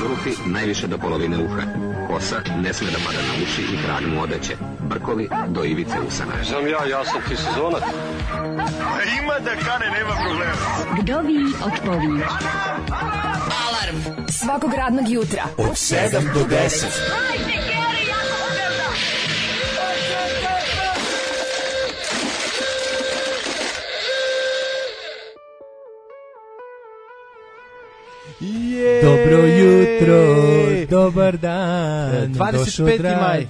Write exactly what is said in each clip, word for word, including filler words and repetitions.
Zulufi najviše do polovine uha. Kosa ne sme da pada na uši i krag mu odeće. Brkovi do ivice usana. Znam ja, ja sam ti sezonac. Ima da kane, nema problema. Vdovi odpovi. Alarm svakog radnog jutra od sedam do deset. Yeah. Dobro jutro, dobar dan, dvadeset peti maj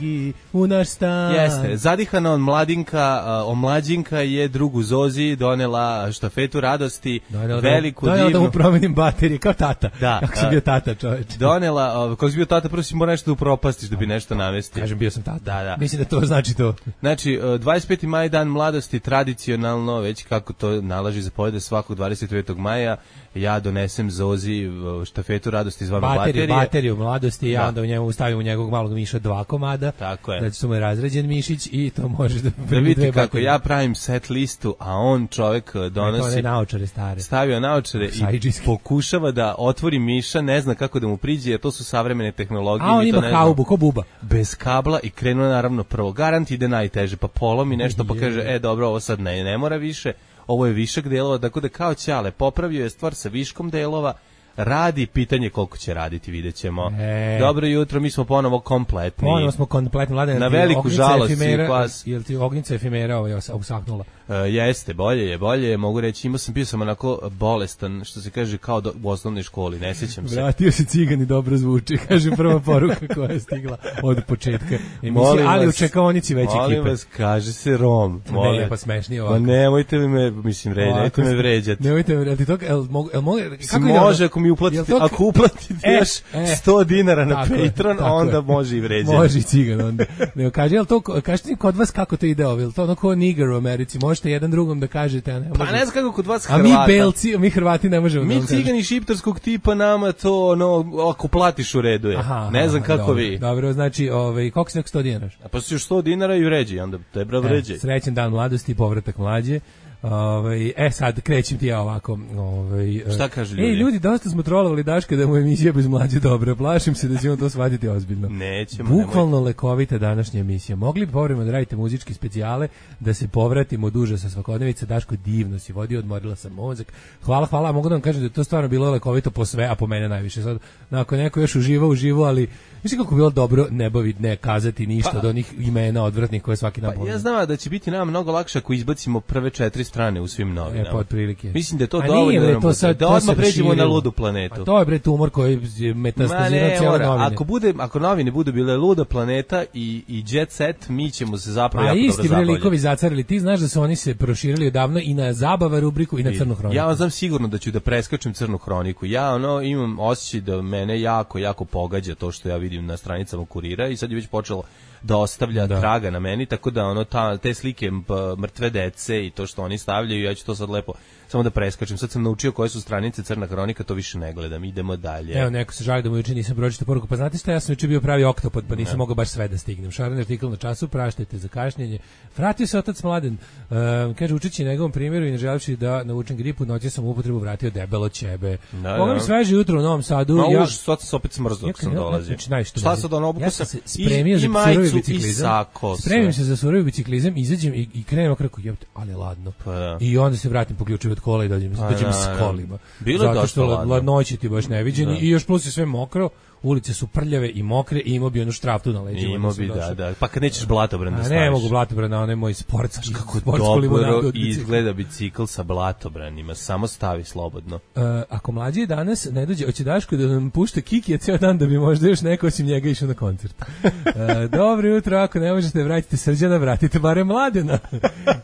u naš stan. Jeste, zadihana od mladinka, omlađinka je drugu Zozi donela štafetu radosti, donela veliku da, divnu. Donela da mu promenim baterije, kao tata, da, kako sam bio tata, čoveče. Donela, kako si bio tata, prvo si mora nešto da upropastiš da bi nešto navesti. Kažem, bio sam tata, da, da. Mislim da to znači to. Znači, dvadeset peti maj, dan mladosti, tradicionalno, već kako to nalaži zapovede svakog dvadeset devetog maja, ja donesem Zozi štafetu radosti zvanu baterije. Bateriju mladosti, ja da. onda u njemu stavim u njegovog malog miša dva komada. Tako je. Znači su mu je razređen mišić i to možeš da... Da vidite kako ja pravim set listu, a on čovjek donosi... To ne naočare stare. Stavio naočare i pokušava da otvori miša, ne zna kako da mu priđe, jer to su savremene tehnologije. A on ima haubu, ko buba. Bez kabla i krenuo naravno prvo. Garant ide najteže, pa polomi nešto, pa kaže, e dobro, ovo sad ne, ne mora više. Ovo je višak delova, tako da kao ćale popravio je stvar sa viškom delova, radi, pitanje koliko će raditi, vidjet ćemo. E. Dobro jutro, mi smo ponovo kompletni. Ponovo smo kompletni, Mladen. Na veliku žalost efimera, i vas. Jel ti ognjica efimera ovaj usahnula? Uh, jeste, bolje je, bolje je, mogu reći, imao sam, bio sam onako bolestan, što se kaže, kao do, u osnovnoj školi, ne sjećam se. Vratio se cigan i dobro zvuči, kaže prva poruka koja je stigla od početka emisije, ali u čekaonici već ekipe. Molim vas, kaže se Rom. Molim. Ne, pa smešni ovako. Pa nemojte me, mislim, vređati, nemojte me vređati. Nemojte me, jel ti to, jel mogu, jel mogu, kako može, ako mi uplatite, to, ako uplatite e, još e, sto dinara na Patreon, onda je. Može i vređati. Može i cigan onda. Ne, kaže, jel to, kažete mi kod vas kako to ide ovo, jel to ono ko nigger u Americi, možete jedan drugom da kažete, a ne možete. Pa ne znam kako kod vas Hrvata. A mi Belci, mi Hrvati ne možemo. Mi cigani šiptarskog tipa nama to, no, ako platiš u redu je. Aha, ne znam kako dobro, vi. Dobro, znači, ovaj, koliko si neko sto dinara? A pa si još sto dinara i vređi, onda tebra vređi. E, srećan dan mladosti, povratak mlađe. Ovaj e sad krećem ti ja ovako, ovaj šta kaže ljudi? Ej ljudi, dosta smo trolovali Daška da mu emisija bez mlađe dobra. Plašim se da ćemo to shvatiti ozbiljno. Nećemo. Bukvalno nemoj. Lekovita današnja emisija. Mogli bi povremeno da radite muzičke specijale, da se povratimo od užasa svakodnevice. Daško, divno si vodio, odmorila sam mozak. Hvala, hvala. Mogu da vam kažem da je to stvarno bilo lekovito po sve, a po mene najviše. Sad nakon neko još uživa, uživo, ali mislim kako bilo dobro ne baviti, ne kazati ništa pa, od onih imena odvratnih koje svaki dan. Pa ja znam da će biti nam mnogo lakše ako izbacimo prve četiri strane u svim novinama. E, pa otprilike. Mislim da je to a dovoljno nije, da, to sad, da to odmah pređemo na ludu planetu. Pa to je bre tumor koji je metastazirao cijele novine. Ako bude, ako novine budu bile luda planeta i i jet set, mi ćemo se zapravo jako dobro zabavljati. A isti likovi zacarili, ti znaš da su oni se proširili odavno i na zabava rubriku i na crnu hroniku. Ja vam znam sigurno da ću da preskačem crnu hroniku. Ja ono imam osjećaj da mene jako jako pogađa to što ja vidim na stranicama Kurira i sad je već počelo da ostavlja da. traga na meni, tako da ono ta, te slike mrtve dece i to što oni stavljaju, ja ću to sad lepo samo da preskačem. Sad sam naučio koje su stranice crna hronika, to više ne gledam. Idemo dalje. Evo, neko se žali da mu juče nisam pročitao poruku. Pa znate šta, ja sam juče bio pravi oktopod, pa nisam mogao baš sve da stignem. Šaran artikl na Času, praštajte za kašnjenje. Vratio se otac Mladen. Uh, kaže, učeći njegovom primjeru i ne želevši da naučim gripu, noći sam u upotrebu vratio debelo ćebe. Mogu mi sveže jutro u Novom Sadu. Ma ja, už, sad sam opet smrzao dok sam dolazio. Znači, šta sad ono, obuku ja sam se spremio za surovi biciklizam. Spremim se za surovi biciklizam, izađem i, i krenem kako jebote, ali ladno. Pa da. I onda se vratim po ključeve od kola i dođem, pa dođem s kolima. Bilo je dosta ladno. Ladnoće ti baš neviđeni i još plus je sve mokro. Ulice su prljave i mokre i imao bi onu štraftu na leđima. Imao bi, da, da. Pa kad nećeš blatobran da staviš. Ne mogu blatobran, na onaj moj sportski. Kako dobro izgleda bicikl sa blatobranima. Samo stavi slobodno. Uh, ako mlađi danas ne dođe, hoće Daško da nam pušta Kikija ceo dan da bi možda još neko osim njega išao na koncert. Uh, dobro jutro, ako ne možete vratite Srđana, vratite barem Mladena.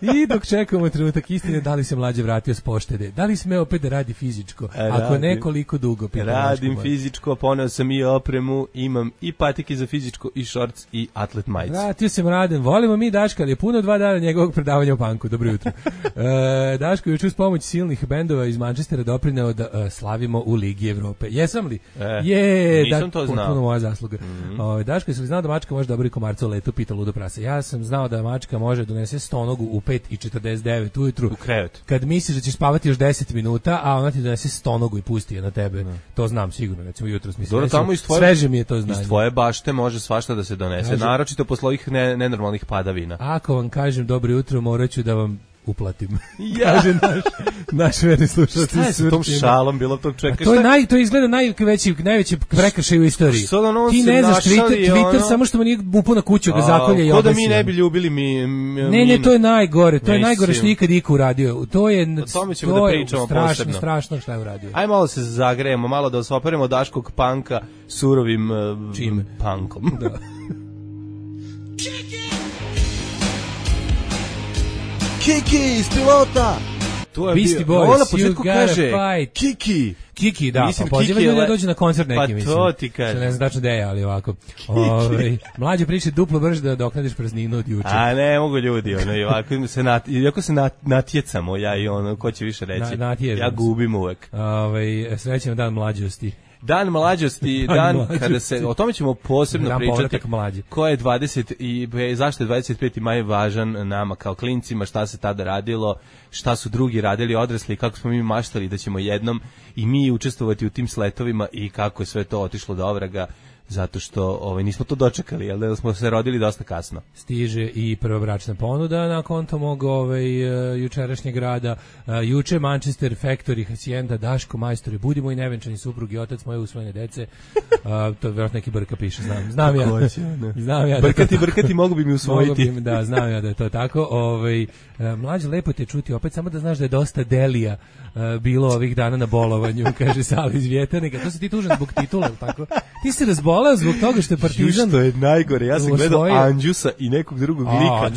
I dok čekamo trenutak istine, da li se mlađe vratio s poštede? Da li sme opet da radi fizičko? Ako ne, koliko dugo? Radim fizičko, poneo sam i opremu, imam i patike za fizičko i šorc i atlet majicu. Vratio se Mladen, volimo mi Daška, ali je puno dva dana njegovog predavanja u Panku. Dobro jutro. e, Daško je juče uz pomoć silnih bendova iz Manchestera doprineo da uh, slavimo u Ligi Evrope. Jesam li? E, je, nisam da, to znao. Puno moja zasluga. Mm-hmm. o, Daško, jesi li znao da mačka može dobri komarca u letu, pita ludo prase. Ja sam znao da mačka može donese stonogu u pet i četrdeset devet ujutru. U krevet. Kad misliš da ćeš spavati još deset minuta, a ona ti donese stonogu i pusti je na tebe. Ne. To znam sigurno, recimo jutros mi se Dobro, tamo iz tvoje, sveže mi je to znanje. Iz tvoje bašte može svašta da se donese, Kažem, naročito posle ovih ne, nenormalnih padavina. Ako vam kažem dobro jutro, morat ću da vam uplatim. Ja. Kaže naš, naš verni slušalac. Šta je sa tom šalom bilo tog čeka? To je naj, to izgleda najveći, najveći prekršaj u istoriji. Ti ne znaš Twitter, Twitter ono... samo što mu nije upao na kuću ga zakolje i obesio. Ko da mi ne bi ljubili mi... mi ne, ne, to je najgore. To je najgore što nikad iko uradio. To je, o tome ćemo to da pričamo strašno, posebno. Strašno šta je uradio. Aj malo se zagrejemo, malo da osvoperemo Daškog panka surovim uh, čime? Pankom. Da. Kiki iz pilota. To je Beastie bio. Boys, Ona na početku kaže fight. Kiki. Kiki, da, mislim, pa poziva ljudi da dođe na koncert neki, pa mislim. Pa to ti kaže. Ne znam tačno da je, ali ovako. Ove, mlađe priče duplo brže da doknadiš prazninu od juče. A ne, mogu ljudi, ono, i ovako se, nat, iako se nat, natjecamo, ja i ono, ko će više reći. Na, ja gubim uvek. Ove, srećan dan mlađosti. Dan mlađosti, dan, dan mlađosti. Kada se, o tome ćemo posebno dan pričati, ko je dvadeset i zašto je dvadeset peti maj važan nama kao klincima, šta se tada radilo, šta su drugi radili odrasli, kako smo mi maštali da ćemo jednom i mi učestvovati u tim sletovima i kako je sve to otišlo do ovraga, zato što ovaj, nismo to dočekali, jel da smo se rodili dosta kasno. Stiže i prva bračna ponuda na konto mog ovaj, uh, jučerašnjeg rada. Uh, juče Manchester Factory, Hacienda, Daško, majstori, budi moj nevenčani suprug i otac moje usvojene dece. Uh, to vjerojatno neki Brka piše, znam. Znam ja. Znam ja. Brkati, da brkati, mogu bi mi usvojiti. Bi, da, znam ja da je to tako. Ovaj, uh, mlađe, lepo te čuti, opet samo da znaš da je dosta delija uh, bilo ovih dana na bolovanju, kaže Sala iz Vjetarnika. To si ti tužan zbog titula, tako? Ti se razboleo zbog toga što je Partizan. Što je najgore, ja sam gledao svoje... Anđusa i nekog drugog A, lika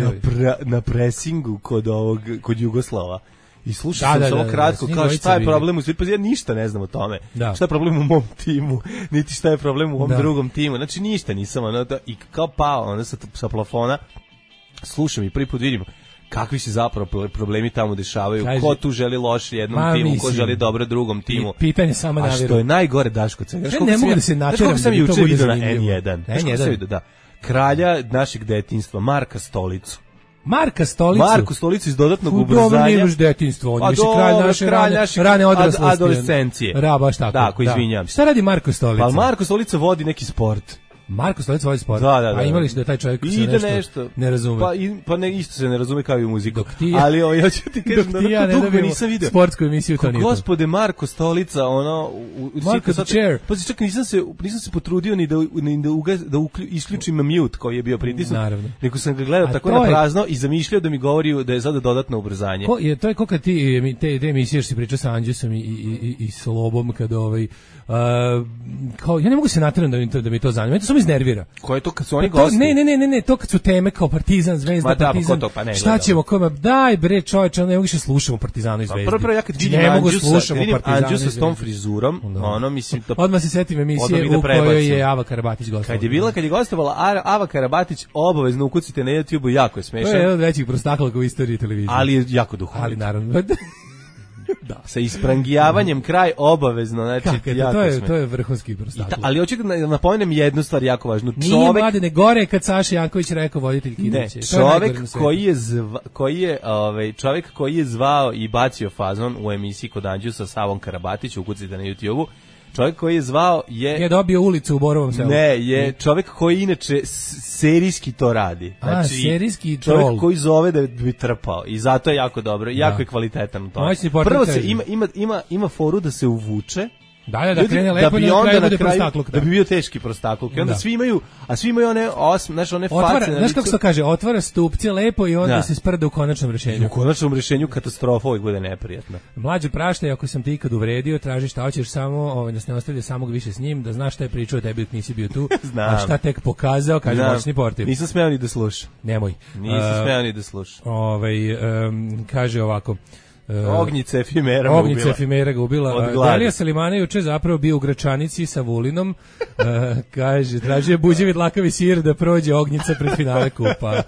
na, pre, na presingu kod ovog kod Jugoslava. I slušao da, sam da, samo kratko, da, kao šta je problem u svijetu, pa ja ništa ne znam o tome. Da. Šta je problem u mom timu, niti šta je problem u ovom da. drugom timu. Znači ništa nisam, ono, da, i kao pao ono, sa, sa plafona, slušam i prvi put vidim kakvi se zapravo problemi tamo dešavaju, Kaži, ko tu želi loše jednom ma, timu, mislim, ko želi dobro drugom timu. Pitanje samo navjeru. A što je najgore, Daško, cega. Ja ne mogu da se nateram da bi to bude zanimljivo. Na en jedan. Na en jedan. Da. Kralja našeg detinjstva, Marka Stolicu. Marka Stolicu. Marku Stolicu iz dodatnog u ubrzanja. Dobro nije baš detinjstvo, on je više kralj naše kralj rane, naše rane odraslosti. Adolescencije. Ra, baš tako. Da, ako izvinjam se. Šta radi Marko Stolica? Pa Marko Stolica vodi neki sport. Marko Stolica vodi sport. Da, da, da. A imali ste da taj čovjek se nešto, nešto ne razume. Pa, i, pa ne, isto se ne razume kao i u muziku. Dok ti ja, ali o, ja ću ti kažem da ja dugo ne nisam vidio sportsku emisiju to nije. Gospode Marko Stolica, ono u Marko the chair. Pa čak nisam se nisam se potrudio ni da ni da uga, da uklju, isključim mute koji je bio pritisnut. Naravno. Nego sam ga gledao tako na prazno i zamišljao da mi govori da je sada dodatno ubrzanje. Ko je to je kako ti te, te emisije što si pričao sa Anđusom i i i, i Slobom kad ovaj Uh, kao ja ne mogu se naterati da mi to da mi to zanima. Mene to samo iznervira. Ko je to kad su oni pa gosti? Ne, ne, ne, ne, ne, to kad su teme kao Partizan, Zvezda, da, Partizan. Pa to, pa ne, šta ćemo, kome? Daj bre, čoveče, ne mogu više slušamo Partizanu i Zvezdu. Prvo prvo ja kad vidim ne mogu slušamo Partizanu Anđusa s tom frizurom, da. Ono mislim da odmah se setim emisije u kojoj je Ava Karabatić gostovala. Kad je bila kad je gostovala Ava Karabatić, obavezno ukucite na YouTubeu, jako je smešan. To je jedan od većih prostaklaka u istoriji televizije. Ali je jako duhovit. Ali naravno. Da, sa isprangijavanjem kraj obavezno, znači kako, jako to je sme. To je vrhunski prostak. Ali hoću da napomenem jednu stvar jako važnu. Nije čovek mladene gore kad Saša Janković rekao voditelj Kidiće. Čovek koji je zva, koji je ovaj čovek koji je zvao i bacio fazon u emisiji kod Anđusa sa Savom Karabatić, ukucite na YouTubeu. Čovjek koji je zvao je... Je dobio ulicu u Borovom selu. Ne, je čovjek koji inače serijski to radi. Znači, a, serijski čovjek troll. Koji zove da bi trpao. I zato je jako dobro. Jako da. Je kvalitetan u tome. Prvo se ima, ima, ima, ima foru da se uvuče. Da, da, da krene lepo i na kraju bude prostakluk. Da bi bio teški prostakluk. I onda da. Svi imaju, a svi imaju one osm, znaš, one otvara, face. Znaš kako se kaže, otvara stupce lepo i onda da. Se sprda u konačnom rješenju. U konačnom rješenju katastrofa uvijek bude neprijatna. Mlađe praštaj, ako sam ti ikad uvredio, traži šta hoćeš samo, ovaj, da se ne ostavlja samog više s njim, da znaš šta je pričao, tebi nisi bio tu, znam. A šta tek pokazao, kaže moćni portir. Nisam smeo ni da slušam. Nemoj. Nisam uh, smeo ni da slušam. Ovaj, um, kaže ovako, Ognjica efimera Ognjica ubila. efimera ga ubila. Delija Selimana juče zapravo bio u Gračanici sa Vulinom. uh, kaže, tražio je buđevi dlakavi sir da prođe Ognjica pred finale kupa.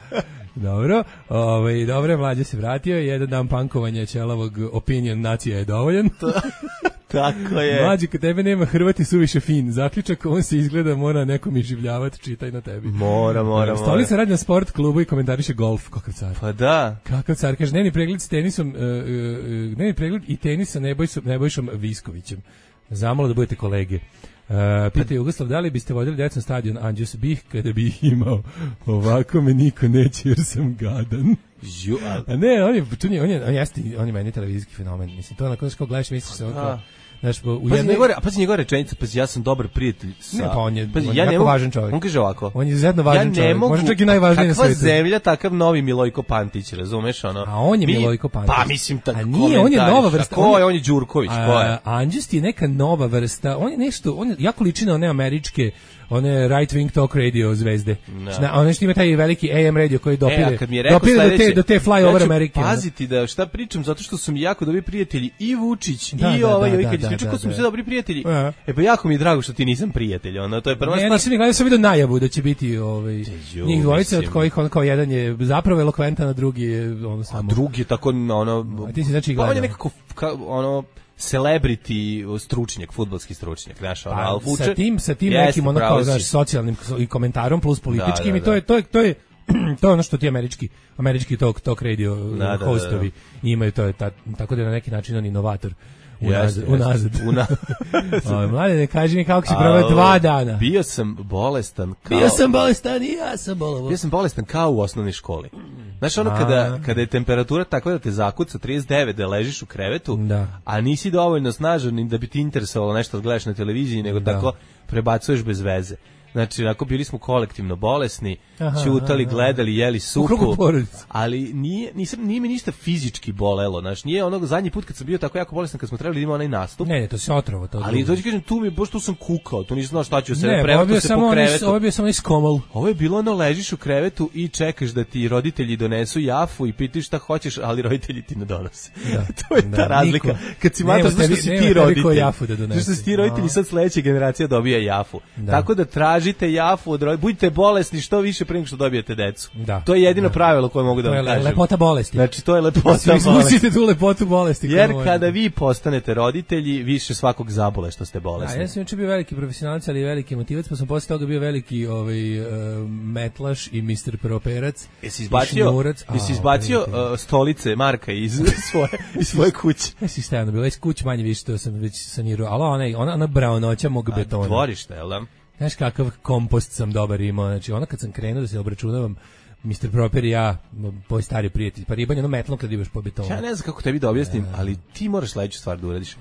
Dobro, ovaj, dobro, mlađe se vratio, jedan dan pankovanja ćelavog opinion nacija je dovoljan. Tako je. Mlađe, kad tebe nema Hrvati suviše fin. Zaključak, on se izgleda mora nekom izživljavati, čitaj na tebi. Mora, mora, mora. Stolica radi na sport klubu i komentariše golf, kakav car. Pa da. Kakav car, kaže, dnevni pregled s tenisom, uh, uh, dnevni pregled i tenisa Nebojšom, Nebojšom Viskovićem. Zamalo da budete kolege. Uh, pita Jugoslav, da li biste vodili decu na stadion Anđus Bih kada bi ih imao? Ovako me niko neće jer sam gadan. Ju, a... a ne, on je, on je, on je, on je, on je meni televizijski fenomen. Mislim, to onako, kao gledaš, misliš se onako... Znaš, u pazi, jednoj... njegove, pazi njegove rečenice, pazi, ja sam dobar prijatelj sa... Ne, pa on je, pazi, on ja je jako mogu, važan čovjek. On kaže ovako. On je izuzetno važan ja čovjek, mogu, možda čak i najvažniji na svijetu. Kakva zemlja, takav novi Milojko Pantić, razumeš, ono? A on je Mi, Milojko Pantić. Pa, mislim, tako a nije, on je nova vrsta. Ko je, on je Đurković, ko je? Anđust je neka nova vrsta, on je nešto, on je jako liči na one američke, one right wing talk radio zvezde. No. Zna, one što ima taj veliki A M radio koji dopire, e, dopire do te, do te fly over Amerike. Ja ću paziti da šta pričam, zato što su mi jako dobri prijatelji i Vučić, da, i da, ovaj, da, i da, kad da, ispričam da, ko su mi da. sve dobri prijatelji. A. E pa jako mi je drago što ti nisam prijatelj, ono, to je prva stvar. Ne, nisam ni gledao, sam vidio najavu da će biti ovaj, Težu, njih dvojice, mislim. od kojih on kao jedan je zapravo elokventan, a drugi je ono samo... A drugi je tako, ono... A ti si znači gledao. gledao. On je nekako, ka, ono... celebrity stručnjak, fudbalski stručnjak, znaš, ono, al vuče. Sa tim, sa tim nekim ono kao, znaš, socijalnim i komentarom plus političkim da, da, da. i to je, to je, to je, to je ono što ti američki, američki talk, talk radio da, hostovi da, da, da. imaju, to je ta, tako da je na neki način on inovator. Unazad. Unazad. Una... Mlade, ne kaži mi kako si proveo dva dana. Bio sam bolestan. Kao... Bio sam bolestan i ja sam bolovo. Bio sam bolestan kao u osnovnoj školi. Znaš, ono kada, kada je temperatura takva da te zakuca trideset devet, da ležiš u krevetu, da. a nisi dovoljno snažan ni da bi ti interesovalo nešto da gledaš na televiziji, nego da. tako prebacuješ bez veze. Znači, onako bili smo kolektivno bolesni, ćutali, gledali, jeli supu, ali nije, nisam, nije mi ništa fizički bolelo, znači, nije onog zadnji put kad sam bio tako jako bolestan, kad smo trebali da imamo onaj nastup. Ne, ne, to se otrovo. To ali to ti kažem, tu mi je, pošto sam kukao, tu nisam znao šta ću se ne, prevrtu se po krevetu. Ovo je bio samo iskomol. Ovo je bilo ono, ležiš u krevetu i čekaš da ti roditelji donesu jafu i pitiš šta hoćeš, ali roditelji ti ne donose. Da, to je da, ta razlika. Niko, kad si mato, što si ti roditelj. Što si ti roditelji, sad sledeća generacija dobija jafu. Da. Tako da tražite jafu od roditelja, budite bolesni što više pre nego što dobijete decu. Da, to je jedino da. pravilo koje mogu da vam kažem. To je lepota bolesti. Znači, to je lepota Svi bolesti. Svi tu lepotu bolesti. Jer kada vi postanete roditelji, više svakog zabole što ste bolesni. A ja sam juče bio veliki profesionalac, ali i veliki motivac, pa sam posle toga bio veliki ovaj, uh, metlaš i mister Properac. Jesi izbacio, jesi izbacio uh, stolice Marka iz svoje, iz svoje kuće? Jesi stajano bilo, iz kuće manje više, to sam već sanirao, ali ona, ona, ona braunoća mog betona. A dvorište, jel da? Znaš kakav kompost sam dobar imao, znači ona kad sam krenuo da se obračunavam, mister Proper i ja, moj stari prijatelj, pa ribanje ono metlom kad imaš po betonu. Ja ne znam kako tebi da objasnim, ali ti moraš sledeću stvar da uradiš.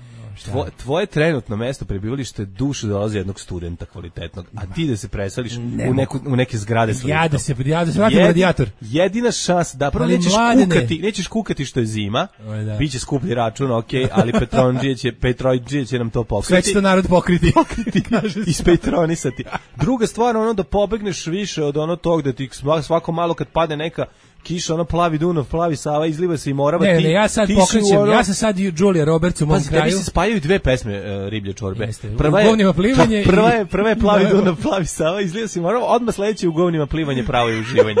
Tvo, tvoje trenutno mesto prebivalište duše dolazi jednog studenta kvalitetnog, a ti da se preseliš ne u, neku, u neke zgrade. Ja da se, ja da se vratim Jed, radijator. Jedina šansa da prvo nećeš kukati, nećeš kukati što je zima, da. Biće skuplji račun, ok, ali Petronđije će, Petrojđije će nam to pokriti. Sve će to narod pokriti. Pokriti, ispetronisati. Druga stvar, ono da pobegneš više od ono tog da ti svako malo kad padne neka kiša, ono plavi Dunav, plavi Sava, izliva se i Morava. Ne, ti, ne, ja sad pokrećem, ono... ja sam sad Julia Roberts u mom Pazi, kraju. Tebi se spajaju dve pesme uh, Riblje čorbe. Jeste, prva u govnima plivanje. Je, prva, je, prva je plavi Dunav, plavi Sava, izliva se i Morava, odmah sledeće u govnima plivanje, pravo je uživanje.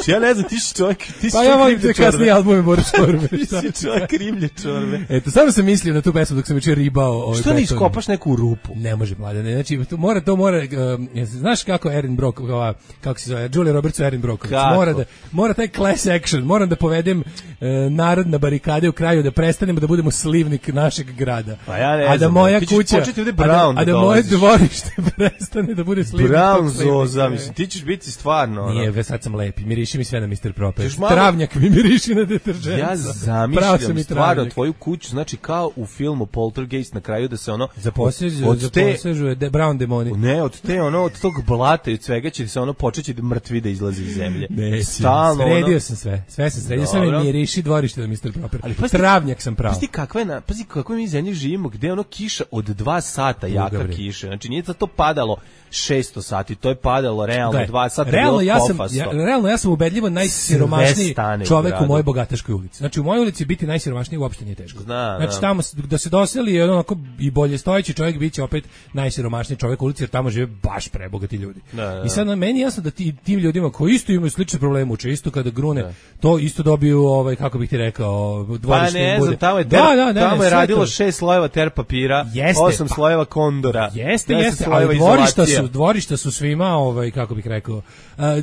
Či ja ne znam, ti si čovjek, ti si pa ja volim te kasnije albume Bore čorbe. Ti si čovjek Riblje čorbe. Eto, samo sam mislio na tu pesmu dok sam juče ribao. Ovaj što ne iskopaš neku rupu? Ne može, mladene, znači, to mora, to mora, um, znaš kako Erin Brock, ova, kako se zove, Julia Roberts u Erin Brock, mora da, mora taj class action, mora da povedem e, narod na barikade u kraju, da prestanemo da budemo slivnik našeg grada. Pa ja ne a da znam, moja kuća, a da, a da moje dvorište prestane da bude slivnik. Brown zoza, mislim, ti ćeš biti stvarno. Nije, ve sad sam lepi, miriši mi sve na mister Proper. Malo... Travnjak mi miriši na deteržent. Ja zamišljam stvarno tvoju kuću, znači kao u filmu Poltergeist na kraju da se ono... Zaposežu, od, od te, zaposežu de Brown demoni. Ne, od te ono, od tog blata i od svega će se ono počeći da mrtvi da izlazi iz zemlje. Ne, stalno sredio ono... sam sve, sve sam sredio, sve mi miriši dvorište na mister Proper. Ali pazi, travnjak sam pravo. Pazi kakva je, na, pazi kakve mi zemlji živimo, gde ono kiša od dva sata, Druga jaka bre. Kiša. Znači nije to padalo šesto sati, to je padalo realno dva sata. Realno ja sam, ja, realno ja sam sam ubedljivo najsiromašniji čovek u, u mojoj bogataškoj ulici. Znači u mojoj ulici biti najsiromašniji uopšte nije teško. Zna, znači tamo da se doseli onako i bolje stojeći čovjek biće opet najsiromašniji čovjek u ulici, jer tamo žive baš prebogati ljudi. Da, da. I sad na meni jasno da ti, tim ljudima koji isto imaju slične probleme, uče isto kada grune, da. To isto dobiju, ovaj, kako bih ti rekao, dvorište pa ne, bude. Tamo je, ter, da, da, ne, tamo ne, je radilo to. šest slojeva ter papira, jeste, osam pa, slojeva kondora. Jeste, jeste, ali dvorišta su, dvorišta su svima, ovaj, kako bih rekao, uh,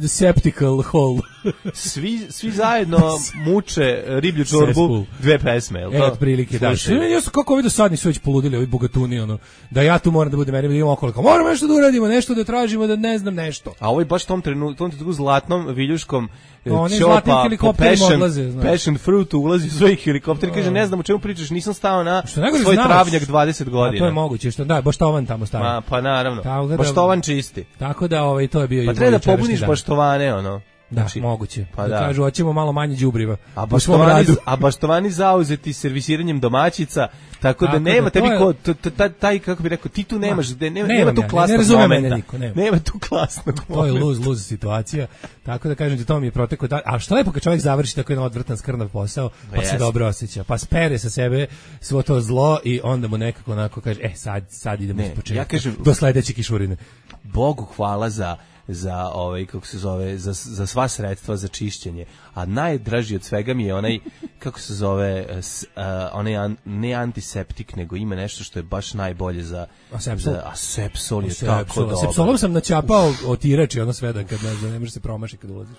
septical hole. svi, svi zajedno muče riblju čorbu, dve pesme, jel to? E, otprilike, da. Ja sam kako ovi do sad nisu već poludili, ovi bogatuni, ono, da ja tu moram da budem, meni idemo okolo, moramo nešto da uradimo, nešto da tražimo, da ne znam nešto. A ovaj baš tom trenutku, tom trenutku zlatnom viljuškom oni zlatnim helikopterima odlaze, znaš. Passion fruit ulazi u svoj helikopter i kaže, ne znam o čemu pričaš, nisam stao na svoj znaš, travnjak dvadeset godina. A to je moguće, što da, baštovan tamo stavio. Ma, pa naravno, da, baštovan čisti. Tako da, ovaj, to je bio pa i treba da pobuniš baštovane, ono. Da, znači, moguće. Pa da. Kažu, hoćemo malo manje đubriva. A baštovani, a baštovani zauzeti servisiranjem domaćica, tako da, tako nema da tebi ko, taj, kako bi rekao, ti tu nemaš, nema, nema, nema tu klasnog ne momenta. Niko, nema. nema tu klasnog to momenta. To je luz, luz situacija. Tako da kažem da to mi je protekao dan. A što lepo kad čovjek završi tako jedan odvrtan skrnav posao, pa yes. se dobro osjeća. Pa spere sa sebe svo to zlo i onda mu nekako onako kaže, e, sad, sad idemo iz početka. Ja kažem, do sledeće kišurine. Bogu hvala za za ovaj kako se zove za za sva sredstva za čišćenje, a najdraži od svega mi je onaj kako se zove s, uh, onaj an, ne antiseptik, nego ima nešto što je baš najbolje za asepsol, za asepsol je asepsol, tako dobro. Asepsolom sam načapao otirač i ono sve da kad ne, ne može se promaši kad ulaziš.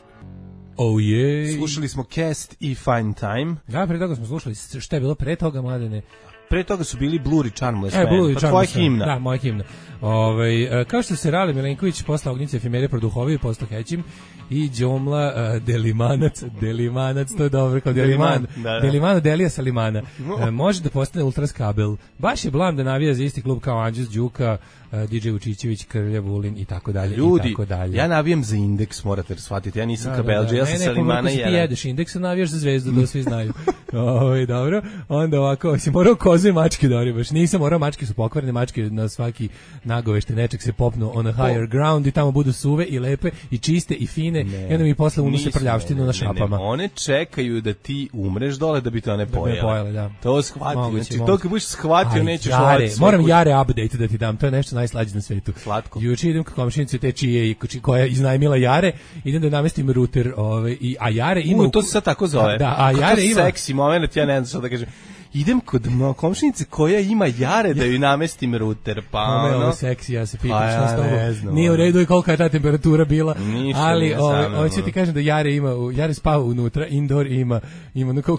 Oh yeah. Slušali smo Cast i Fine Time. Da, pre toga smo slušali, šta je bilo pre toga, Mladene? Pre toga su bili Blur i Charmless e, Man, pa tvoja himna. Da, moja himna. Ove, kao što se Rale Milenković posla Ognjice Efimere produhovio, postao Hećim i Đomla uh, Delimanac, Delimanac, to je dobro, kao Deliman, da, da. Delimano Delija Salimana. Uh, može da postane Ultras kabel. Baš je blam da navija za isti klub kao Anđus Đuka, uh, D J Vučićević, Krlja Vulin i tako dalje. Ljudi, i tako dalje. Ja navijam za Indeks, morate shvatiti. Ja nisam kabelđe, ja sam Salimana i jedan. Ne, ne, jedeš Indeks, a navijaš za Zvezdu, da svi znaju. Ovo, dobro. Onda ovako, si morao koze i mačke da baš nisam morao, mačke su pokvarene, mačke na svaki nagovešte nečeg se popnu on a higher ground i tamo budu suve i lepe i čiste i fine ne, i onda mi posle unose prljavštinu na šapama. Ne, ne, one čekaju da ti umreš dole da bi te one pojele. Da pojele, da. To shvati, moguće, znači moguće. to kad budeš shvatio nećeš jare, moram jare update da ti dam, to je nešto najslađe na svetu. Slatko. Juče idem ka komšinici te čije koja je iznajmila jare, idem da namestim ruter, ovaj i a jare ima U, to se sad tako zove. Da, a jare ima seksi moment, ja ne znam šta da kažem. Idem kod komšinice koja ima jare da joj namestim ruter, pa ono... Ovo seksi, ja se pitam šta s tobom. Nije u redu i kolika je ta temperatura bila, ništa, ali ovo ću ti kažem da jare ima, jare spava unutra, indoor ima, ima ono kao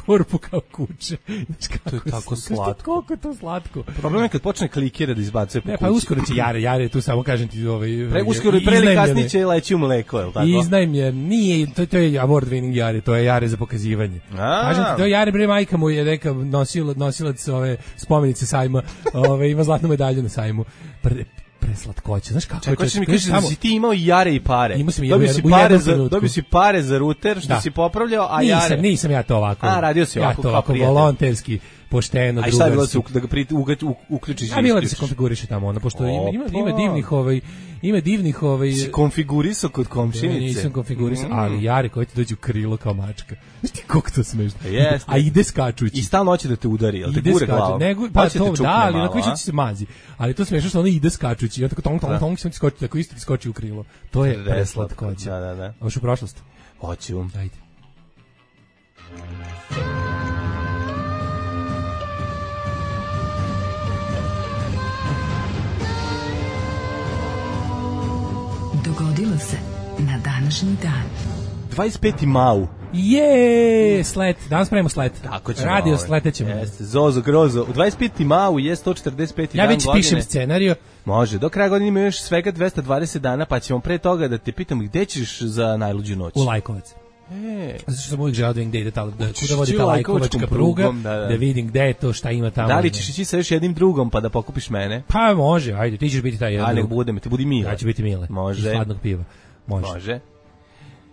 korpu kao kuće. To je tako slatko. Koliko je to slatko. Problem je kad počne klikira da izbacuje po kući. Ne, pa uskoro će jare, jare, tu samo kažem ti ovaj... Pre, uskoro i pre ili kasnije će leći u mleko, je li tako? Iznajmljen, nije, to, to je award winning jare, to je jare za pokazivanje. Kažem ti, to je jare, bre, majka mu je neka nosilac, nosilac ove spomenice sajma, ove, ima zlatnu medalju na sajmu. Pre, preslatkoća, znaš kako Čekaj, hoćeš mi kažeš da si ti imao i jare i pare. Imao sam dobio si pare za dobio si pare za ruter što da. si popravljao, a nisam, jare. Nisam ja to ovako. A radio si ovako, ja to ovako volonterski, pošteno, drugarski. A šta je bilo se da ga pri, uključiš? A bilo da se konfiguriše tamo ona, pošto ima, ima, ima divnih ovaj ima divnih ovaj si konfigurisao kod komšinice. Ne, nisam konfigurisao, mm. ali jare koji ti dođu u krilo kao mačka. Znaš ti koliko to smešno. Jeste. A ide skačući. I stalno hoće da te udari, al te gure glavom. Nego, pa to da, ali na koji će se mazi. Ali to smešno što on ide skačući, ja tako tong tong tong se skoči, tako isto ti skoči u krilo. To je preslatkoća. Da, da, da. Hoćeš u prošlost? Hoću. Ajde. Dogodilo se na današnji dan. dvadeset peti mau. Je, slet. Danas pravimo slet. Tako ćemo. Radio sletećemo. Jeste, Zozo Grozo. U dvadeset peti mau je sto četrdeset peti ja dan godine. Ja već pišem scenarijo. Može, do kraja godine ima još svega dvesta dvadeset dana, pa ćemo pre toga da te pitamo gde ćeš za najluđu noć. U Lajkovac. E, zato što sam uvijek želeo da vidim gde ide ta, da kuda vodi ta Lajkovačka pruga, da, da. da vidim gde je to, šta ima tamo. Da li ćeš ići sa još jednim drugom pa da pokupiš mene? Pa može, ajde, ti ćeš biti taj jedan. A nek budem, ti budi Mile. Ja ću biti Mile. Može. Iz hladnog piva. Može. Može.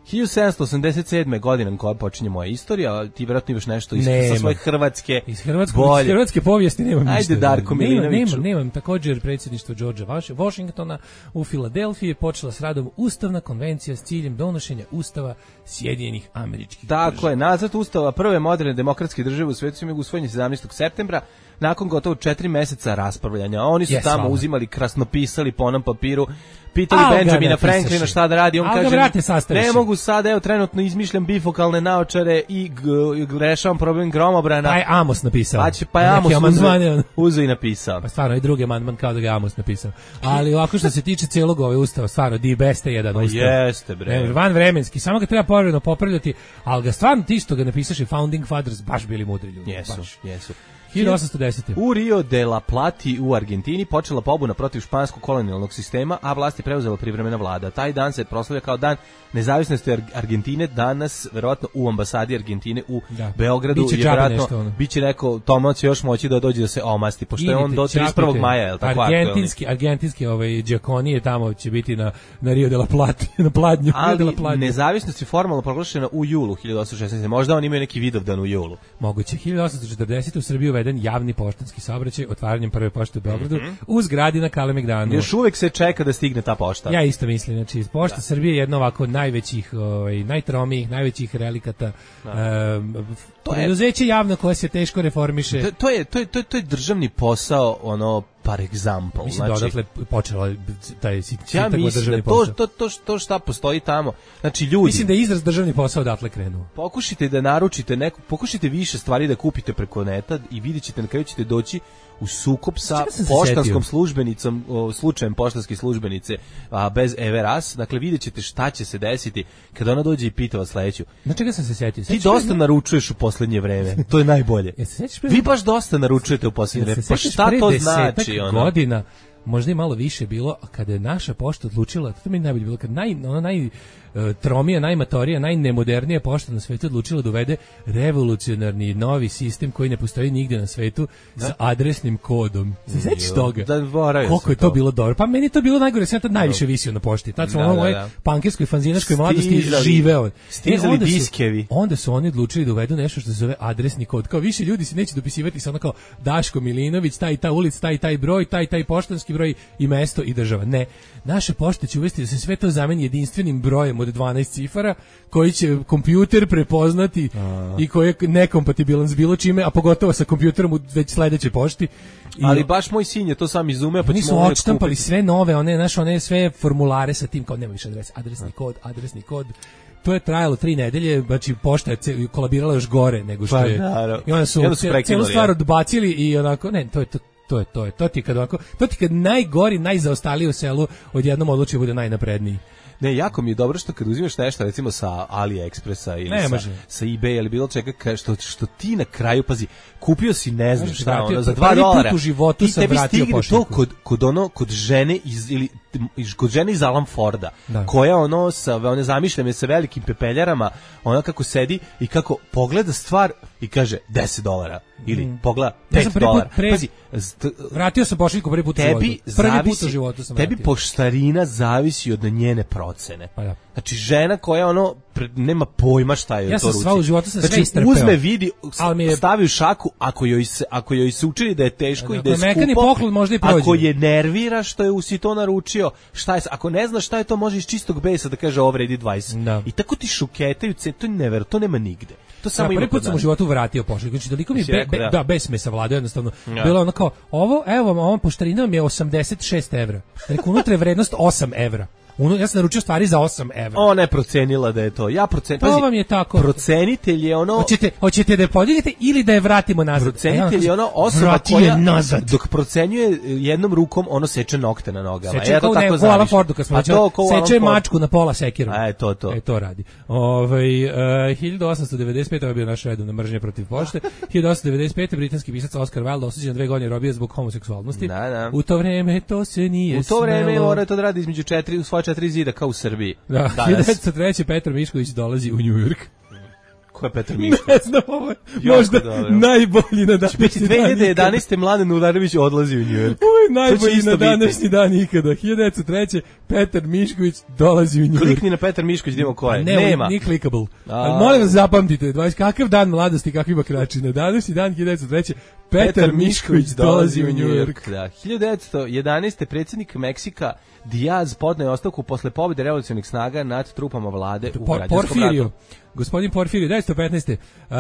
hiljadu sedamsto osamdeset sedme godina koja počinje moja istorija, ti vjerojatno imaš nešto iz, sa svoje hrvatske iz hrvatske, iz hrvatske povijesti nemam ništa. Ajde Darko Milinović. Nemam, nemam, također predsjedništvo Georgea Washingtona u Filadelfiji počela s radom Ustavna konvencija s ciljem donošenja Ustava Sjedinjenih Američkih Država. Dakle, je, nacrt Ustava prve moderne demokratske države u svetu je usvojen sedamnaestog septembra nakon gotovo četiri meseca raspravljanja. Oni su yes, tamo hvala. uzimali, krasnopisali po onom papiru, pitali Al Benjamina Franklina šta da radi, on Al kaže, vrate, ne mogu sad, evo trenutno izmišljam bifokalne naočare i g- rešavam problem gromobrana. Pa je Amos napisao. Pa, će, pa je Amos uzeo, uzeo i napisao. Pa stvarno, i drugi amandman kao da ga Amos napisao. Ali ovako što se tiče cijelog ove ustava, stvarno, di beste jedan pa ustav. Jeste, bre. Ne, van vremenski, samo ga treba povremeno popravljati, ali ga stvarno ti što ga napisaš i Founding Fathers baš bili mudri ljudi. Jesu, baš. jesu. hiljadu osamsto desete. U Rio de la Plati u Argentini počela pobuna protiv španskog kolonijalnog sistema, a vlast je preuzela privremena vlada. Taj dan se proslavlja kao dan nezavisnosti Argentine, danas verovatno u ambasadi Argentine u da. Beogradu biće je verovatno ono. biće neko Tomo će još moći da dođe da se omasti, pošto Idite, je on do trideset prvog maja, je l' tako? Argentinski, argentinski ovaj Giaconije tamo će biti na na Rio de la Plati, na pladnju. Ali de la Pladnju. Nezavisnost je formalno proglašena u julu hiljadu osamsto šesnaeste. Možda oni imaju neki Vidovdan u julu. Moguće. hiljadu osamsto četrdesete u Srbiji uveden javni poštanski saobraćaj otvaranjem prve pošte u Beogradu mm-hmm. u zgradi na Kalemegdanu. Još uvek se čeka da stigne ta pošta. Ja isto mislim, znači pošta da. Srbije je jedna ovako najvećih, ovaj najtromijih, najvećih relikata. Um, to je preduzeće javno koje se teško reformiše. To, to je to je to je to je državni posao, ono par example. Mislim znači, da odatle počela taj sitak ja državni posao. To, to, to, to šta postoji tamo. Znači ljudi. Mislim da je izraz državni posao odatle krenuo. Pokušajte da naručite neku, pokušajte više stvari da kupite preko neta i vidjet ćete na kraju ćete doći u sukob sa poštanskom službenicom, o, slučajem poštanske službenice a, bez Everas. Dakle, vidjet ćete šta će se desiti kada ona dođe i pita vas sledeću. Na čega sam se setio? Ti dosta ne... naručuješ u poslednje vreme. To je najbolje. Vi baš dosta naručujete u poslednje vreme. Pa šta to znači? Ono? Godina, možda i malo više bilo, kada je naša pošta odlučila, to mi je najbolje bilo, kad naj, ona naj tromija, najmatorija, najnemodernija pošta na svetu odlučila da uvede revolucionarni novi sistem koji ne postoji nigde na svetu da? Sa adresnim kodom. Se sećaš toga? Da, koliko je to, to bilo dobro? Pa meni je to bilo najgore, sam tad najviše visio na pošti. Tad sam da, ono moje da, da. pankerskoj, fanzinaškoj mladosti živeo. Stizali diskevi. Onda su oni odlučili da uvedu nešto što se zove adresni kod. Kao više ljudi se neće dopisivati sa ono kao Daško Milinović, taj ta ulica, taj taj broj, taj taj poštanski broj i mesto i država. Ne. Naše pošte će uvesti da se sve to zameni jedinstvenim brojem od dvanaest cifara koji će kompjuter prepoznati a. I koji je nekompatibilan s bilo čime, a pogotovo sa kompjuterom u već sledećoj pošti. I ali baš moj sin je to sam izumeo, pa nisu odštampali sve nove, one naše one sve formulare sa tim kao nema više adres, adresni a. kod, adresni kod. To je trajalo tri nedelje, znači pošta je kolabirala još gore nego što pa, je. Naravno. I onda su, su celu stvar odbacili i onako, ne, to je to. To je to je to ti kad ovako, to ti kad najgori, najzaostaliji u selu odjednom odluči bude najnapredniji. Ne, jako mi je dobro što kad uzimaš nešto recimo sa AliExpressa ili ne, sa, sa eBay ili bilo čega što, što ti na kraju, pazi, kupio si ne znam šta, vratio, ono, za dva dolara u životu sam vratio pošiljku. To kod, kod, ono, kod žene iz, ili, kod žene iz Alan Forda, da. Koja ono sa, one zamišljene sa velikim pepeljarama, ona kako sedi i kako pogleda stvar i kaže deset dolara. Ili mm. pogleda pet dolara. Pre... Pazi, st... vratio sam pošiljku prvi put u životu. Prvi zavisi, put u životu sam tebi vratio. Poštarina zavisi od njene procene. Pa da. Znači žena koja ono nema pojma šta je ja to ruci. Ja sam sva u životu sam znači, sve istrpeo. Uzme, vidi, je... stavi u šaku, ako joj se, ako joj se učini da je teško da, i da je skupo, mekani poklon možda i prođe. Ako je nervira što je si to naručio, šta je, ako ne zna šta je to, može iz čistog besa da kaže ovo vredi dvadeset. Da. I tako ti šuketaju, to je never, to nema nigde. To samo ja, prvi put sam u životu vratio pošiljku, znači toliko mi je be, be, da. da bez me savladao jednostavno. Ja. Bilo ono kao ovo, evo vam, ovom poštarina mi je osamdeset šest evra. Rekao, unutra je vrednost osam evra. Uno, ja sam naručio stvari za osam evra. Ona je procenila da je to. Ja procen... To vam je tako. Procenitelj je ono... Hoćete, hoćete da je podignete ili da je vratimo nazad. Procenitelj je ono osoba koja nazad. Dok procenjuje jednom rukom, ono seče nokte na nogama. Seče kao ne, ko Alan Fordu, kad smo rečeli, seče mačku na pola sekirom. A je to to. E, to radi. Ovaj uh, hiljadu osamsto devedeset pete je bio naš redovna mržnja protiv pošte. hiljadu osamsto devedeset pete britanski pisac Oscar Wilde osuđen na dve godine robije zbog homoseksualnosti. Da, da. U to vreme to se nije U to vreme mora to da radi između četiri, u svoje četiri zida kao u Srbiji. Da, hiljadu devetsto treće. Petar Mišković dolazi u New York. Ko je Petar Mišković? Ne znam, ovo je možda dobro. najbolji na današnji dan. dve hiljade jedanaeste. Mladen Ularević odlazi u Njujork. Ovo je najbolji na današnji dan ikada. hiljadu devetsto treće. Petar Mišković dolazi u Njujork. Klikni na Petar Mišković, idemo ko je. Ne, Nema. Nije clickable. Ali molim vas zapamtite, dvadeset kakav dan mladosti, kakvi bakrači. Na današnji dan hiljadu devetsto treće. Petar, Petar Mišković dolazi u Njujork. Da, hiljadu devetsto jedanaeste. predsjednik Meksika Diaz podneo ostavku posle pobjede revolucionarnih snaga nad trupama vlade u Por, građanskom Porfirio. ratu. Gospodin Porfirio, devetsto petnaeste. Uh,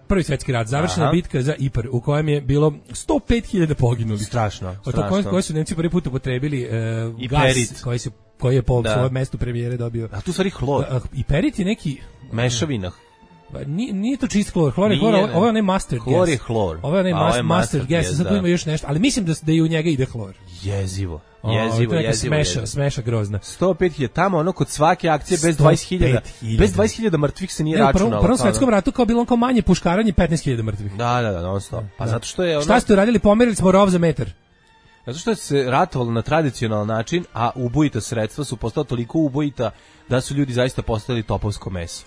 prvi svjetski rat, završena Aha. bitka za Ipar, u kojem je bilo sto pet hiljada poginulih. Strašno, strašno. Od koje, koje su Nemci prvi put upotrebili uh, gas koji, su, koji je po da. svojem mestu premijere dobio. A tu stvari hlor. Uh, Iperit je neki... Mešavina. Nije, nije to čist hlor, hlor je hlor, ovo, ovo je onaj mustard gas. Hlor je hlor. Ovo je onaj mustard, mustard gas, gas sad tu ima još nešto, ali mislim da, da i u njega ide hlor. Jezivo. O, jezivo, to je jezivo, smeša, jezivo. smeša grozna. sto pet hiljada tamo, ono kod svake akcije bez dvadeset hiljada. Bez dvadeset hiljada mrtvih se nije ne, računalo. U prvom, prvom svetskom ratu kao bilo kao manje puškaranje petnaest hiljada mrtvih. Da, da, da, non stop. Pa da. Zato što je ono... Šta ste uradili? Pomerili smo rov za metar. Zato što se ratovalo na tradicionalan način, a ubojita sredstva su postala toliko ubojita da su ljudi zaista postali topovsko meso.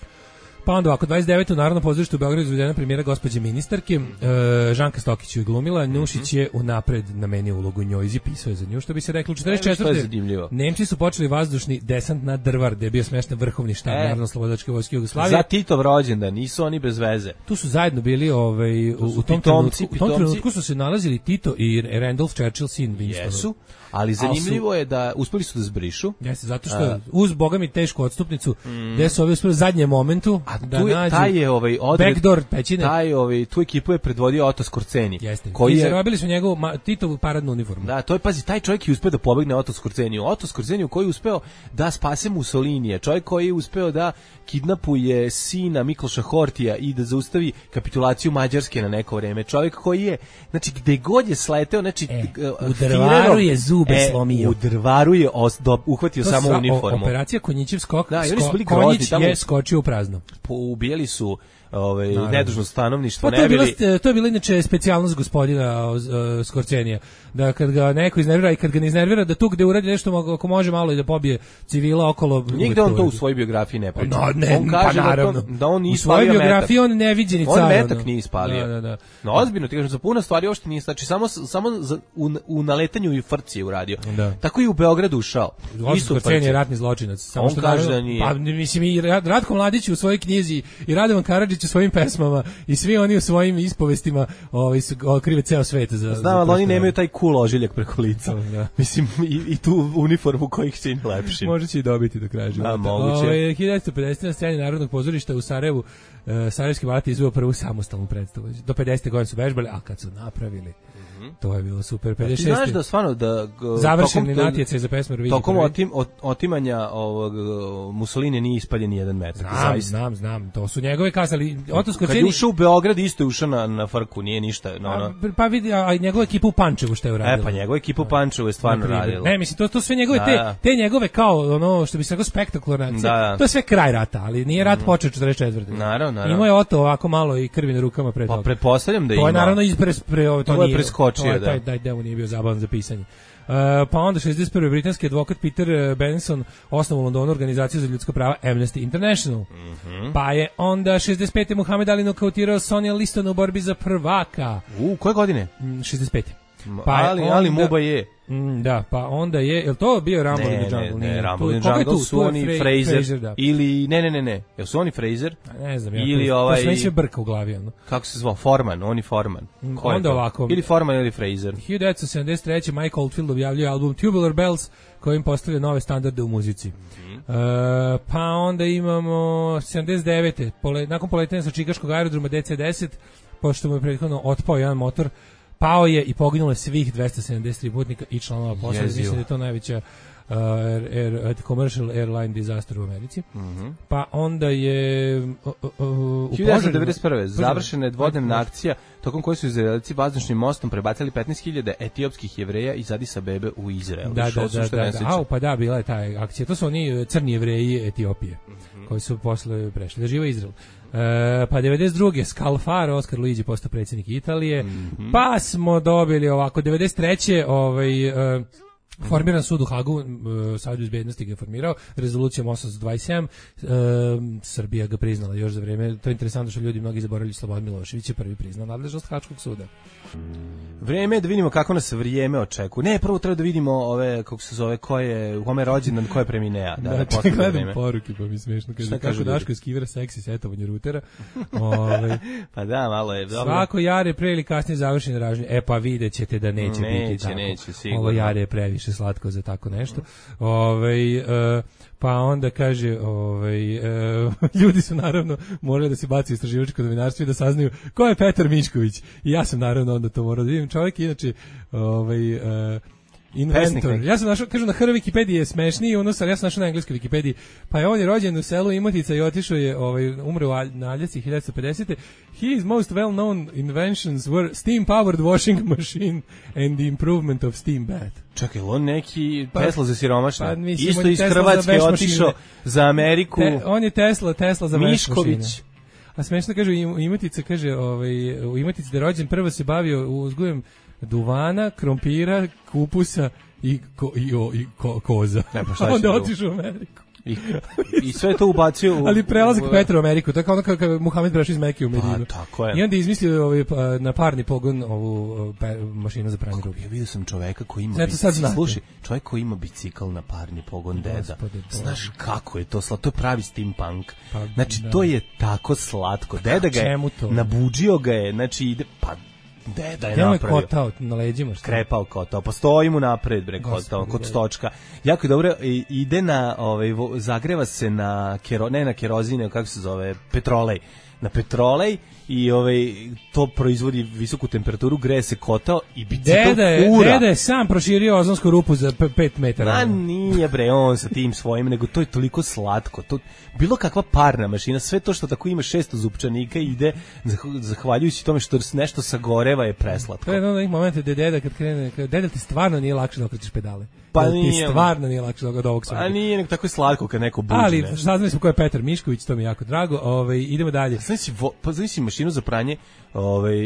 Pa onda ovako, dvadeset devete u Narodnom pozorištu u Beogradu izvedena premijera gospođe ministarke, e, Žanka Stokić ju je glumila, Nušić je unapred namenio ulogu njoj i pisao je za nju, što bi se reklo u četrdeset četvrte. Nemci su počeli vazdušni desant na Drvar, gde je bio smešten vrhovni štab e, Narodno-slobodačke vojske Jugoslavije. Za Titov rođendan, nisu oni bez veze. Tu su zajedno bili, ovaj, u, u, tom pitomci, trenutku, u tom trenutku su se nalazili Tito i Randolph Churchill, sin Winston. Jesu. Ali zanimljivo su, je da uspeli su da zbrišu. Jeste, zato što a, uz boga mi tešku odstupnicu, mm, gde su ovi uspeli u zadnjem momentu a da tu je, nađu taj je ovaj odred, backdoor pećine. Taj ovaj tu ekipu je predvodio Oto Skorceni. Jeste. Koji I je zarobili su njegovu ma, Titovu paradnu uniformu. Da, to je pazi, taj čovjek je uspeo da pobegne Oto Skorceniju. Oto Skorceniju koji je uspeo da spase Mussolinija, čovjek koji je uspeo da kidnapuje sina Mikloša Hortija i da zaustavi kapitulaciju Mađarske na neko vreme. Čovjek koji je, znači gde god je sleteo, znači e, u Drvaru je zube e, slomio. U Drvaru je os, do, uhvatio to samo sva, uniformu. O, operacija Konjićev skok, da, sko, bili Konjić tamo, je skočio u prazno. Ubijali su ovaj nedužno stanovništvo, pa ne bili. Bila, to je bila inače specijalnost gospodina uh, Skorcenija, da kad ga neko iznervira i kad ga ne iznervira da tu gde uradi nešto ako može malo i da pobije civila okolo. Nigde on to u svojoj biografiji ne priča. No, ne, on kaže pa da, to, da on u svojoj biografiji on ne vidi ni car. On metak nije ispalio. Da, da, da. No ozbiljno ti kažem, za puno stvari uopšte nije, znači samo samo za, u, u naletanju i frci je uradio. Da. Tako i u Beogradu ušao. Isto Skorcenije je ratni zločinac. Samo on što kaže da nije. Pa mislim i Ratko Mladić u svojoj knjizi i Radovan Karadžić u svojim pesmama i svi oni u svojim ispovestima ovaj su krive ceo svet za. Znam, ali oni nemaju taj cool ožiljak preko lica. Da. Mislim i, i tu uniformu koji ih čini lepšim. Može će i dobiti do kraja života. Da, moguće. Ove, hiljadu devetsto pedesete na sceni Narodnog pozorišta u Sarajevu uh, Sarajevski balet izveo prvu samostalnu predstavu. Do pedesete godine su vežbali, a kad su napravili to je bilo super. pedeset šeste. Ti znaš da stvarno da završeni natjecaj za pesmu Eurovizije. Tokom otim, otimanja ovog Mussolini nije ispaljen ni jedan metak. Znam, zaista. znam, znam. To su njegove kazali. Oto Skorceni. Kad je ušao u Beograd isto je ušao na, na frku, nije ništa. No, no. A, pa vidi, a njegova ekipa u Pančevu što je uradila. E pa njegova ekipa u Pančevu je stvarno radila. Ne, mislim, to, to sve njegove, da, te, te njegove kao ono što bi se rekao spektakularne akcije. Da. To je sve kraj rata, ali nije rat mm. počeo četrdeset četvrte. Naravno, naravno. Imao je Oto ovako malo i krvi na rukama pre toga. Pa pretpostavljam da ima. To je naravno ispres pre ovo, to, to je preskočio, da. Taj, taj deo nije bio zabavan za pisanje. Uh, pa onda šezdeset prve britanski advokat Peter Benson osnovao u Londonu organizaciju za ljudska prava Amnesty International. Mm-hmm. Pa je onda šezdeset pete Muhammed Ali nokautirao Sonja Listona u borbi za prvaka. U koje godine? šezdeset pete. Pa ali, onda, ali Muba je. Mm, da, pa onda je, je li to bio Rumble in the Jungle? Ne, ne, ne Rumble in the Jungle su oni Fra- Fraser, Fraser da. Ili, ne, ne, ne, ne, jel su oni Fraser? Ne znam, ja, ili to, ovaj, to sve sve brka u glavi. Ono. Kako se zvao? Forman, oni Forman. Ko onda ovako. Ili Forman ili Fraser. hiljadu devetsto sedamdeset treće Mike Oldfield objavljuje album Tubular Bells kojim postavlja nove standarde u muzici. Mm-hmm. Uh, pa onda imamo sedamdeset devete Pole, nakon poletanja sa čikaškog aerodroma D C deset, pošto mu je prethodno otpao jedan motor, pao je i poginulo je svih dvesta sedamdeset tri putnika i članova posade. Mislim da je to najveća uh, air, air, commercial airline disaster u Americi. Mm-hmm. Pa onda je uh, uh, u hiljadu devetsto devedeset prve završena je dvodnevna akcija tokom koje su Izraelci vazdušnim mostom prebacili petnaest hiljada etiopskih Jevreja iz Adis Abebe u Izrael. Da, da, da, da, da. Au, pa da, bila je ta akcija. To su oni crni Jevreji Etiopije, mm-hmm. koji su posle prešli da žive Izrael. Uh, pa devedeset druge Scalfaro, Oskar Luigi postao predsjednik Italije. Mm-hmm. Pa smo dobili ovako devedeset treće ovaj uh, Formiran sud u Hagu, uh, Savjet bezbednosti ga je formirao, rezolucijom osamsto dvadeset sedam, uh, Srbija ga priznala još za vreme, to je interesantno što ljudi mnogi zaboravili, Slobodan Milošević je prvi priznao nadležnost Haškog suda. Vreme je da vidimo kako nas vrijeme očekuje. Ne, prvo treba da vidimo ove, kako se zove, ko je, u kome je rođendan, ko je preminea. Da, da, da gledam poruke, pa mi smiješno. Kaže, kako Daško je skivira seksi setovanje rutera. Ove, pa da, malo je. Dobro. Svako jare pre ili kasnije završene ražnje. E pa vidjet ćete da neće, neće biti tako. Neće, sigurno. Ovo jare je previše slatko za tako nešto. Ove, uh, pa onda kaže, ovaj, uh, ljudi su naravno morali da se baci u istraživačko novinarstvo i da saznaju ko je Petar Mišković. I ja sam naravno onda to morao da vidim. Čovjek inače ovaj, uh, inventor. Ja sam našao, kažu na H R Wikipediji je smešniji, ono sam, ja sam našao na engleskoj Wikipediji. Pa je on je rođen u selu Imotica i otišao je, ovaj, umro na Aljasci hiljadu pedesete. His most well-known inventions were steam-powered washing machine and the improvement of steam bath. Čekaj, on neki pa, Tesla za siromašne? Pa, mislim, isto iz Tesla Hrvatske otišao za Ameriku. Te, on je Tesla, Tesla za Mišković. Mašine. A smešno kaže, u Imotici, kaže, ovaj, u Imotici da je rođen, prvo se bavio uzgojem duvana, krompira, kupusa i, ko, i, o, i ko, koza. Ne, pa šta onda otišao u Ameriku. I, I sve to ubacio u... Ali prelazak u, Petra u Ameriku, to je kao ono kada je Muhamed prešao iz Mekke u Medinu. Pa, tako je. I onda je izmislio ovaj, na parni pogon ovu pe, mašinu za pranje ruke. Ja vidio sam čoveka koji ima bicikl. Slušaj, čovjek koji ima bicikl na parni pogon, deda. Gospode, znaš kako je to slatko? To je pravi steampunk. Pa, znači, da. To je tako slatko. Deda ga je, nabuđio ga je, znači ide... Pa, Deda je napravio. Kotao na leđima, što? Krepao kotao, pa stoji mu napred, bre, kotao, kod stočka. Jako je dobro, ide na, ovaj, zagreva se na, kero, ne na kerozine, kako se zove, petrolej. Na petrolej i ovaj to proizvodi visoku temperaturu, greje se kotao i bicikl ura. Deda je sam proširio ozonsku rupu za pet metara. A nije bre, on sa tim svojim, nego to je toliko slatko. To, bilo kakva parna mašina, sve to što tako ima šesto zupčanika ide, zahvaljujući tome što nešto sagoreva je preslatko. To je ono moment da deda kad krene, kad deda ti stvarno nije lakše da okrećeš pedale. Pa ti nije, stvarno nije lakše od ovog svega. A nije, nego tako je slatko kad neko buđe. Ali saznali smo ko je Petar Mišković, to mi je jako drago. Ovaj idemo dalje. Znači, pa znači mašinu za pranje ovaj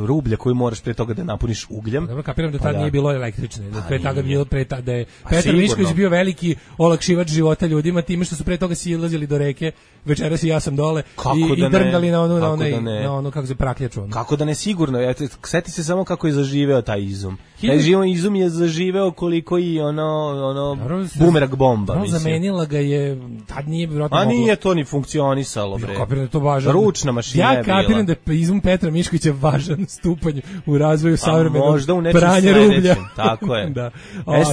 rublja koju moraš pre toga da napuniš ugljem. Dobro, kapiram da tad pa nije bilo električne, da pre toga bilo pre da je Petar Mišković bio veliki olakšivač života ljudima time što su pre toga silazili do reke, večeras i ja sam dole kako i, da i drndali na onu na onaj da na ono kako se prakljaču. Ono. Kako da ne sigurno, ja seti se samo kako je zaživeo taj izum. Taj život izum je zaživeo koliko i ono ono bumerang bomba, mislim. Zamenila ga je, tad nije vjerojatno moglo. A nije to ni funkcionisalo, bre. Ja kapiram da to važno. Ručna mašina ja je bila. Ja kapiram da je izum Petra Miškovića važan stupanj u razvoju savremenog možda u nečem pranja rublja. Tako je. Da.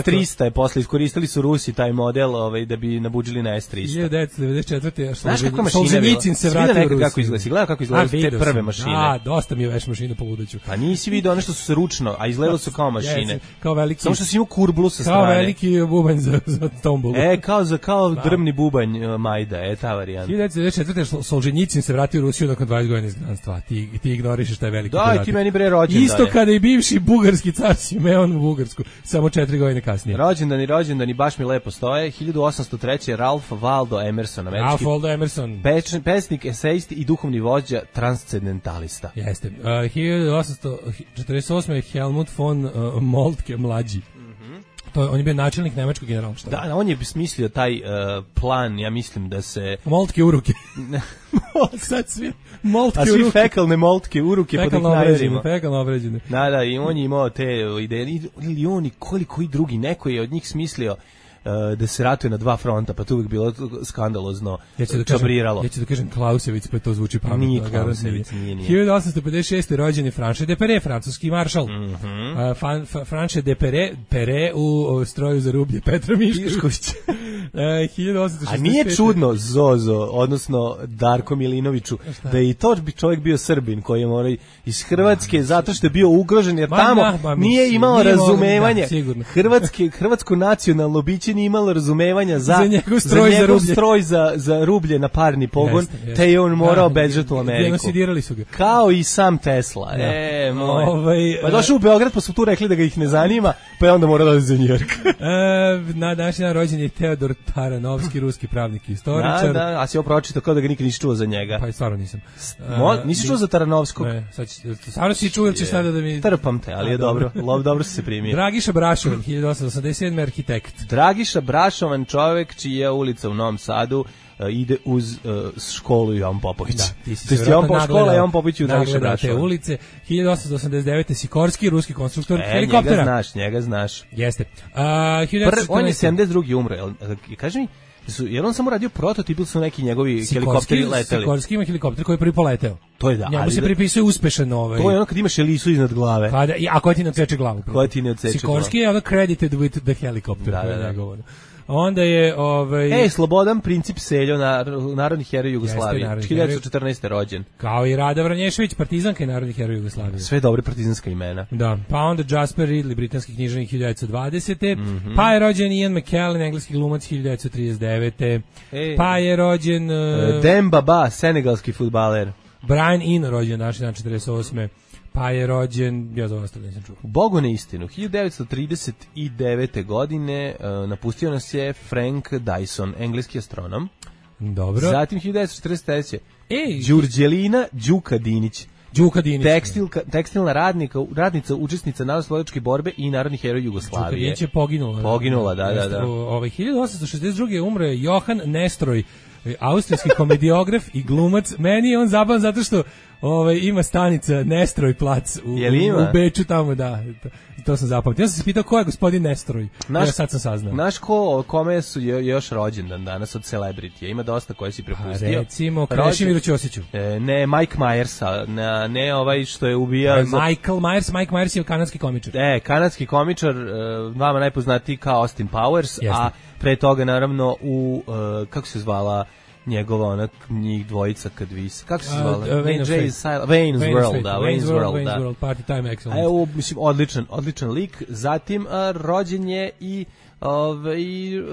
S trista je posle iskoristili su Rusi taj model, ovaj da bi nabuđili na S trista. hiljadu devetsto devedeset četvrte Znaš kako mašina je bila? Se vratio u Rusiju. Kako izgleda? Gleda kako izgledaju te prve sam. Mašine. A, dosta mi je veš mašina po ludaću. Pa nisi vidio one što su se ručno, a izgledalo su kao mašine. Kao veliki. Samo što si imao kurblu sa strane. Kao veliki bubanj za, za tombolu. E, kao za kao da. Drvni bubanj uh, Majda, e ta varijanta. hiljadu devetsto devedeset četvrte Solženjicin se vratio u Rusiju nakon dvadeset godina izgnanstva. Ti ti ignorišeš taj veliki podatak. Da, ti meni bre rođendan. Isto kada i bivši bugarski car Simeon u Bugarsku, samo četiri godine kasnije. Rođendani, rođendani baš mi lepo stoje. hiljadu osamsto treće Ralph Waldo Emerson, američki. Ralph Waldo Emerson. Peš, pesnik, esejist i duhovni vođa, transcendentalista. Jeste. Uh, hiljadu osamsto četrdeset osme Helmut von uh, Moltke mlađi. To, on je bio načelnik nemačkog generalštaba. Da, on je smislio taj uh, plan, ja mislim da se... Moltke uruke. Sad svi moltke uruke. A svi fekalne moltke uruke pod ih najezimo. Fekalno obređene. Da, da, i on je imao te ideje. Ili on i koliko i drugi, neko je od njih smislio Uh, da se ratuje na dva fronta, pa to uvijek bilo skandalozno ja ću da čabriralo. Ja ću da kažem Klausevic, pa to zvuči pametno. Nije Klausevic, nije, nije. hiljadu osamsto pedeset šeste rođen je Franche de Perret, francuski maršal. Mm -hmm. uh, fan, fa, Franche de Perret, Perret u o, stroju za rublje Petra Mišković. uh, hiljadu osamsto šezdeset pete. A nije čudno Zozo, odnosno Darko Milinoviću, da je i to bi čovjek bio Srbin koji je morao iz Hrvatske ma, zato što je bio ugrožen, jer ma, tamo ma, ma, nije imao nije razumevanje. Da, Hrvatski, hrvatsko nacionalno biće nije imalo razumevanja za, za njegov stroj za, njegov za, stroj za, za rublje na parni pogon, jeste, jeste. Te je on morao da, bežati u Ameriku. Genocidirali su ga. Kao i sam Tesla. Da. E, moj. Ovaj, pa došao u Beograd, pa su tu rekli da ga ih ne zanima, pa je onda morao da za Njujork. e, na današnji dan rođen je Theodor Igor Taranovski, ruski pravnik i istoričar. Da, da, a si ovo pročitao kao da ga nikad nisi čuo za njega. Pa i stvarno nisam. Mo, nisi čuo za Taranovskog? Ne, sad će, stvarno si čuo ili ćeš sada da mi... Trpam te, ali je dobro, lov dobro se primio. Dragiša Brašovan, hiljadu osamsto osamdeset sedme arhitekt. Dragiša Brašovan, čovek čija ulica u Novom Sadu uh, ide uz uh, školu Jovan Popović. Da, ti si to se Jovan Popović, škola Jovan Popović u Dragiša Brašovan. Te ulice, hiljadu osamsto osamdeset devete Sikorski, ruski konstruktor e, helikoptera. Njega znaš, njega znaš. Jeste. Uh, Pr, on je sedamdeset drugi umro, jel, kaži mi, su, je on samo radio prototip ili su neki njegovi Sikorski, helikopteri leteli? Sikorski ima helikopter koji je prvi poleteo. To je da. Njemu se pripisuje uspešan ovaj. To je ono kad imaš Elisu iznad glave. Kada, a koja ti ne odseče glavu? Koja ti ne odseče glavu? Sikorski je ono credited with the helicopter. Da, da, da. Onda je ovaj Ej, Slobodan Princip Seljo, nar, narodni heroj Jugoslavije, hiljadu devetsto četrnaeste rođen. Kao i Rada Vranješević, partizanka i narodni heroj Jugoslavije. Sve dobre partizanska imena. Da, pa onda Jasper Ridley, britanski književnik hiljadu devetsto dvadesete. Mm-hmm. Pa je rođen Ian McKellen, engleski glumac hiljadu devetsto trideset devete. Ej. Pa je rođen uh, Demba Ba, senegalski fudbaler. Brian Eno rođen naš dan četrdeset osme. Pa je rođen, ja za ostalo nisam čuo. Bogu na istinu, hiljadu devetsto trideset devete godine uh, napustio nas je Frank Dyson, engleski astronom. Dobro. Zatim hiljadu devetsto četrdeset treće Ej, Đurđelina Đuka Dinić. Đuka Dinić. Tekstilka, tekstilna radnika, radnica, učesnica narodnooslobodilačke borbe i narodni heroj Jugoslavije. Đuka Dinić je poginula. Poginula, da, da, da. Ovaj hiljadu osamsto šezdeset druge umro je Johan Nestroj, austrijski komediograf i glumac. Meni je on zabavan zato što ovaj ima stanica Nestroj plac u, u Beču tamo, da. To, to sam zapamtio. Ja sam se pitao ko je gospodin Nestroj. Naš, ja sad sam saznao. Naš ko, kome su je, još rođendan danas od celebritija. Ima dosta koje si prepustio. Pa recimo Krešimiru Ćosiću. E, ne, Mike Myersa. Ne, ne ovaj što je ubijao... E, Michael Myers. Mike Myers je kanadski komičar. E, kanadski komičar, vama najpoznatiji kao Austin Powers, Jeste. A pre toga naravno u, uh, kako se zvala njegova onak njih dvojica kad vis kako se zvala uh, uh, Wayne's, Wayne's, Wayne's World, da, Wayne's World, Wayne's da. World, Party Time Excellent. Evo, mislim, odličan, odličan lik. Zatim uh, rođen je i ovaj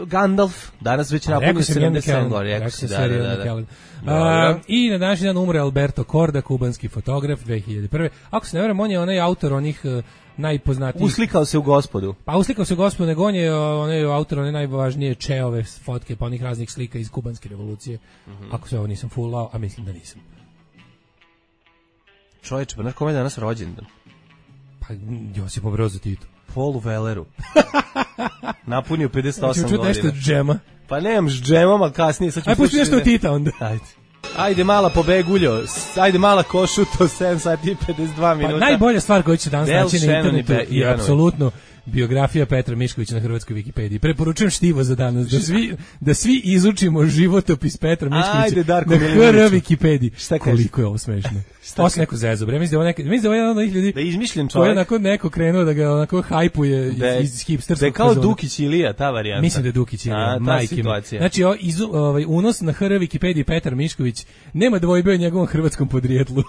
Gandalf, danas već napunio sedamdeset sedam godina, rekao si, da, da, da, da. Uh, I na današnji dan umre Alberto Korda, kubanski fotograf, dve hiljade prve. Ako se ne varam, on je onaj autor onih uh, najpoznatijih. Uslikao se u Gospodu. Pa uslikao se u Gospodu, nego on je onaj autor one najvažnije Čeove fotke, pa onih raznih slika iz kubanske revolucije. Mm-hmm. Ako se ovo nisam fulao, a mislim da nisam. Čovječe, pa znaš kome je danas rođendan? Pa Josip Brozo Tito. Paulu Welleru. Napunio pedeset osam godina. Čuti nešto od džema. Pa nemam s džemom, ali kasnije. Ajde, pusti nešto od Tita onda. Ajde. Ajde mala pobeguljo, ajde mala košuto, sedam sati i pedeset dva minuta. Pa najbolja stvar koju će danas naći na internetu je apsolutno biografija Petra Miškovića na hrvatskoj Wikipediji. Preporučujem štivo za danas, da svi, da svi izučimo životopis Petra Miškovića ajde, Darko na hr Wikipediji. Šta koliko je ovo smešno. Osam neko zezo, bre, mislim da je mislim da je jedan od onih ljudi da izmišljen čovjek. Koji je onako neko krenuo da ga onako hajpuje iz, iz hipsterskog. Da je kao Dukić Ilija, ta varijanta. Mislim da je Dukić Ilija, majke. Znači, o, iz, ovaj, unos na hr Wikipediji Petar Mišković nema dvojbe o njegovom hrvatskom podrijetlu.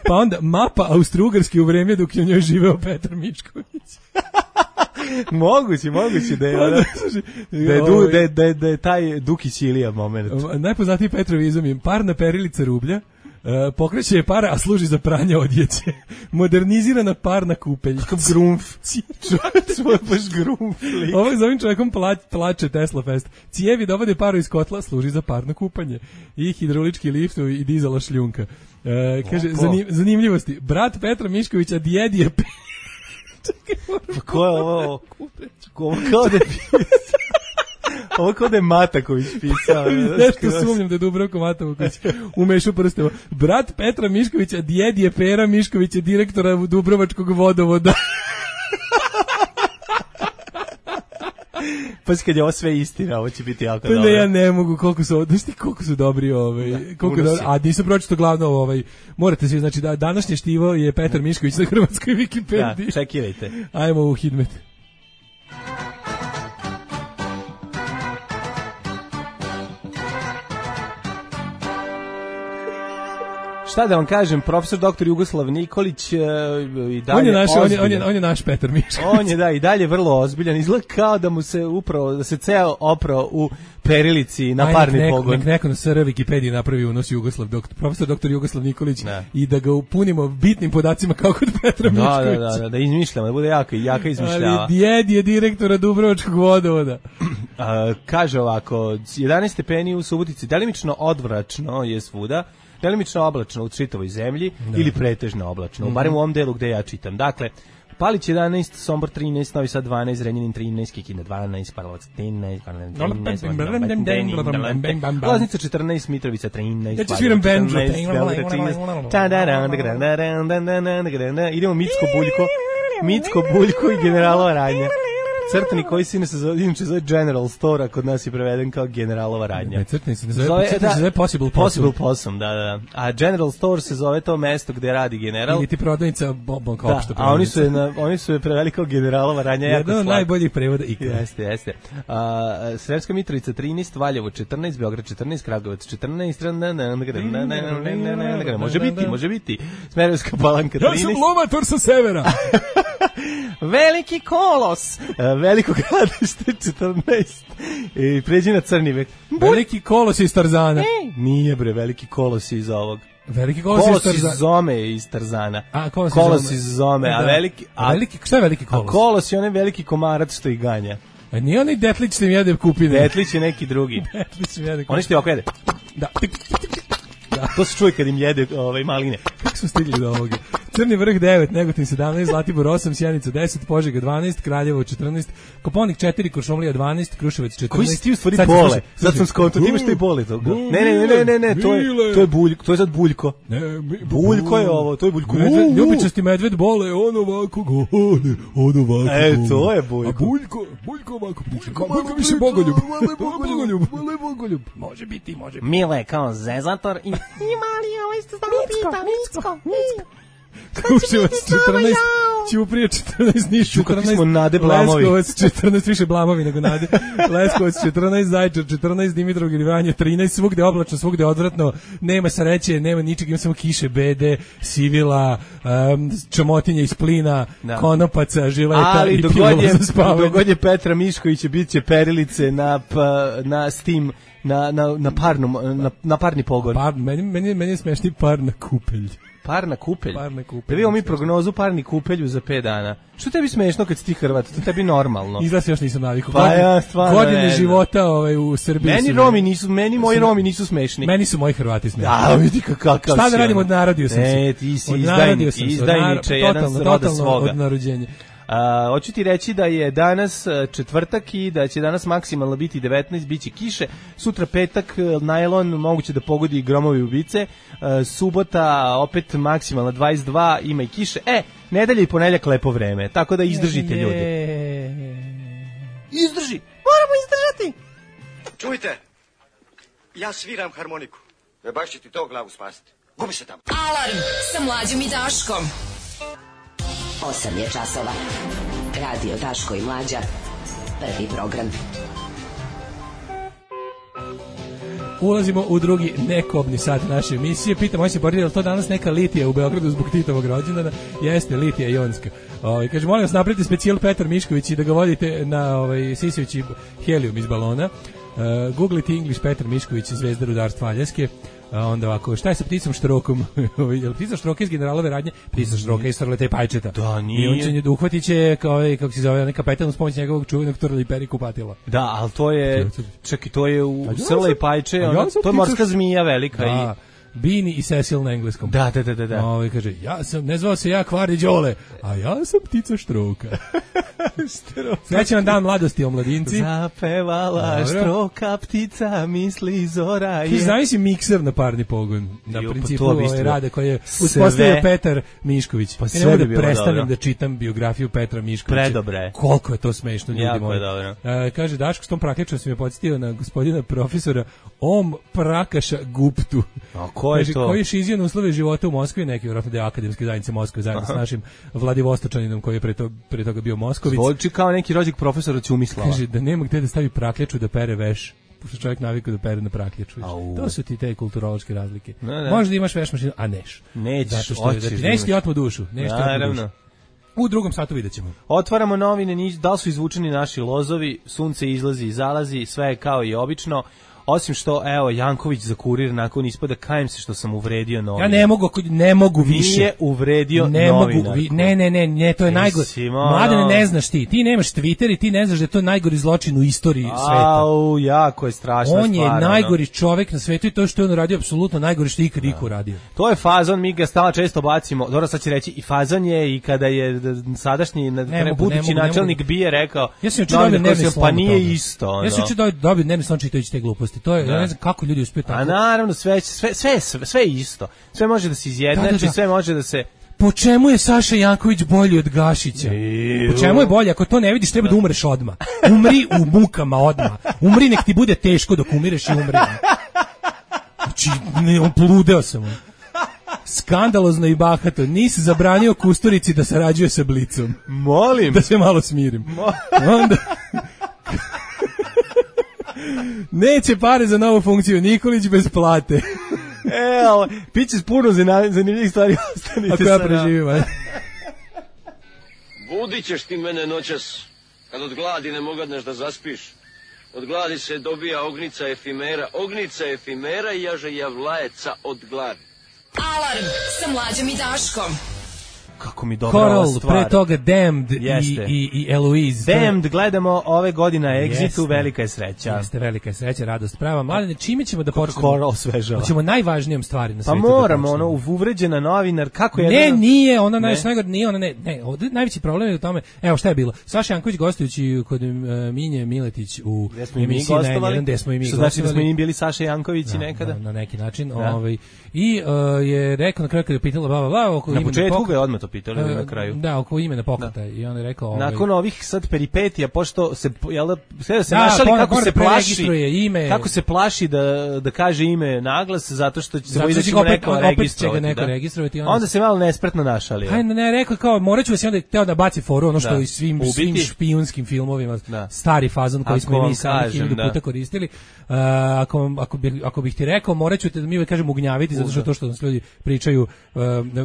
Pa onda mapa Austro-Ugarske u vreme dok je u njoj živeo Petar Mišković. moguće, moguće da je, ona, da, je du, da, je, da, je, da je taj Dukić Ilija moment. Najpoznatiji Petrovizam je parna perilica rublja, uh, pokreće je para, a služi za pranje odjeće. Modernizirana parna kupelj. Kakav grumf. Svoj baš grumf. Ovo za ovim čovjekom plač, plače Tesla Fest. Cijevi dovode paru iz kotla, služi za parno kupanje. I hidraulički lift i dizala šljunka. Uh, kaže, zanim, zanimljivosti. Brat Petra Miškovića, djed je... Pa ko je ovo? Ovo kao da je pisao. Ovo kao da je Mataković pisao. Nešto sumnjam da je Dubravko Mataković umešao prsteva. Brat Petra Miškovića, djed je Pera Miškovića, direktora Dubrovačkog vodovoda. Pa kad je ovo sve istina, ovo će biti jako pa dobro. Ne, ja ne mogu, koliko su, znaš ti koliko su dobri, ovaj, da, koliko dobri, a nisam pročito glavno, ovaj, morate svi, znači da današnje štivo je Petar Mišković na hrvatskoj Wikipediji. Da, čekirajte. Ajmo u Hidmet. Šta da vam kažem, profesor doktor Jugoslav Nikolić uh, i dalje on je naš, on je, on, je, je, on je naš Petar Mišković. On je da i dalje vrlo ozbiljan, izgleda kao da mu se upravo da se ceo oprao u perilici na Aj, parni nek neko, pogon. Nek neko na S R Wikipediji napravi unos Jugoslav, doktor, profesor doktor Jugoslav Nikolić ne. i da ga upunimo bitnim podacima kao kod Petra da, Miškovića. Da, da, da, da izmišljamo, da bude jaka, jaka izmišljava. Ali djed je direktora Dubrovačkog vodovoda. A, kaže ovako, jedanaest stepeni u Subotici, delimično odvračno je svuda, delimično oblačno u čitavoj zemlji da. Ili pretežno oblačno, mm-hmm. barem u ovom delu gde ja čitam. Dakle, Palić jedanaest, Sombor trinaest, Novi Sad dvanaest, Zrenjanin trinaest, Kikinda dvanaest, Karlovac trinaest, Loznica četrnaest, Mitrovica trinaest, ja ću sviram benđo. Idemo Micko Buljko, Micko Buljko i generalova radnja. Crtani koji se ne se zove, inače zove General Store, a kod nas je preveden kao generalova radnja. Ne, crtani se ne zove, zove, crtani da, se zove Possible Possum. Possible Possum, da, da. A General Store se zove to mesto gde radi general. Ili ti prodavnica Bombon kao što. A oni su je na, oni su je preveli kao generalova radnja, jako jedan od najboljih prevoda ikada. Jeste, jeste. A, Sremska Mitrovica trinaest, Valjevo četrnaest, Beograd četrnaest, Kragujevac četrnaest, može biti, može biti. Smederevska Palanka trinaest. Ja sam lomator sa severa. Veliki Kolos, Veliko Gradište četrnaest i pređi na Crni vek. Veliki Kolos iz Tarzana. E, nije bre, Veliki Kolos iz ovog. Veliki Kolos, kolos iz Tarzana. Iz Zome iz Tarzana. A, kolos, kolos iz Zome, a da. veliki... A, veliki, šta je Veliki Kolos? A Kolos je onaj veliki komarac što ih ganja. A nije onaj Detlić što im jede kupine. Detlić je neki drugi. Detlić im jede kupine. Oni što ti ovako jede. Da. Da. To se čuje kad im jede ovaj, maline. Kako smo stigli do ovoga? Crni vrh devet, Negotin sedamnaest, Zlatibor osam, Sjenica deset, Požega dvanaest, Kraljevo četrnaest, Koponik četiri, Kuršumlija dvanaest, Kruševac četrnaest. Koji si ti u stvari bole? Sad sam skonto, ti imaš taj bole toga. Ne, ne, ne, ne, ne, to je, to je Buljko, to je sad Buljko. Ne, mi, Buljko je ovo, to je Buljko. Medved, ljubičasti medved bole, on ovako gole, on ovako. E, to je Buljko. A Buljko, Buljko ovako priča. Buljko više bogoljub. Bogoljub, bogoljub. Može biti, može biti. Mile kao zezator i... Imali ovaj ste znamo pita, Micko, Micko. Kruševac četrnaest, Ćuprija četrnaest, Niš četrnaest, Leskovac četrnaest, više blamovi nego Nade, Leskovac četrnaest, Zaječar četrnaest, Dimitrovgrad i Vranje trinaest, svugde oblačno, svugde odvratno, nema sreće, nema ničeg, ima samo kiše, bede, sivila, um, čamotinja iz plina, da. Konopaca, žileta ali i pilova za spavanje. Dogod je Petra Miškovića, bit će perilice na, pa, na Steam, na, na, na, parnom, na, na parni pogon. Par, meni, meni, meni je smešni par na kupelj. Par na kupelj. Par na kupelj. Previo mi prognozu parni kupelju za pet dana. Što tebi smešno kad si ti Hrvat? To tebi normalno. Izgleda se još nisam navikao. Pa ja stvarno godine ne, života ovaj, u Srbiji. Meni Romi nisu, meni moji Romi nisu smešni. Meni su moji Hrvati smešni. A, vidi kakav si. Šta da radim, odnarodio sam se. Ne, ti si izdajnik, izdajniče, jedan z roda svoga. Od narođenja. A, hoću ti reći da je danas četvrtak i da će danas maksimalno biti devetnaest, biće kiše, sutra petak, najlon, moguće da pogodi gromovi ubice, a, subota opet maksimalno dvadeset dva, ima i kiše, e, nedelja i ponedjeljak lepo vreme, tako da izdržite ljudi. Izdrži, moramo izdržati. Čujte, ja sviram harmoniku, e baš će ti to glavu spasiti, gubi se tamo. Alarm sa Mlađom i Daškom. osam je časova. Radio Daško i Mlađa. Prvi program. Ulazimo u drugi nekobni sat naše emisije. Pitam, moj se poredi, je li to danas neka litija u Beogradu zbog Titovog rođendana? Jeste, litija jonska. Ovaj kaže, molim vas, napravite specijal Petar Mišković i da ga vodite na ovaj sisijući helijum iz balona. Uh, googlite English Petar Mišković, zvezda rudarstva Aljaske. A onda ovako, šta je sa pticom Štrokom? Je li ptica Štroka iz generalove radnje? Ptica Štroka iz Starleta i Pajčeta. Da, nije. I on će nje uhvatit će, kao, kako se zove, neka kapetan uz pomoć njegovog čuvenog Turla i Peri kupatila. Da, ali to je, čekaj, to je u Srle i Pajče, ona, to je morska zmija velika. Da. I Bini i Cecil na engleskom. Da, da, da, da. da. Ovo kaže, ja sam, ne zvao se ja Kvarni Đole, a ja sam ptica Štroka. Štroka. Srećan dan mladosti, omladinci. Zapevala Dobro. Štroka, ptica, misli zora je. Ti znaš si mikser na parni pogon, na jo, principu pa ove rade koje je uspostavio Petar Mišković. Pa ja ne mogu bi da prestanem dobro. da čitam biografiju Petra Miškovića. Predobre. Koliko je to smešno, ljudi jako moji. Dobro. E, kaže, Daško, s tom prakečom si me podsjetio na gospodina profesora Om Prakaša Guptu. A ko je kaže, to? Koji je šizio na uslove života u Moskvi, neki vjerojatno deo akademske zajednice Moskve, zajedno s našim Vladivostočaninom koji je pre, to, pre toga bio Moskovic. Zvolči kao neki rođak profesora Ćumislava. Kaže, da nema gde da stavi prakljaču da pere veš. pošto čovjek navikao da pere na prakljaču. To su ti te kulturološke razlike. No, da. Možda imaš veš mašinu, a neš. Nećeš, zato što da ti neće ti otmu dušu, nešto dušu. U drugom satu vidjet ćemo. Otvaramo novine, da li su izvučeni naši lozovi, sunce izlazi i zalazi, sve je kao i obično. Osim što, evo, Janković za Kurir nakon ispada, kajem se što sam uvredio novinar. Ja ne mogu, ne mogu više. Nije uvredio ne novinarku. Mogu, vi, ne, ne, ne, ne, to je najgore. Mladene, ne znaš ti. Ti nemaš Twitter i ti ne znaš da je to najgori zločin u istoriji sveta. Au, jako je strašna stvar. On je stvar, najgori no. čovek na svetu i to što je on radio apsolutno najgori što je ikad iko radio. To je fazon, mi ga stala često bacimo. Dobro, sad će reći i fazon je i kada je sadašnji ne mogu, budući ne načelnik bije rekao. Ja sam juče dobio nervni slom. Pa nije isto. Ja sam juče dobio nervni slom čitajući te gluposti. To je, ja ne znam kako ljudi uspiju tako. A naravno sve sve sve sve, sve isto. Sve može da se izjednači, da, da, da. sve može da se. Po čemu je Saša Janković bolji od Gašića? Iu. Po čemu je bolji? Ako to ne vidiš, treba da umreš odmah. Umri u mukama odmah. Umri, nek ti bude teško dok umireš i umri. Znači, ne, on pludeo sam. On. Skandalozno i bahato. Nisi zabranio Kusturici da sarađuje sa Blicom. Molim. Da se malo smirim. Onda... Neće pare za novu funkciju, Nikolić bez plate. E, ali, piće puno zanimljivih stvari, ostanite ako ja preživim, aj. Budit ćeš ti mene noćas, kad od gladi ne mogadneš da zaspiš. Od gladi se dobija ognica efimera, ognica efimera i jaže javlajeca od gladi. Alarm sa Mlađom i Daškom. Kako mi dobra Coral, ova stvar. pre toga Damned i, i, i Eloise. Damned gledamo ove godine na Exitu, velika je sreća. Jeste, velika je sreća, radost prava. Mladene, čime ćemo da počnemo? Coral svežava. Hoćemo najvažnijom stvari na svetu. Pa moramo, ono, uvređena novinar, kako je... Ne, jedna... nije, ona ne. najgore, nije, ona ne, ne, ovdje najveći problem je u tome, evo šta je bilo, Saša Janković gostujući kod uh, Minje Miletić u emisiji na N jedan, gde smo i mi gostovali. Znači da smo i bili Saša Janković i nekada? Na, na neki način, da. ovaj, i uh, je rekao na kraju kada je pitala, bla, bla, bla, oko na početku ga je odmah to pitali uh, na kraju. Da, oko imena pokreta i on je rekao... Ovaj, nakon ovih sad peripetija, pošto se, jel da, sve da se da, našali kako se plaši, ime, kako se plaši da, da kaže ime naglas, zato što će se bojiti da će mu neko registrovati. Neko da? registrovati onda, onda se malo nespretno našali. Ajde, ne, rekao kao, morat ću vas i onda teo da baci foru, ono što da. i svim, svim špijunskim filmovima, da. stari fazon koji smo i mi sami hiljadu puta koristili. Uh, ako, ako, bih, ako bih ti rekao, morat ću te da mi uvek kažem ugnjaviti, zato što to što nas ljudi pričaju, uh,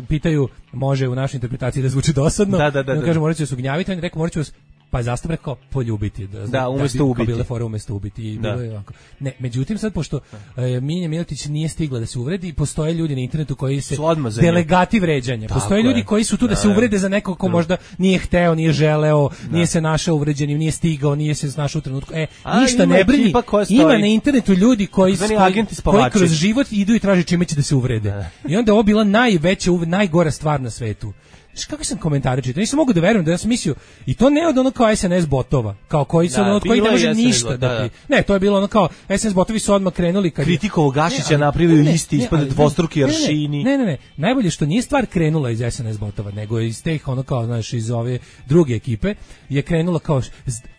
pitaju, može u našoj interpretaciji da zvuči dosadno. Da, da, da, da. Kaže, morat ću vas ugnjaviti, on je rekao, morat ću vas, pa je zastav rekao, poljubiti. Da, da umjesto da, ubiti. Bile fore umjesto ubiti. I bilo je ovako. Ne, međutim, sad, pošto uh, Minja Miletić nije stigla da se uvredi, postoje ljudi na internetu koji se delegati vređanja. Tako postoje je. ljudi koji su tu da se uvrede za nekog ko možda nije hteo, nije želeo, da. nije se našao uvređenim, nije stigao, nije se našao u trenutku. E, a, ništa ne brini. Ima na internetu ljudi koji, koji, koji kroz život idu i traže čime će da se uvrede. Da. I onda je ovo bila najveća, najgora stvar na svetu. Znaš, kako sam komentare čitao? Nisam mogu da verujem da ja sam mislio, i to ne od ono kao S N S botova, kao koji su da, ono od koji ne može ništa da, da ti... Ne, to je bilo ono kao, S N S botovi su odmah krenuli kad... Kritikovo Gašića napravili listi ispod dvostruki aršini. Ne, ne, ne, najbolje što nije stvar krenula iz S N S botova, nego iz teh ono kao, znaš, iz ove druge ekipe, je krenula kao,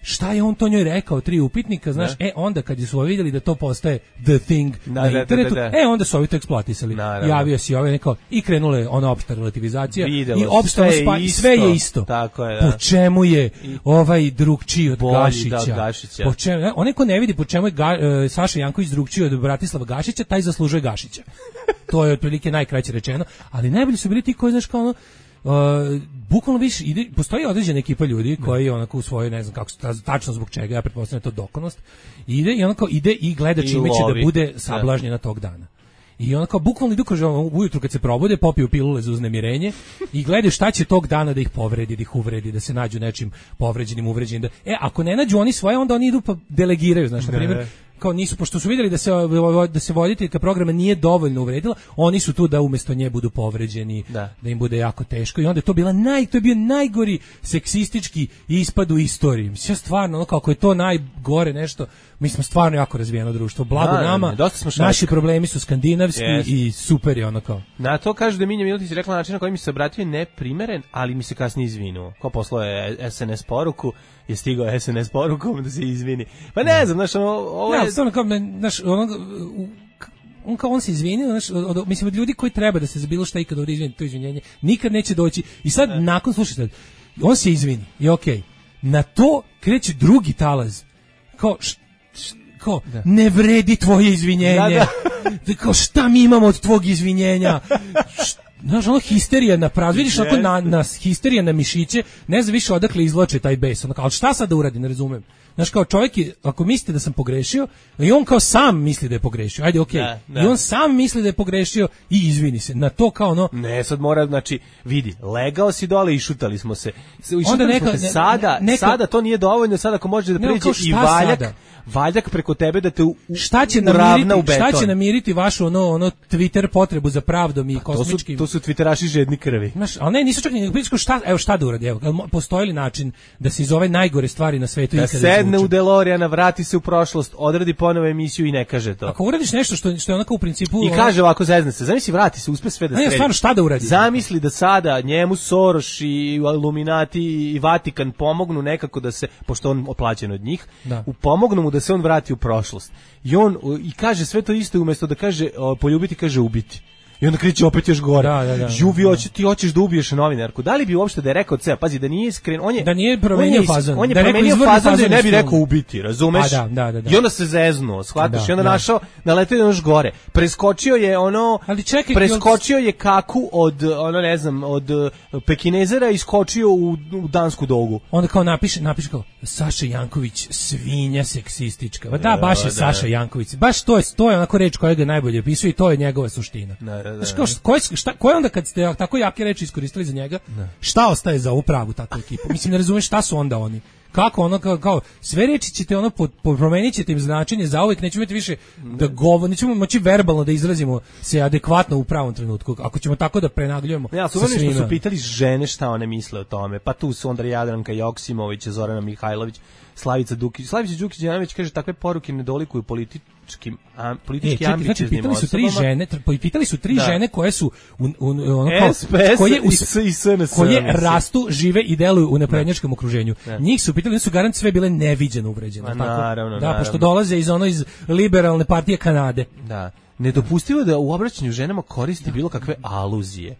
šta je on to njoj rekao, tri upitnika, znaš, ne. e, onda kad su ovi vidjeli da to postaje the thing da, na internetu, da, da, da. e, onda su ovi to eksploatisali. Javio si ove neko, i krenule ona opšta relativizacija, i opšta spa, i sve je isto. Tako je, da. Po čemu je ovaj drugčiji od Bolji, Gašića? Da, Gašića. Po čemu, onaj ko ne vidi po čemu je Ga, uh, Saša Janković drugčiji od Bratislava Gašića, taj zaslužuje Gašića. To je otprilike najkraće rečeno, ali najbolji su bili ti koji, znaš, kao ono, Uh, bukvalno više ide, postoji određena ekipa ljudi koji onako u svojoj, ne znam kako tačno zbog čega, ja pretpostavljam to dokonost, ide i onako ide i gleda čime će da bude sablažnjena tog dana. I onako bukvalno idu kaže ujutru kad se probude, popiju pilule za uznemirenje i gledaju šta će tog dana da ih povredi, da ih uvredi, da se nađu nečim povređenim, uvređenim. Da, e, ako ne nađu oni svoje, onda oni idu pa delegiraju, znaš, na primjer, kao nisu, pošto su vidjeli da se da se voditeljka programa nije dovoljno uvredila, oni su tu da umjesto nje budu povređeni, da, da im bude jako teško i onda je to bila naj, to je bio najgori seksistički ispad u istoriji. Mislim, stvarno, ono, kako je to najgore nešto, mi smo stvarno jako razvijeno društvo, blago da, nama, ne, naši problemi su skandinavski yes. i super je ono kao. Na to kaže da Minja Miletić rekla na način na koji mi se obratio neprimeren, ali mi se kasnije izvinuo. Ko poslao je S N S poruku, je stigao S N S porukom da se izvini. Pa ne znam, znaš, ono, ovo je... Ja, stvarno kao, znaš, ono, on kao on se izvinio, znaš, od, od, mislim, od ljudi koji treba da se za bilo šta ikad ovdje izvini, to izvinjenje, nikad neće doći. I sad, ne. nakon, slušaj sad, on se izvini, i okej, okay. Na to kreće drugi talaz. Kao, š, š, kao, ne vredi tvoje izvinjenje. Da, da. Kao, šta mi imamo od tvog izvinjenja? Znaš, ono histerija na prav, vidiš onako na, na histerija na mišiće, ne znam više odakle izloče taj bes, ono kao, ali šta sad da uradi, ne razumem. Znaš, kao čovjek je, ako mislite da sam pogrešio, i on kao sam misli da je pogrešio, ajde, okej, okay. da, da. I on sam misli da je pogrešio i izvini se, na to kao ono... Ne, sad mora, znači, vidi, legao si dole i šutali smo se, i šutali neka, smo se, sada, neka, sada to nije dovoljno, sada ako može da pređe i valjak, sada? Valjak preko tebe da te u, šta će namiriti, u beton. Šta će namiriti vašu ono, ono Twitter potrebu za pravdom i kosmičkim... To su, to su Twitteraši žedni krvi. Znaš, ali ne, nisu čak ni šta, evo šta da uradi, evo, postoji li način da se iz ove najgore stvari na svetu da ikada sedne u DeLoreana, vrati se u prošlost, odradi ponovo emisiju i ne kaže to. Ako uradiš nešto što, što je onako u principu... I kaže ovako, zezne se, zamisli, vrati se, uspe sve da sredi. Ne, stvarno, šta da uradi? Zamisli da sada njemu Soros i Illuminati i Vatikan pomognu nekako da se, pošto on oplaćen od njih, da. U pomognu mu da se on vrati u prošlost. I on i kaže sve to isto, umjesto da kaže o, poljubiti, kaže ubiti. I onda kreće opet još gore. Da, da, da, Juvi, hoće, ti hoćeš da ubiješ novinarku. Da li bi uopšte da je rekao ceo, pazi, da nije iskren, on je da nije promenio fazon. On je da promenio fazon da ne bi rekao ubiti, razumeš? Da, da, da, da. I onda se zeznuo, shvataš, da, i onda da. našao, naletio je još gore. Preskočio je ono, ali čekaj, preskočio je kaku od, ono ne znam, od Pekinezera i iskočio u, u dansku dogu. Onda kao napiše, napiše kao Saša Janković, svinja seksistička. Da, da baš je da, Saša da. Janković. Baš to je, to je onako reč koja ga najbolje opisuje i to je njegova suština. Da, da. Znaš, kao, ko, je, šta, ko je onda kad ste tako jake reči iskoristili za njega, ne. Šta ostaje za upravu takvu ekipu? Mislim, ne razumeš šta su onda oni. Kako ono, kao, kao sve reči ćete ono, po, po, promenit ćete im značenje za uvijek, nećemo imati više da govor, nećemo moći verbalno da izrazimo se adekvatno u pravom trenutku, ako ćemo tako da prenagljujemo. Ja, su što su pitali žene šta one misle o tome, pa tu su onda Jadranka Joksimović, Zorana Mihajlović, Slavica Dukić. Slavica Đukić-Đanović kaže takve poruke ne dolikuju političkim a, politički e, ambicioznim pitali su tri žene, pitali su tri da. žene koje su u, u, ono kao, S P S koje u, i S N S, koje rastu, žive i deluju u naprednjačkom okruženju. Da. Njih su pitali, su garant sve bile neviđeno uvređene, tako? Naravno, da, naravno. Pošto dolaze iz ono iz liberalne partije Kanade. Da. Nedopustivo da u obraćanju ženama koristi bilo kakve aluzije.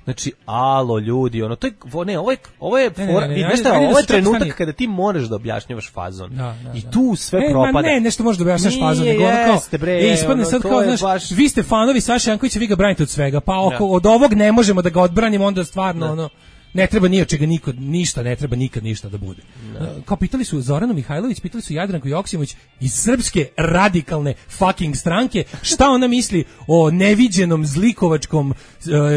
Znači, alo ljudi, ono, to je, ne, ovo je, ovo je, ne, ne, ne, ne, šta, ovo je trenutak stani. Kada ti možeš da objašnjavaš fazon. Da, da, I tu sve e, propada. Ne, nešto možeš da objašnjavaš fazon, nego ono kao, bre, e, ispadne ono, sad kao, znaš, baš... vi ste fanovi Saša Jankovića, vi ga branite od svega, pa oko, od ovog ne možemo da ga odbranimo, onda stvarno, da. ono, ne treba ni od čega niko, ništa, ne treba nikad ništa da bude. No. Kao pitali su Zoranu Mihajlović, pitali su Jadranku Joksimović iz Srpske radikalne fucking stranke, šta ona misli o neviđenom zlikovačkom uh,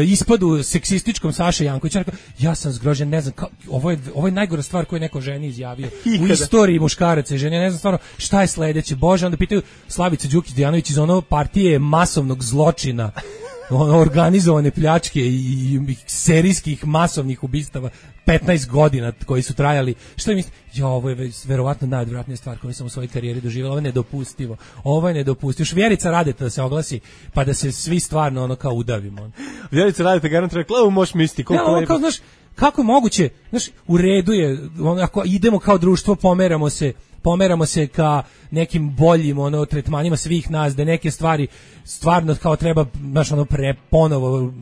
ispadu seksističkom Saše Jankovića. Ja sam zgrožen, ne znam, kao, ovo, je, ovo je najgora stvar koju je neko ženi izjavio u istoriji muškaraca i žene, ne znam stvarno šta je sledeće. Bože, onda pitaju Slavica Đukić-Dejanović iz ono partije masovnog zločina, organizovane pljačke i, i serijskih masovnih ubistava petnaest godina koji su trajali. Šta mi ja, ovo je verovatno najodvratnija stvar koju sam u svojoj karijeri doživjela. Ovo je nedopustivo. Ovo je nedopustivo. Još Vjerica Radeta da se oglasi, pa da se svi stvarno ono kao udavimo. Vjerica Radeta garant rekla, ovo možeš misliti koliko ja, je... Kao, znaš, kako je moguće, znaš, u redu je, ono, ako idemo kao društvo, pomeramo se, pomeramo se ka nekim boljim ono tretmanima svih nas, da neke stvari stvarno kao treba, znaš, ono pre ponovo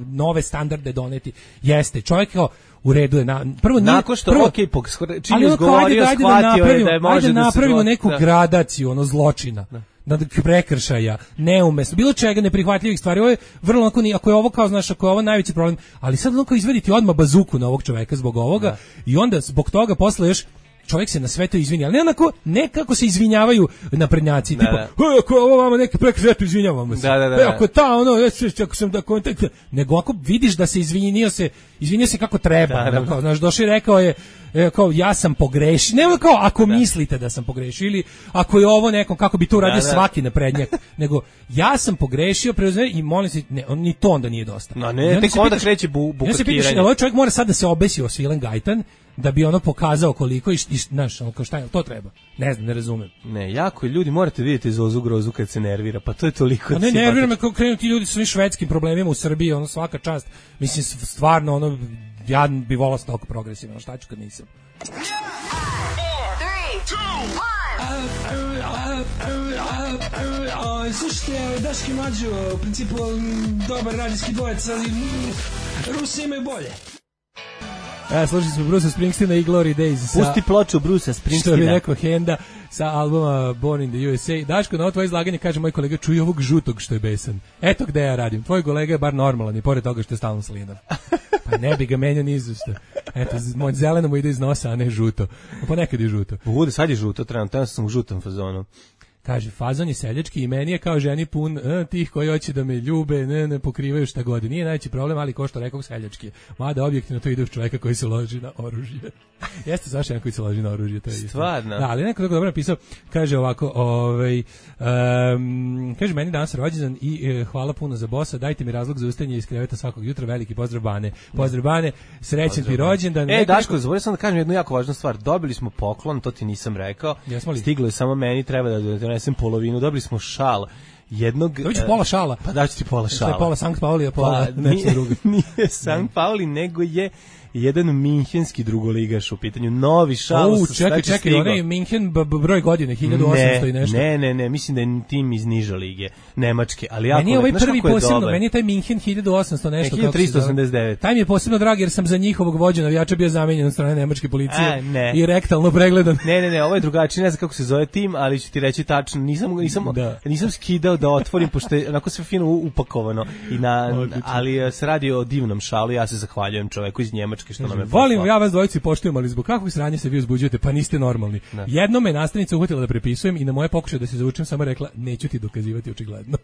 nove standarde doneti. Jeste, čovjek kao u redu je na prvo nije, nakon što prvo, okay, čim je izgovorio, da shvatio je da je može ajde da napravimo se neku da. gradaciju ono zločina. Da. Na prekršaja, neumesno, bilo čega neprihvatljivih stvari. Ovo je vrlo onako, ako je ovo kao, znaš, ako je ovo najveći problem, ali sad onako izvediti odmah bazuku na ovog čoveka zbog ovoga da. I onda zbog toga posle još čovjek se na sve to izvini, ali ne onako, ne kako se izvinjavaju naprednjaci, da, tipa, da. Ako ovo vama neki prekršaj, izvinjavamo se. Da, da, da, e, ako ta, ono, ako sam da kontakt, nego ako vidiš da se izvinio se, izvinio se kako treba, da, da, kao, znaš, došao i rekao je, e, kao, ja sam pogrešio, ne kao, ako da. mislite da sam pogrešio, ili ako je ovo nekom, kako bi to uradio da, da. svaki naprednjak, nego, ja sam pogrešio, preuzme, i molim se, ne, on, ni to onda nije dosta. No, ne, tek onda kreće bu, bukakiranje. Ja se pitaš, ovaj čovjek mora sad da se obesi o Svilen Gajtan, da bi ono pokazao koliko i, i znaš, ono kao šta je, to treba. Ne znam, ne razumem. Ne, jako ljudi morate vidjeti Zozu Grozu kad se nervira, pa to je toliko. A ne, nervira me kako krenu ti ljudi sa svim švedskim problemima u Srbiji, ono svaka čast. Mislim, stvarno, ono, ja bi volao toliko progresivno, šta ću kad nisam. Slušajte, Daški Mlađo, u principu dobar radijski dvojec, ali Rusi imaju bolje. Ja, slušali smo Bruce Springsteena i Glory Days. Pusti ploču Bruce Springsteena. Što bi rekao Henda sa albuma Born in the U S A. Daško, na ovo tvoje izlaganje kaže moj kolega, čuj ovog žutog što je besan. Eto gde ja radim. Tvoj kolega je bar normalan i pored toga što je stalno slinav. Pa ne bi ga menjao ni izušto. Eto, moj zeleno mu ide iz nosa, a ne žuto. Ponekad je žuto. Bude, sad je žuto, trenutno sam u žutom fazonu. Kaže, fazon je seljački i meni je kao ženi pun e, tih koji hoće da me ljube, ne, ne pokrivaju šta god. Nije najveći problem, ali ko što rekao seljački. Mada objektivno to ide uz čoveka koji se loži na oružje. Jeste zašto jedan koji se loži na oružje, to je isto. Stvarno. Da, ali neko tako dobro napisao, kaže ovako, ovaj, um, kaže meni danas rođendan i e, hvala puno za bosa, dajte mi razlog za ustajanje iz kreveta svakog jutra, veliki pozdrav Bane. Pozdrav Bane, srećan ti rođendan. E, Daško, zaboravio sam da kažem jednu jako važnu stvar. Dobili smo poklon, to ti nisam rekao. Stiglo je samo meni, treba da donesem polovinu. Dobili smo šal. Jednog... Dobiću pola šala. Pa daću ti pola šala. To je pola Sankt Pauli, a pola pa, nešto drugo. Nije Sankt Pauli, nego je jedan minhenski drugoligaš u pitanju, novi šal. U, čekaj, čekaj, onaj Minhen broj godine, hiljadu osamsto i nešto. Ne, ne, ne, mislim da je tim iz niže lige, nemačke, ali jako... Meni je ovaj prvi posebno, meni je taj Minhen hiljadu osamsto nešto. hiljadu tristo osamdeset devet. Taj mi je posebno drag jer sam za njihovog vođa navijača bio zamenjen od strane nemačke policije. A, ne. I rektalno pregledan. Ne, ne, ne, ovo je drugačije, ne znam kako se zove tim, ali ću ti reći tačno, nisam, nisam, da. nisam skidao da otvorim, pošto je onako sve fino upakovano, i na, ali se radi o divnom šalu, ja se zahvaljujem čoveku iz Njemačke što nam je volim, ja vas dvojici poštujem, ali zbog kakvog sranja se vi uzbuđujete, pa niste normalni. Ne. Jednom me nastavnica uhvatila da prepisujem i na moje pokušaje da se zaučim samo rekla, neću ti dokazivati očigledno.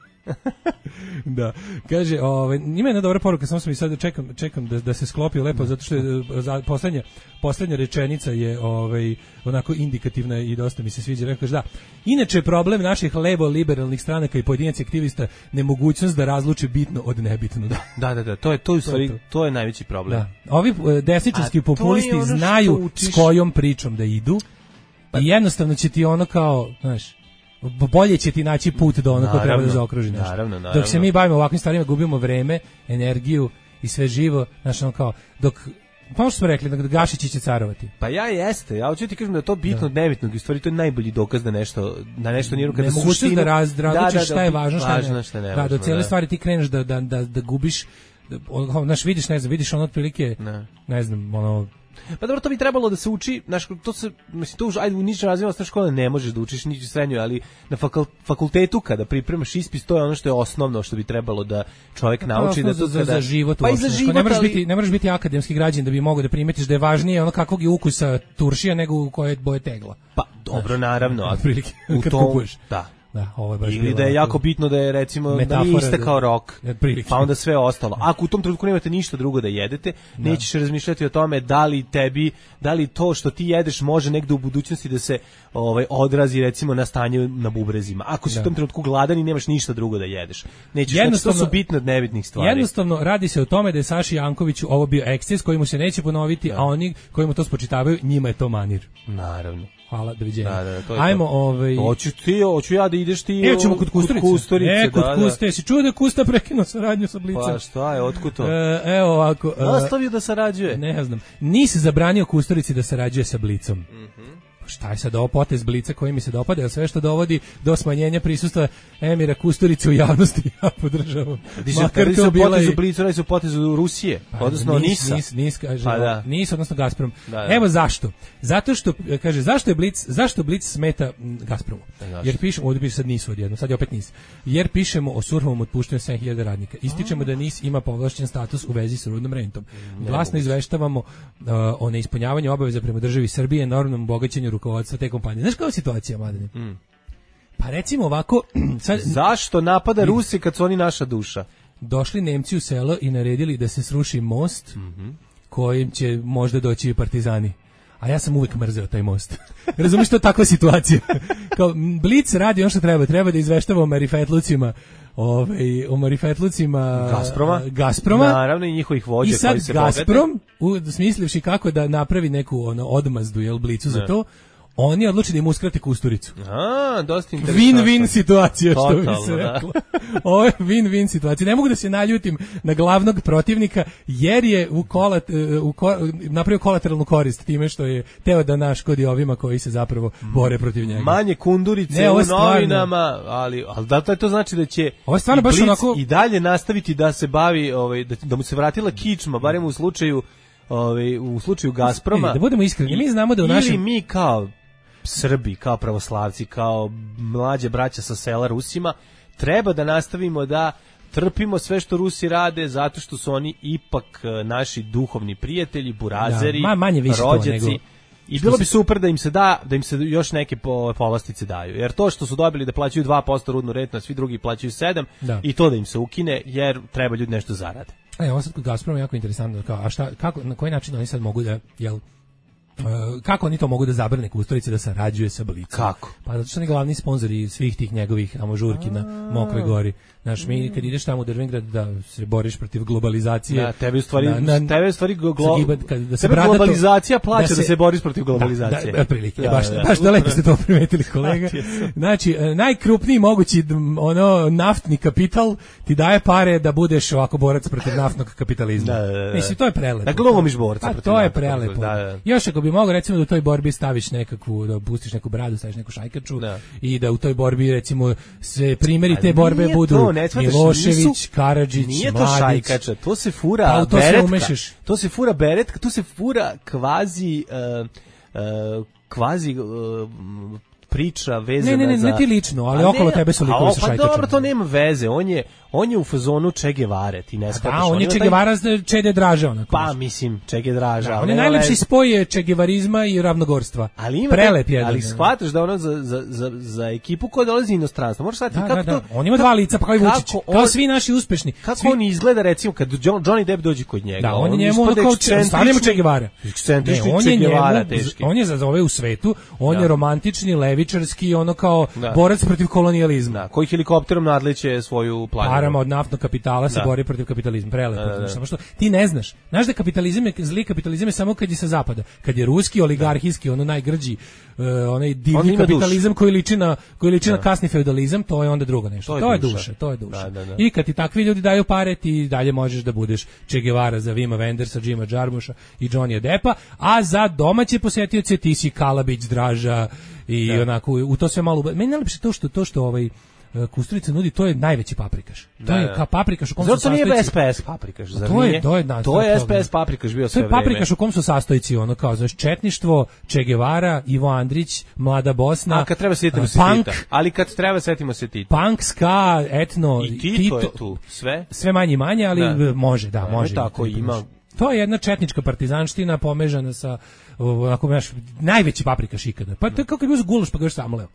Da, kaže, ovaj, ima jedna dobra poruka, samo sam i sad čekam, čekam da, da se sklopi lepo, zato što je za, poslednja, poslednja rečenica je ovaj, onako indikativna i dosta mi se sviđa. Rekao, da, inače problem naših levo-liberalnih stranaka i pojedinaca aktivista nemogućnost da razluči bitno od nebitno. Da, da, da, da to je to, u stvari, to, to je najveći problem. Da. Ovi desničarski populisti ono znaju s kojom pričom da idu pa, i jednostavno će ti ono kao, znaš, bolje će ti naći put do ono ko treba da zaokruži nešto. Naravno, naravno. Dok se mi bavimo ovakvim stvarima, gubimo vreme, energiju i sve živo, znaš, ono kao, dok pa što smo rekli, da Gašići će carovati. Pa ja jeste, ja hoću ti kažem da je to bitno od nebitnog, i stvari to je najbolji dokaz da nešto, da nešto nije kada suštinu... suštinu... da raz, različiš da, da, šta je važno, šta, važno, ne, šta ne. Da, do cijele da. Stvari ti kreneš da, da, da, da gubiš, da, znaš, vidiš, ne znam, vidiš ono otprilike, ne. ne znam, ono... Pa dobro, to bi trebalo da se uči, znaš, to se, mislim, to už, ajde, u ničem razvijenom osnovnoj škole ne možeš da učiš niču srednjoj, ali na fakultetu kada pripremaš ispis, to je ono što je osnovno što bi trebalo da čovjek nauči. Da to za, kada, za život, pa i za život, ne moraš, ali... biti, ne moraš biti akademski građanin da bi mogao da primetiš da je važnije ono kakvog je ukusa turšija nego u koje boje tegla. Pa, dobro, naravno, a prilike, kad tom, kupuješ. Da. Da, ovo je baš ili da je jako bitno da je recimo da nije iste kao rok, pa onda sve ostalo. Ako u tom trenutku nemate ništa drugo da jedete, da. Nećeš razmišljati o tome da li tebi, da li to što ti jedeš može negde u budućnosti da se ovaj odrazi recimo na stanje na bubrezima. Ako si da. U tom trenutku gladan i nemaš ništa drugo da jedeš, nećeš, jednostavno, znači, to su bitne od nebitnih stvari. Jednostavno radi se o tome da je Saši Jankoviću ovo bio eksces koji mu se neće ponoviti, da. A oni koji mu to spočitavaju, njima je to manir. Naravno. Hvala, doviđenja. Da, da, to je ajmo, to. ovaj... Hoću ti, hoću ja da ideš ti... E, ćemo kod Kusturice. Kod Kusturice, e, kod da, Kuste. Da. Si čuo da je Kusta prekinuo saradnju sa Blicom? Pa šta je, otkud to? E, evo ovako... E, Ostavio da sarađuje? Ne znam. Nisi zabranio Kusturici da sarađuje sa Blicom. Mhm. Šta je sad ovo potez Blica koji mi se dopada, jer sve što dovodi do smanjenja prisustva Emira Kusturice u javnosti ja podržavam. Makar to bila i... Blicu, radi se o potezu Rusije, pa, odnosno nis, Nisa. Nis, nis, kaže, pa da. Nis, odnosno Gazprom. Da, da. Evo zašto. Zato što, kaže, zašto je Blic, zašto Blic smeta Gazpromu? Jer pišemo, ovdje piše sad Nisu odjedno, sad je opet Nis. Jer pišemo o surhovom otpuštenju sedam hiljada radnika. Ističemo da Nis ima povlašćen status u vezi sa rudnom rentom. Glasno izveštavamo uh, o neispunjavanju obaveza prema državi Srbije, enormnom bogaćenju rukovodstva te kompanije. Znaš kao je situacija, Mladene? Mm. Pa recimo ovako... Sad, zašto napada Rusi kad su oni naša duša? Došli Nemci u selo i naredili da se sruši most mm-hmm. kojim će možda doći i partizani. A ja sam uvijek mrzeo taj most. Razumiješ, to je takva situacija. Kao, Blic radi ono što treba. Treba da izveštava o marifetlucima Ove, o marifetlucima Gazproma. Gazproma. Naravno i njihovih vođa koji se bogate. I sad Gazprom, smislivši kako da napravi neku ono, odmazdu, jel, Blicu ne. Za to, oni odluči da im uskrate Kusturicu. A, dosta interesantno. Win-win situacija, što totalno, bi se reklo. Ovo je win-win situacija. Ne mogu da se naljutim na glavnog protivnika, jer je u kolat, u ko, napravio kolateralnu korist time što je teo da naškodi ovima koji se zapravo bore protiv njega. Manje kundurice ne, u novinama, ali, ali da to znači da će ovo stvarno baš onako... i dalje nastaviti da se bavi, ovaj, da, da mu se vratila kičma, barem u slučaju ovaj, u slučaju Gazproma... Da budemo iskreni, mi znamo da u našem... Ili mi kao Srbi, kao pravoslavci, kao mlađe braća sa sela Rusima, treba da nastavimo da trpimo sve što Rusi rade, zato što su oni ipak naši duhovni prijatelji, burazeri, da, manje više rođaci. Nego... I bilo bi super da im se da, da im se još neke povlastice daju. Jer to što su dobili da plaćaju dva posto rudnu rentu, a svi drugi plaćaju sedam posto, i to da im se ukine, jer treba ljudi nešto zarade. E, ovo sad kod Gazproma je jako interesantno. Kao, a šta, kako, na koji način oni sad mogu da, jel, Uh, kako oni to mogu da zabrane Kusturici da sarađuje sa Blicom? Kako? Pa zato što oni glavni sponzori svih tih njegovih amožurki na Mokroj Gori. Znaš, mi kad ideš tamo u Drvengrad da se boriš protiv globalizacije... Da, tebe u stvari, na, na, tebe u stvari glo, giba, kad, da se tebe globalizacija plaća da se, da se boriš protiv globalizacije. Da, da, prilike, da, baš, da, baš da lepo ste to primetili, kolega. Znači, najkrupniji mogući ono naftni kapital ti daje pare da budeš ovako borac protiv naftnog kapitalizma. Da, da, da. Mislim, to je prelepo. Da glomiš borca protiv to je prelepo. Da, da. Još ako bi mogao recimo da u toj borbi staviš nekakvu, da pustiš neku bradu, staviš neku šajkaču da. I da u toj borbi recimo se primjeri te borbe budu to, Milošević, Karadžić, nije to Mladić. Šajkača, to se fura pa, to beretka. Se to se fura beretka, to se fura kvazi uh, uh, kvazi uh, priča vezana ne, ne, ne, za... Ne, ti lično, ali okolo tebe su likovi sa šajkačama. Pa dobro, to nema veze, on je, on je u fazonu Che Guevare, ti ne shvataš. Da, on je Che Guevara, Čede Draža, onako. Pa, mislim, Čede Draža. Da, on je najlepši spoj Che Guevarizma i ravnogorstva. Ali ima prelep jedan. Ali shvataš da ono za, za, za, za ekipu koja dolazi iz inostranstva, možeš shvatiti da, kako da, da. to... On ima dva lica, pa kao i Vučić, kao svi naši uspešni. Kako svi... on izgleda, recimo, kad Johnny Depp dođe kod njega. Da, on je njemu ono kao stanemo Che Guevara. Ekscentrični Che Guevara, teški. On je za ove u svetu, on je romantični, levičarski, ono kao borac protiv kolonijalizma. Da, koji helikopterom nadleće svoju planinu. Parama od naftnog kapitala se bori protiv kapitalizma. Prelepo. Samo što ti ne znaš. Znaš da kapitalizam je zli kapitalizam je samo kad je sa zapada. Kad je ruski oligarhijski, ono najgrđi, uh, onaj divni kapitalizam duš. koji liči na koji liči na kasni feudalizam, to je onda drugo nešto. To je, to je duša. duša, to je duša. Da, da, da. I kad ti takvi ljudi daju pare, ti dalje možeš da budeš Che Guevara za Vima Wendersa, Jima Jarmusha i Johnnyja Deppa, a za domaće posetioce ti si Kalabić, Draža i da. onako u to sve malo. Meni najlepše to što to što ovaj Kusturica nudi, to je najveći paprikaš. To da, je kao paprikaš u kom zato su sastojci. Zato nije S P S paprikaš, zar to nije? Je, to je, da, to je S P S paprikaš bio sve vreme. To je paprikaš u kom su sastojci, ono kao, znaš, četništvo, Che Guevara, Ivo Andrić, Mlada Bosna, a kad treba setimo se punk, Tita. Ali kad treba setimo se Tita. Punk, ska, etno, i Tito, Tito je tu, sve? Sve manje i manje, ali da. može, da, da može. Tako ima. To je jedna četnička partizanština pomežana sa onako baš najveći paprikaš ikada. Pa to je kao kad bi uzeo gulaš pa ga još samleo.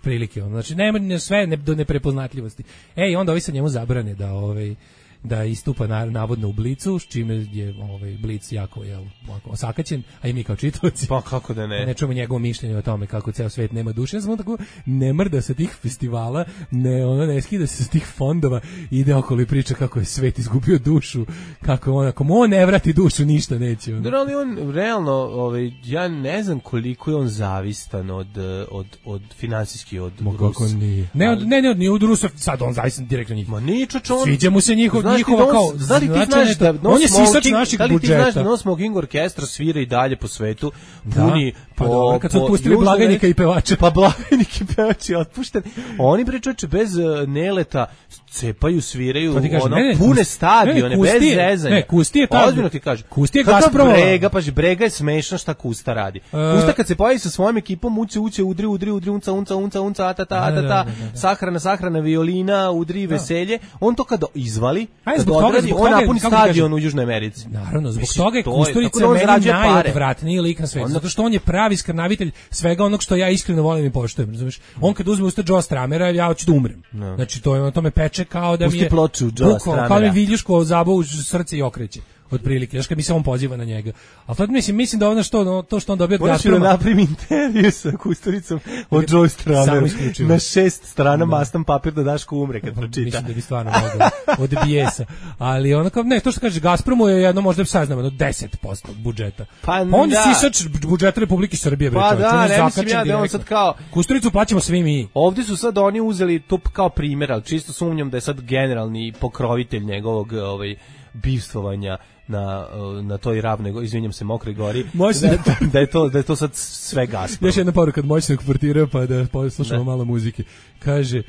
Prilike on. Znači nema ne, sve ne, do neprepoznatljivosti. Ej, onda ovi sa njemu zabrane da ovaj da istupa na, navodno u Blicu, s čime je ovaj Blic jako je ovako osakaćen, a i mi kao čitaoci. Pa kako da ne? Ne čujemo njegovo mišljenje o tome kako ceo svet nema duše, ja samo tako ne mrda sa tih festivala, ne ono ne skida se sa tih fondova, ide okolo i priča kako je svet izgubio dušu, kako on ako on ne vrati dušu ništa neće. On. Da, ali on realno, ovaj ja ne znam koliko je on zavistan od od od finansijski od Rusa. Ne, od, ne, ne, od, ne od Rusa, sad on zavistan direktno njih. Ma ničo on. Sviđa mu se njihov njihova kao, da li ti znaš da on je sisač naših budžeta. Da li ti znaš da No Smoking Orkestra svira i dalje po svetu, puni da, pa po, dobro, kad su otpustili blagajnika i pevača. Pa blagajnik i pevač je otpušten. Oni pričače bez uh, neleta cepaju, sviraju, kažem, ono, ne, ne, pune kust, stadione, ne, bez je, zezanja. Ne, Kusti je tako. Ozbiljno ti kažem. Kusti je Gazproma. Brega, pa Brega je smešno šta Kusta radi. Uh, Kusta kad se pojavi sa svojom ekipom, uče, uče, udri, udri, udri, unca, unca, unca, unca, atata, atata, sahrana, sahrana, violina, udri, veselje. On to kad izvali, kad odradi, on napuni stadion u Južnoj Americi. Naravno, zbog toga je Kusturica meni najodvratniji lik na svetu. Zato što on je pravi skrnavitelj svega onog što ja iskreno volim i poštujem, razumeš? On kad uzme usta Joe Stramera, ja hoću da umrem. Znači to je on to me peče kao da mi je ploču Joe Stramera. Kao mi viljuško zabavu srce i okreće. Otprilike, znaš kad mi se on poziva na njega. Ali to mislim, mislim da ono što, no, to što on dobio od Gazproma... Moraš da napravim intervju sa Kusturicom od Joe Stramera. Na šest strana mastan papir da Daško umre kad pročita. Mislim da bi stvarno mogao od bijesa. Ali ono kao, ne, to što kaže Gazpromu je jedno možda saznamo, no deset posto budžeta. Pa on je da. sisač budžeta Republike Srbije. Pa bre, da, ne mislim ja da on sad kao... Kusturicu plaćamo svi mi. Ovdje su sad oni uzeli to kao primjer, ali čisto sumnjam da je sad generalni pokrovitelj njegovog ovaj, bivstvovanja na na toj ravnoj, izvinjam se, Mokroj Gori, da, da je to da je to sad sve Gazprom. Još jedna poruka od moćnog portira, pa da poslušamo malo muzike. Kaže,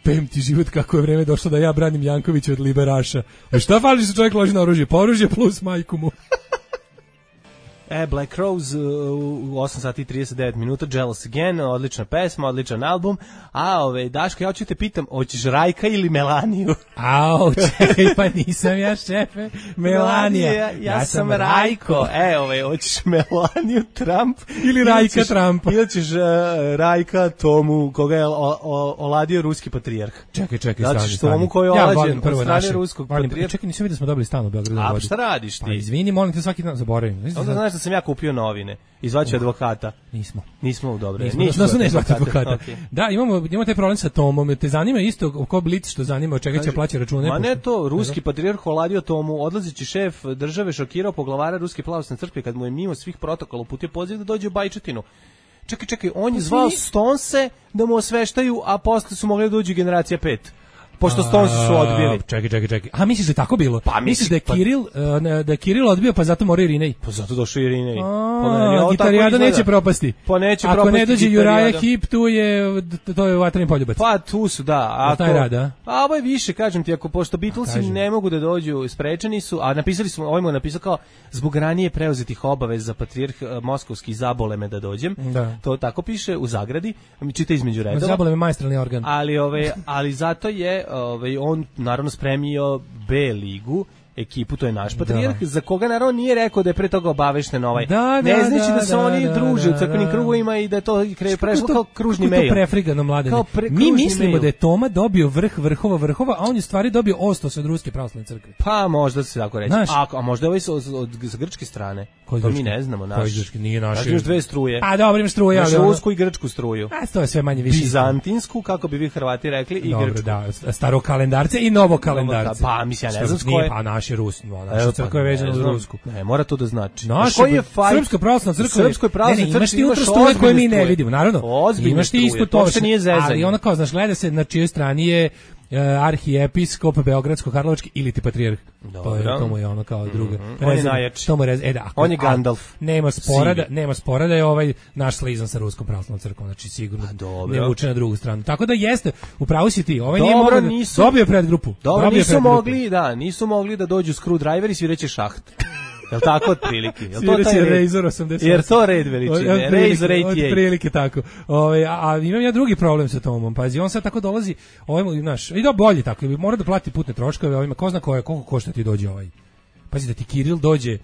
pem ti život kako je vreme došlo da ja branim Jankovića od liberaša. A šta fali što čovjek loži na oružje? Pa oružje plus majku mu. E, Black Rose u osam sati i trideset devet minuta, Jealous Again, odlična pesma, odličan album. A, ove, Daško, ja ću te pitam, hoćeš Rajka ili Melaniju? Au, čekaj, pa nisam ja šefe, Melanija. Ja, ja, ja sam Rajko. E, ove, hoćeš Melaniju, Trump ili Rajka Trumpa. Ili ćeš uh, Rajka Tomu, koga je o, o, oladio ruski patrijarh. Čekaj, čekaj, stani, stani. Tomu koji je ja olađen od strane ruskog patrijarha. Čekaj, nisam vidio da smo dobili stan u Beogradu. A, šta radiš ti? Pa, izvini, molim te, svaki dan zaboravim. Onda znaš da sam ja kupio novine. Izvaću uh, advokata. Nismo. Nismo, dobro. Nismo, nismo, nismo advokata. advokata. Okay. Da, imamo, imamo taj problem sa Tomom. Te zanima isto ko Blic što zanima od čega će plaća račune. Ma ne to, ruski patrijarh oladio Tomu, odlazeći šef države šokirao poglavara Ruske pravoslavne crkve kad mu je mimo svih protokola uputio poziv da dođe u Bajčetinu. Čekaj, čekaj, on je zvao Stonse da mu osveštaju, a posle su mogli da dođu generacija pet. Pošto Stones su odbili. Čekaj, čekaj, čekaj. A misliš da je tako bilo? Pa misliš da je Kiril, pa, da je Kiril odbio, pa zato mora Irinej? Pa zato došao Irinej. Pa gitarijada neće propasti. Pa neće Ako propasti. Ako ne dođe Juraja Hip, tu je, to je Vatreni poljubac. Pa tu su, da. Ako, taj rad, a? A ovo je više, kažem ti, ako pošto Beatlesi ne mogu da dođu, sprečeni su, a napisali smo, ovaj mu je napisao kao, zbog ranije preuzetih obaveza za patrijarh moskovski zabole me da dođem. Da. To tako piše u zagradi, mi čita između redova. Zabole me maestralni organ. Ali, ove, ali zato je ove, on naravno spremio B ligu, ekipu, to je naš patrijarh, za koga naravno nije rekao da je pre toga obavešten ovaj. Da, ne da, znači da, da se da, oni da, druže da, u crkvenim da. krugovima i da je to kre, prešlo to, kao kružni mail. Kako mail. to prefrigano, mladene? Pre, Mi mislimo mail. da je Toma dobio vrh vrhova vrhova, a on je stvari dobio ostos od Ruske pravoslavne crkve. Pa možda se tako reći. Znaš, a, a možda je ovaj od, od, od grčke strane. Koji to grčki? mi ne znamo. Naš. Koji grčki? Nije naš. Znači, imaš dve struje. A dobro, imaš struje. Imaš rusku i grčku struju. A to je sve manje više. Bizantinsku, kako bi vi Hrvati rekli, i dobro, grčku. Da, staro kalendarce i novo kalendarce. Pa, mislim, ja ne znam s koje. Pa, naš je Rus. Naša crkva je vezana uz Rusku. Ne, mora to da znači. Naša je Srpska pravoslavna crkva. Srpskoj pravoslavnoj imaš ti unutra struje koje mi ne vidimo, naravno. Imaš ti isto to. Ali ona kao, znaš, gleda se na čijoj strani je arhijepiskop Beogradsko-Karlovački ili ti patrijarh. To je to mu je ono kao druga. Mm-hmm. On je najjači. To mu rez, e da, ako, on je Gandalf. Nema spora da nema spora da je ovaj naš slizan sa Ruskom pravoslavnom crkvom, znači sigurno ne vuče na drugu stranu. Tako da jeste, upravo si ti. Ovaj dobro, nije nisu, dobio predgrupu. Dobro, dobio nisu predgrupu. mogli, da, nisu mogli da dođu screwdriver i svireće šaht. Jel tako otprilike? Jel to taj Razor osamdeset osam? Jer to red veličine, Razor osamdeset osam. Otprilike tako. Ove, a, a imam ja drugi problem sa Tomom. Pazi, on sad tako dolazi, ovaj, znaš, i da bolje tako, mora da plati putne troškove, ovima, ko zna koje, koliko košta ti dođe ovaj. Pazi da ti Kiril dođe,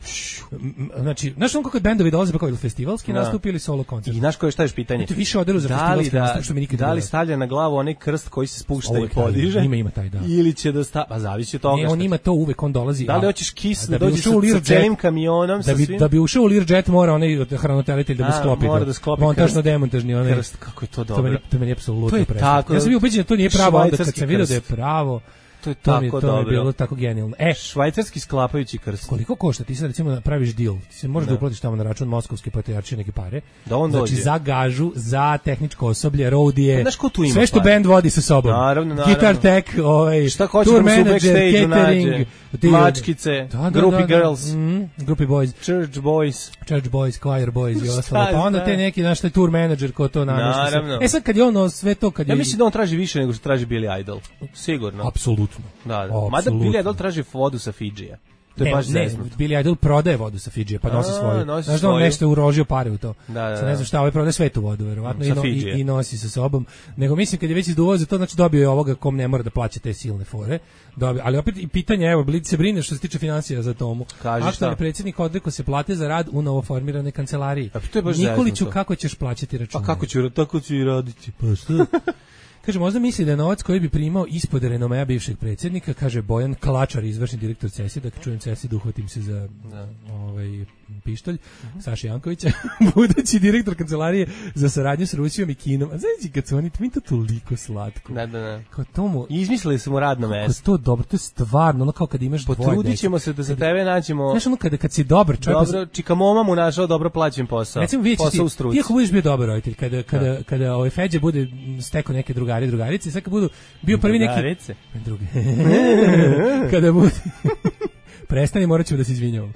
znači, znaš on kako bendovi dolaze, pa kao ili festivalski da. nastup ili solo koncert. I znaš koje šta je pitanje? Ti više oderu za festivalski da, nastup, što mi nikad da li stavlja na glavu onaj krst koji se spušta i podiže? Ima, ima taj, da. Ili će da sta, pa zavisi od toga. Ne, on ima to uvek, on dolazi. Da li hoćeš Kiss da dođe sa celim kamionom, da bi, da bi ušao u Learjet mora onaj hranitelitelj da mu sklopi. Mora da sklopi montažno demontažni onaj krst, kako je to dobro. To meni, to meni apsolutno preslatno. Ja sam bio ubeđen da to nije pravo, onda kad sam video da je pravo. To je tako to dobro. To je bilo tako genijalno. E, švajcarski sklapajući krst. Koliko košta? Ti sad recimo praviš deal. Ti se možeš da, da uplatiš tamo na račun moskovske patrijaršije neke pare. Da on znači dođe. Za gažu, za tehničko osoblje, roadije. Pa, sve što band vodi sa sobom. Naravno, naravno. Guitar tech, ovaj, šta hoće tour da manager, catering, mačkice, da, da, groupie da, da. girls, mm, groupie boys, church boys, church boys, choir boys i ostalo. Pa onda te neki naš taj tour manager ko to namešta. E sad kad je ono sve to kad je ja mislim da on traži više nego što traži Billy Idol. Sigurno. Apsolutno. Da, da. Mada Billy Idol traži vodu sa Fidžija. To je ne, baš ne, zeznuto. Billy Idol prodaje vodu sa Fidžija, pa nosi svoju. Znaš da on nešto uložio pare u to. Da, da, da. Ne znam šta, ovaj prodaje svetu vodu, verovatno, i, no, i, i nosi sa sobom. Nego mislim kad je već izduvao za to, znači dobio je ovoga kom ne mora da plaća te silne fore. Dobio, ali opet i pitanje, evo, Blic se brine što se tiče financija za Tomu. Aktualni predsjednik odrekao se plate za rad u novoformiranoj kancelariji. Nikoliću, zeznuto. Kako ćeš plaćati račune? Pa kako ću, tako ću i raditi. Pa šta? Kaže, možda misli da je novac koji bi primao ispod renomea bivšeg predsjednika, kaže Bojan Klačar, izvršni direktor Cesi, da čujem Cesi, da uhvatim se za da. ovaj pištolj, uh-huh. Saša Jankovića, budući direktor kancelarije za saradnju s Rusijom i Kinom. A znači, kad su oni, mi to toliko slatko. Da, da, da. Kao tomu, izmislili smo radno mesto. To dobro, to je stvarno, ono kao kad imaš dvoje dece. Potrudit ćemo se da za tebe nađemo... Znaš, ono kada kad si dobar čovjek... Dobro, čika moma mu našao dobro plaćen posao. Recimo, vidjet posao u ti, struci. ti ako budeš bio dobar roditelj, kada, kada, da. kada ovaj Feđa bude stekao neke drugari, drugarice, sad kad budu bio prvi neki... Drugarice? Druge. Kada bude... Prestani, morat ćemo da se izvinjavamo.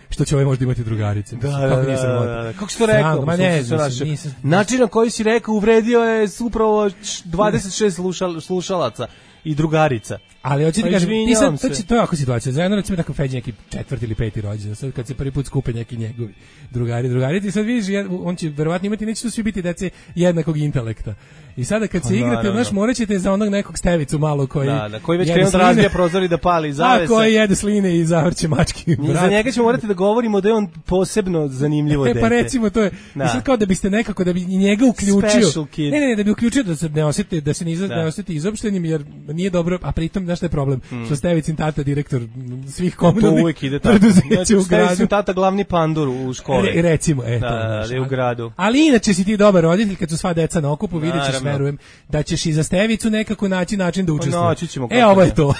Što će ovaj možda imati drugarice. Da, da, da, da, da. Kako si to rekao? Ma ne, nisam, nisam. Način na koji si rekao uvredio je upravo dvadeset šest slušal, slušalaca. i drugarica. Ali hoćete Pa kažem, ti izvinjavam sad, to, se. će- to je ovako situacija. Zajedno recimo tako Feđi neki četvrti ili peti rođendan, sad kad se prvi put skupe neki njegovi drugari, drugarice, i sad vidiš, jed- on će verovatno imati, neće tu svi biti dece jednakog intelekta. I sada kad se Pa, igrate, naravno. znaš, morat ćete za onog nekog stevicu malo koji... Da, da, koji već jede krenuo da sline, razbija prozor i da pali a zavese. koji jede sline i zavrće mački. I za vrat. njega ćemo morati da govorimo da je on posebno zanimljivo E dete. pa recimo to je. Da. I sad kao da biste nekako da bi i njega uključio. Special kid. Ne, ne, ne, da bi uključio da se ne osjeti da se ne, izra, Da. ne osjeti izopštenim jer nije dobro, a pritom znaš šta je problem? Mm. Što Stevicin tata direktor svih To komunalnih uvijek ide tako. preduzeća u Znači, gradu. sam tata glavni pandur u školi. Re, recimo, eto. Da, da, da je u gradu. Ali inače si ti dobar roditelj kad su sva deca na okupu, vidjet ćeš, Naravno. verujem, da ćeš i za Stevicu nekako naći način da učestvuje. naći ćemo, E, kako ovo je ne. to.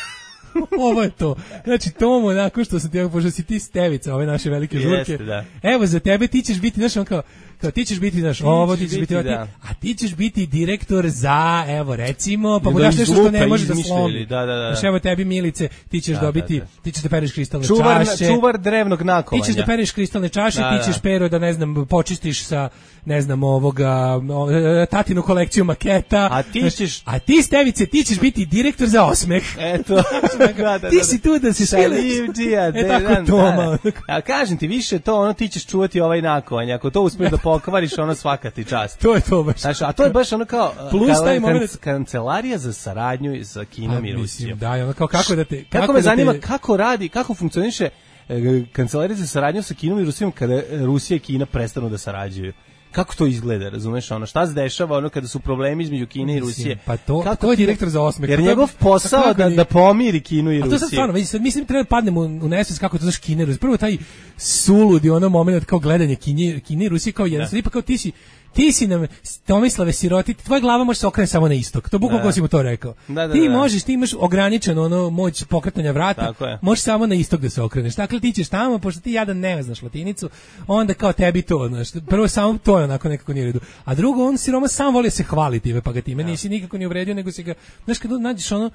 Ovo je to. Znači, Tomo, nakon što sam ti, pošto si ti Stevica, ove naše velike Jeste, žurke, da. evo za tebe ti ćeš biti, znaš, on kao, kao ti ćeš biti, znaš, ovo, ti ćeš ćeš biti, biti, ovo, ti- da. a ti ćeš biti direktor za, evo, recimo, pa mu Da daš nešto što ne izlupe, može da izmišljali, slomi. da, da, da. Znaš, evo tebi, Milice, ti ćeš Da, dobiti, da, da. ti ćeš da pereš kristalne Čuvar, čaše. čuvar drevnog Ti nakovanja. ćeš da pereš kristalne čaše, Da, ti ćeš da. pero da ne znam počistiš sa ne znam ovoga o, e, tatinu kolekciju maketa. A ti Znaš, ćeš- a ti Stevice, ti ćeš biti direktor za osmeh. Eto, da, da, Ti da. si tu da se Šalivđija, E tako Toma. A kažem ti, više to, ono, ti ćeš čuvati ovaj nakovanje. Ako to uspiješ da pokvariš, ono, svaka ti čast. To je to baš. Znaš, a to je baš ono kao Plus kao taj kan- moment- kancelarija za saradnju sa Kinom Pa, i mislim, Rusijom. da, i ono kao kako da te Kako me da zanima te- kako radi, kako funkcioniše e, kancelarija za saradnju sa Kinom i Rusijom kada Rusija i Kina prestanu da sarađuju. Kako to izgleda, razumeš, ono, šta se dešava ono kada su problemi između Kine i Mislim, Rusije? pa to- Kako to je ti- direktor za osmeh. Jer To- njegov posao kako da, nije- da pomiri Kinu i A Rusiju. to sad stvarno, vidi, sad mislim treba da padnemo u, u nesvest kako to znaš Kine i Rusije. Prvo taj suludi ono moment kao gledanje Kine, Kine i Rusije kao jedan, sad pa kao ti si ti si nam Tomislave siroti, tvoja glava može se okrenuti samo na istok. To bukvalno Da. si mu to rekao. Da, da, ti da. možeš, ti imaš ograničeno ono moć pokretanja vrata, Tako je. možeš samo na istok da se okreneš. Dakle ti ćeš tamo, pošto ti jadan ne znaš latinicu, onda kao tebi to, znaš. Prvo samo to je onako nekako nije u redu. A drugo, on siroma sam voli da se hvali time, pa ga time nisi nikako ni uvredio, nego si ga, znaš, kad nađeš ono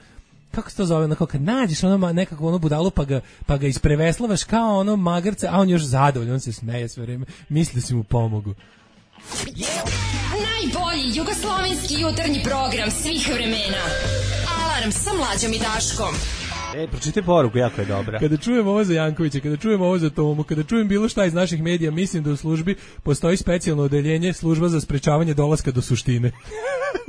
kako se to zove, onako kad nađeš ono ma- nekako ono budalu pa ga, pa ga ispreveslavaš kao ono magarca, a on još zadovoljan, on se smeje sve vreme, misli da si mu pomogu. Najbolji jugoslovenski jutarnji program svih vremena. Alarm sa Mlađom i Daškom. E, pročitaj poruku, jako je dobra. Kada čujem ovo za Jankovića, kada čujem ovo za Tomu, kada čujem bilo šta iz naših medija, mislim da u službi postoji specijalno odeljenje, služba za sprečavanje dolaska do suštine.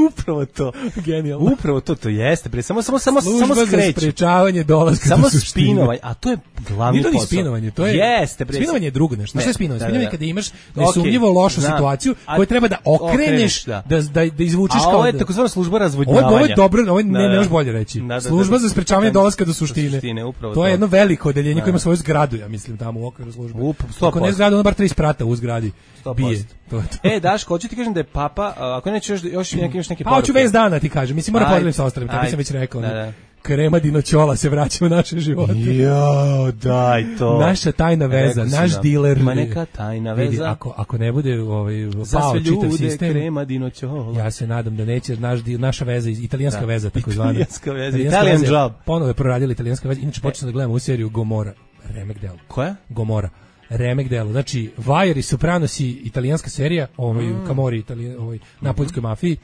Upravo to. Genijalno. Upravo to, to jeste. Bre, samo, samo, samo, Služba samo za skreću. sprečavanje dolaska Samo do suštine. spinovanje, a to je glavni Nije to ni posao. spinovanje, to je Jeste, bre. spinovanje je drugo nešto. Ne, Šta je spinovanje? da, Spinovanje da, je da. kada imaš Okej, nesumnjivo lošu znam. situaciju A- koju treba da okreneš, okreneš, da, da. da, da izvučeš A kao ovo je da- takozvana služba Ovo je, razvodnjavanja. ovo je dobro, ovo je, ne, Da, ne da. možeš bolje reći. Da, da, da. Služba za sprečavanje dolaska do suštine. suštine, upravo to je to. jedno veliko odeljenje koje ima svoju zgradu, ja mislim, tamo u okviru službe. Up, sto Ako ne posto. zgradu, ono bar tri sprata u zgradi. sto Bije. posto. To je to. E, Daško, hoću ti kažem da je papa, a, ako neće još, još, neki, još neke Pa hoću poruke. vez dana ti kažem, mislim mora Ajde, podelim sa ostalim, tebi ajde. sam već rekao. Da, ono, da. Krema dinoćola se vraća u naše živote. Jo, daj to. Naša tajna veza, Rekao sam naš da. diler. Ima neka tajna Vidi, veza. ako, ako ne bude ovaj, Za pao sve čitav ljude sistem, krema dinoćola. ja se nadam da neće naš, di- naša veza, iz- italijanska Da. veza, takozvana. Italijanska veza, Italijanska Italian veza je job. Ponovo je proradila italijanska veza. Inače, počeo sam da gledam u seriju Gomora. Remek delo. Koja? Gomora. Remek delo. Znači, Wire i Sopranosi, italijanska serija, ovaj, Mm. Camorri, italijan, ovaj, na poljskoj mafiji.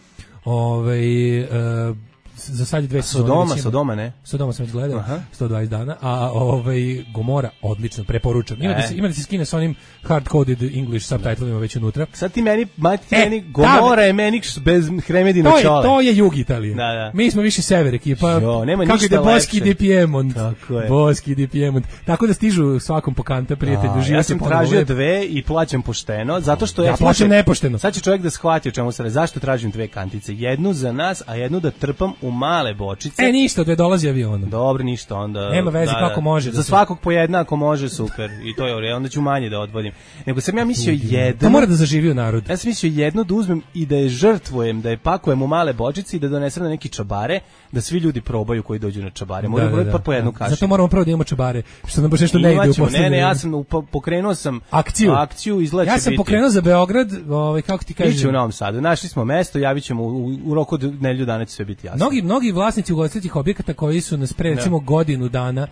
Ovaj, uh, za sad je dve sezone. Sodoma, već ima. Sodoma, ne? Sodoma sam već gledao, Aha. sto dvadeset dana, a ovaj Gomora odlično, preporučam. Ima, E. da se, ima da se skine sa onim hard-coded English subtitlima već unutra. Sad ti meni, mati ti E, meni, Gomora je meni š- bez hremedina To je, čole. to je jug Italije. Da, da. Mi smo više sever ekipa. Jo, nema Kako ništa ide Boski lepše. di Piemont. Tako je. Boski di Piemont. Tako da stižu svakom pokant prijatelju. A, život ja je sam ponovo tražio lep. dve i plaćam pošteno, zato što ja, Ja plaćam nepošteno. Sad će čovjek da shvati o čemu se radi. Zašto tražim dve kantice? Jednu za nas, a jednu da trpam u male bočice. E, ništa, dve dolazi avionom. Dobro, ništa, onda... Nema veze kako može da Za se- svakog po jedna, ako može, super. I to je u redu, onda ću manje da odvodim. Nego sam ja mislio jednu... To mora da zaživi u narodu. Ja sam mislio jednu da uzmem i da je žrtvujem, da je pakujem u male bočice i da donesem na neki čabare, da svi ljudi probaju koji dođu na čabare. Moraju brojiti pa po jednu kašiku. Zato moramo prvo da imamo čabare, što nam baš nešto ne ide u Imaćemo, poslednje ne, ne, ja vreme. sam upo- pokrenuo sam Akciju. akciju izgleda Ja će sam biti. pokrenuo za Beograd, ovaj, kako ti kažem. Biće u Novom Sadu. Našli smo mesto, javit ćemo u, u roku od nedelju dana će sve biti jasno. Mnogi, mnogi vlasnici ugostiteljskih objekata koji su nas pre recimo godinu dana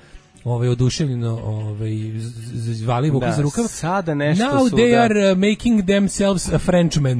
ovaj oduševljeno ovaj zvali Vuka za rukav. Sada nešto Now su, they da. are uh, making themselves a Frenchman.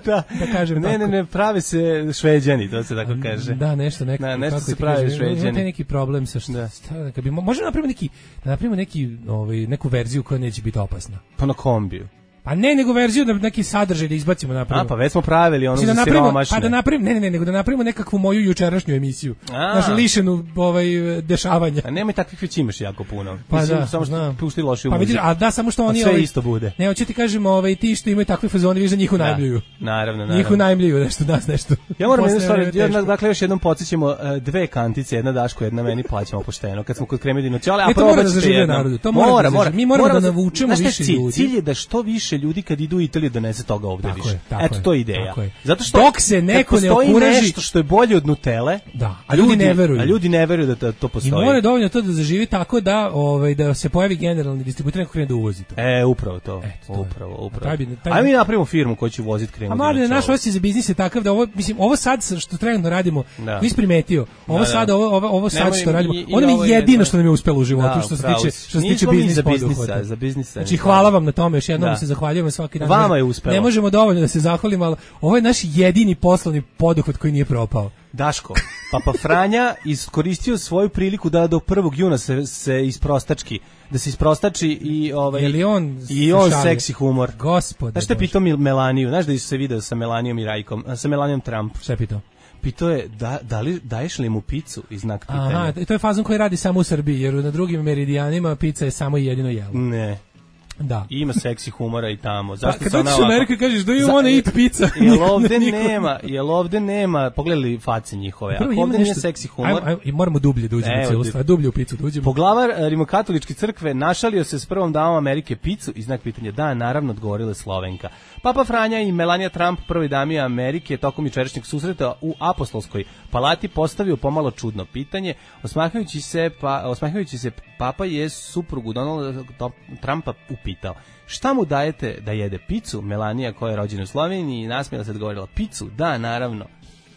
da, da kažem ne, tako. ne, ne, prave se Šveđani, to se tako kaže. Da, nešto neko. Da, nešto kako se ti pravi kažem, Šveđani. ima taj neki problem sa šta, Da. šta kad bi mo- možemo napravimo neki, da napravimo neki ovaj neku verziju koja neće biti opasna. Pa na kombiju. Pa ne, nego verziju da neki sadržaj da izbacimo napravimo. A, pa već smo pravili ono Znači da za napravimo, siromašne. pa da napravimo, ne, ne, ne, nego da napravimo nekakvu moju jučerašnju emisiju. A. Znači lišenu ovaj dešavanja. A nemoj takvih već imaš jako puno. Pa Mislim, da, samo što znam. pušti lošiju Pa muziku. vidiš, a da samo što oni sve ovaj, isto bude. Ne, hoću ti kažem, ovaj ti što imaju takve fazone, vidiš da njih unajmljuju. Naravno, naravno. Njih unajmljuju nešto nas nešto. Ja moram jednu Posle stvar, vreme ja, teško. dakle još jednom podsjećamo uh, dve kantice, jedna Daško, jedna meni, plaćamo pošteno. Kad smo kod Kremedinu Ćole, a E, to mora da probat ćete zaživi jednom. narodu, to mora da zaživi. Mi moramo da za- navučemo Znaš šta je više cilj? ljudi. Cilj je da što više ljudi kad idu u Italiju donese toga ovde Tako više. je, tako Eto, je, to je ideja. tako je. Zato što Dok se neko kad ne postoji okuraži- nešto što je bolje od Nutele, Da, a ljudi ne veruju. A ljudi ne veruju da to, to I postoji. mora dovoljno to da zaživi tako da ovaj da se pojavi generalni distributer neko krene da uvozi to. E, upravo to. Eto, to je. upravo, upravo. Taj bi- taj- Ajde mi napravimo firmu koja će voziti A Kremedinu mali naš Ćole. osjećaj za biznis je takav da ovo mislim ovo sad što trenutno radimo, Da. nisi primetio. Ovo Da, da. sad ovo ovo, ovo sad Nemoj, što radimo, i- i ono mi ovo je je- jedino što nam je uspelo u životu Da, što se upravo tiče si. što se tiče Nismo mi biznis za poduhvata. biznisa, za biznisa. Znači nismo. hvala vam na tome, još jednom Da. se zahvaljujemo svaki dan. Vama Ne- je uspelo. Ne možemo dovoljno da se zahvalimo, ali ovo je naš jedini poslovni poduhvat koji nije propao. Daško, Papa Franja iskoristio svoju priliku da do prvog juna se, se isprostački, da se isprostači i ovaj Je li on i se on šali? seksi humor. Gospode. Znaš što je Bože. pitao Mil- Melaniju, znaš da se video sa Melanijom i Rajkom, a, sa Melanijom Trump. Šta je pitao? Pitao je da, da li, daješ li mu picu i znak pitanja. Aha, to je fazon koji radi samo u Srbiji, jer na drugim meridijanima pizza je samo i jedino jelo. Ne. Da. Ima seksi humora i tamo. Pa, Zašto kad se ona dođeš u ovako- Ameriku i kažeš do you Za- wanna eat pizza? Jel Niko- ovde niko- nema, jel ovde nema, pogledali face njihove, Prvo ako ima ovde nije nešto- seksi humor, Ajmo, ajmo, i moramo dublje da uđemo Evo, u cijelu di- stvar, dublje u picu da uđemo. Poglavar e, Rimokatoličke crkve našalio se s prvom damom Amerike picu i znak pitanja da, naravno odgovorila je Slovenka. Papa Franja i Melania Trump, prvoj dami Amerike, tokom jučerašnjeg susreta u Apostolskoj palati postavio pomalo čudno pitanje. Osmahajući se, pa, osmahajući se Papa je suprugu Donalda Trumpa upitao: šta mu dajete da jede picu? Melania, koja je rođena u Sloveniji, nasmijela se, odgovorila: picu, da, naravno.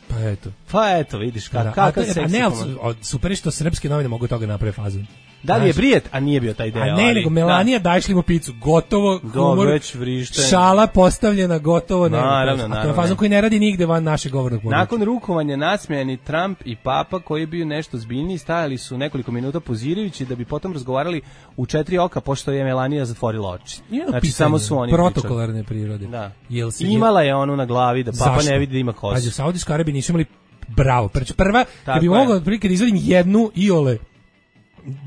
Pa eto. Pa eto, vidiš, Da, kak, a kakav to- seksi ne, ali humor. su- od- super je što srpske novine mogu toga napraviti fazon. Da li je Znaš, brijet? A nije bio taj deo. A ne, ali- nego Melanija, daješ li mu picu? Gotovo, Da, humor, već vrištenje. šala postavljena, gotovo. Ne, Naravno, a to je naravno. fazon koji ne radi nigde van našeg govornog područja. Nakon rukovanja nasmejani Trump i Papa, koji je bio nešto zbiljniji, stajali su nekoliko minuta pozirajući da bi potom razgovarali u četiri oka, pošto je Melanija zatvorila oči. I jedno Znači, pitanje, samo su oni protokolarne prirode. pričali. Da. Jel se Imala je onu na glavi da Papa Zašto? ne vidi da ima kosu. Pazi, u Saudijskoj Arabiji nisu imali bravo. Znači, prva, kad bi je. mogao otprilike da izvadim jednu iole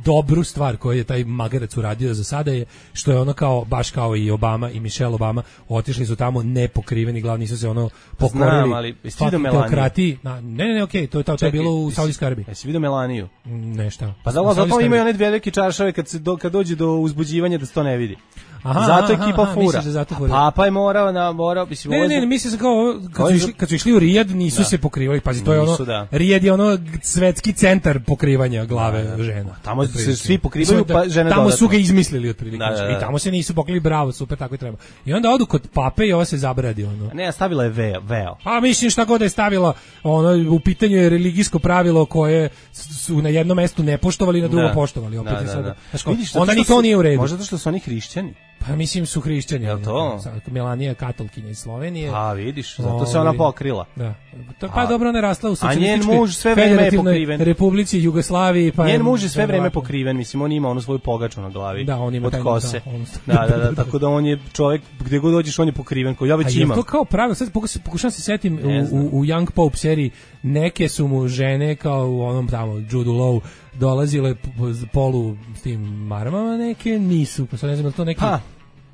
dobru stvar koju je taj magarac uradio za sada je što je ono kao, baš kao i Obama i Michelle Obama, otišli su tamo nepokriveni, glavni su se ono pokorili. Znam, ali jesi vidio fucking Melaniju? teokratiji. Na, ne, ne, ne, okej, to je, to, to je Čekaj, bilo u jesi- Saudijskoj Arabiji. Jesi vidio Melaniju? Mm, Ne, šta? Pa U zato, zato Saudijskoj imaju Arabiji. one velike čaršave kad, se do, kad dođe do uzbuđivanja da se to ne vidi. Aha, zato je aha, ekipa aha, fura. misliš da zato A fura. Papa je morao, na, morao mislim, Ne, ovo ne, je- ne, mislim se kao ovo, kad Ovo su je- išli, kad su išli u Rijad nisu Da. se pokrivali, pazi, to je ono, Nisu, da. Rijad je ono svetski centar pokrivanja glave žena. Tamo se Otprilike. svi pokrivaju, Mislim da pa žene Tamo dodatno. su ga izmislili otprilike, Da, da, da. i tamo se nisu pokrili, bravo, super, tako i treba. I onda odu kod pape i ovo se zabradi, ono. Ne, stavila je veo. veo. Pa mislim šta god da je stavila, ono, u pitanju je religijsko pravilo koje su na jednom mestu ne poštovali, na drugom Da. poštovali. Opet Da, je da, sada. da. Znaš kao, Vidiš, zato onda što ni to su- nije u redu. Možda zato što su oni hrišćani. Pa mislim su hrišćani. Jel to? Sad, Melanija je katolkinja iz Slovenije. A, vidiš, zato se ona Ovaj, pokrila. Da. To, pa A- dobro, ona je rasla u a njen socijalističkoj muž sve vreme je federativnoj pokriven. Republici Jugoslaviji. Pa Njen muž je sve vreme verovatno. pokriven, mislim, on ima onu svoju pogaču na glavi. Da, on ima od taj- kose. da, on- Da, da, da, tako da on je čovjek, gdje god dođeš, on je pokriven, kao ja A već je imam. to kao pravilo, sad pokušam, pokušam se setim Ne u, znam. u, u Young Pope seriji, neke su mu žene kao u onom tamo Judu Law dolazile p- p- polu s tim maramama, neke nisu, pa sad ne znam je li to neki... Pa,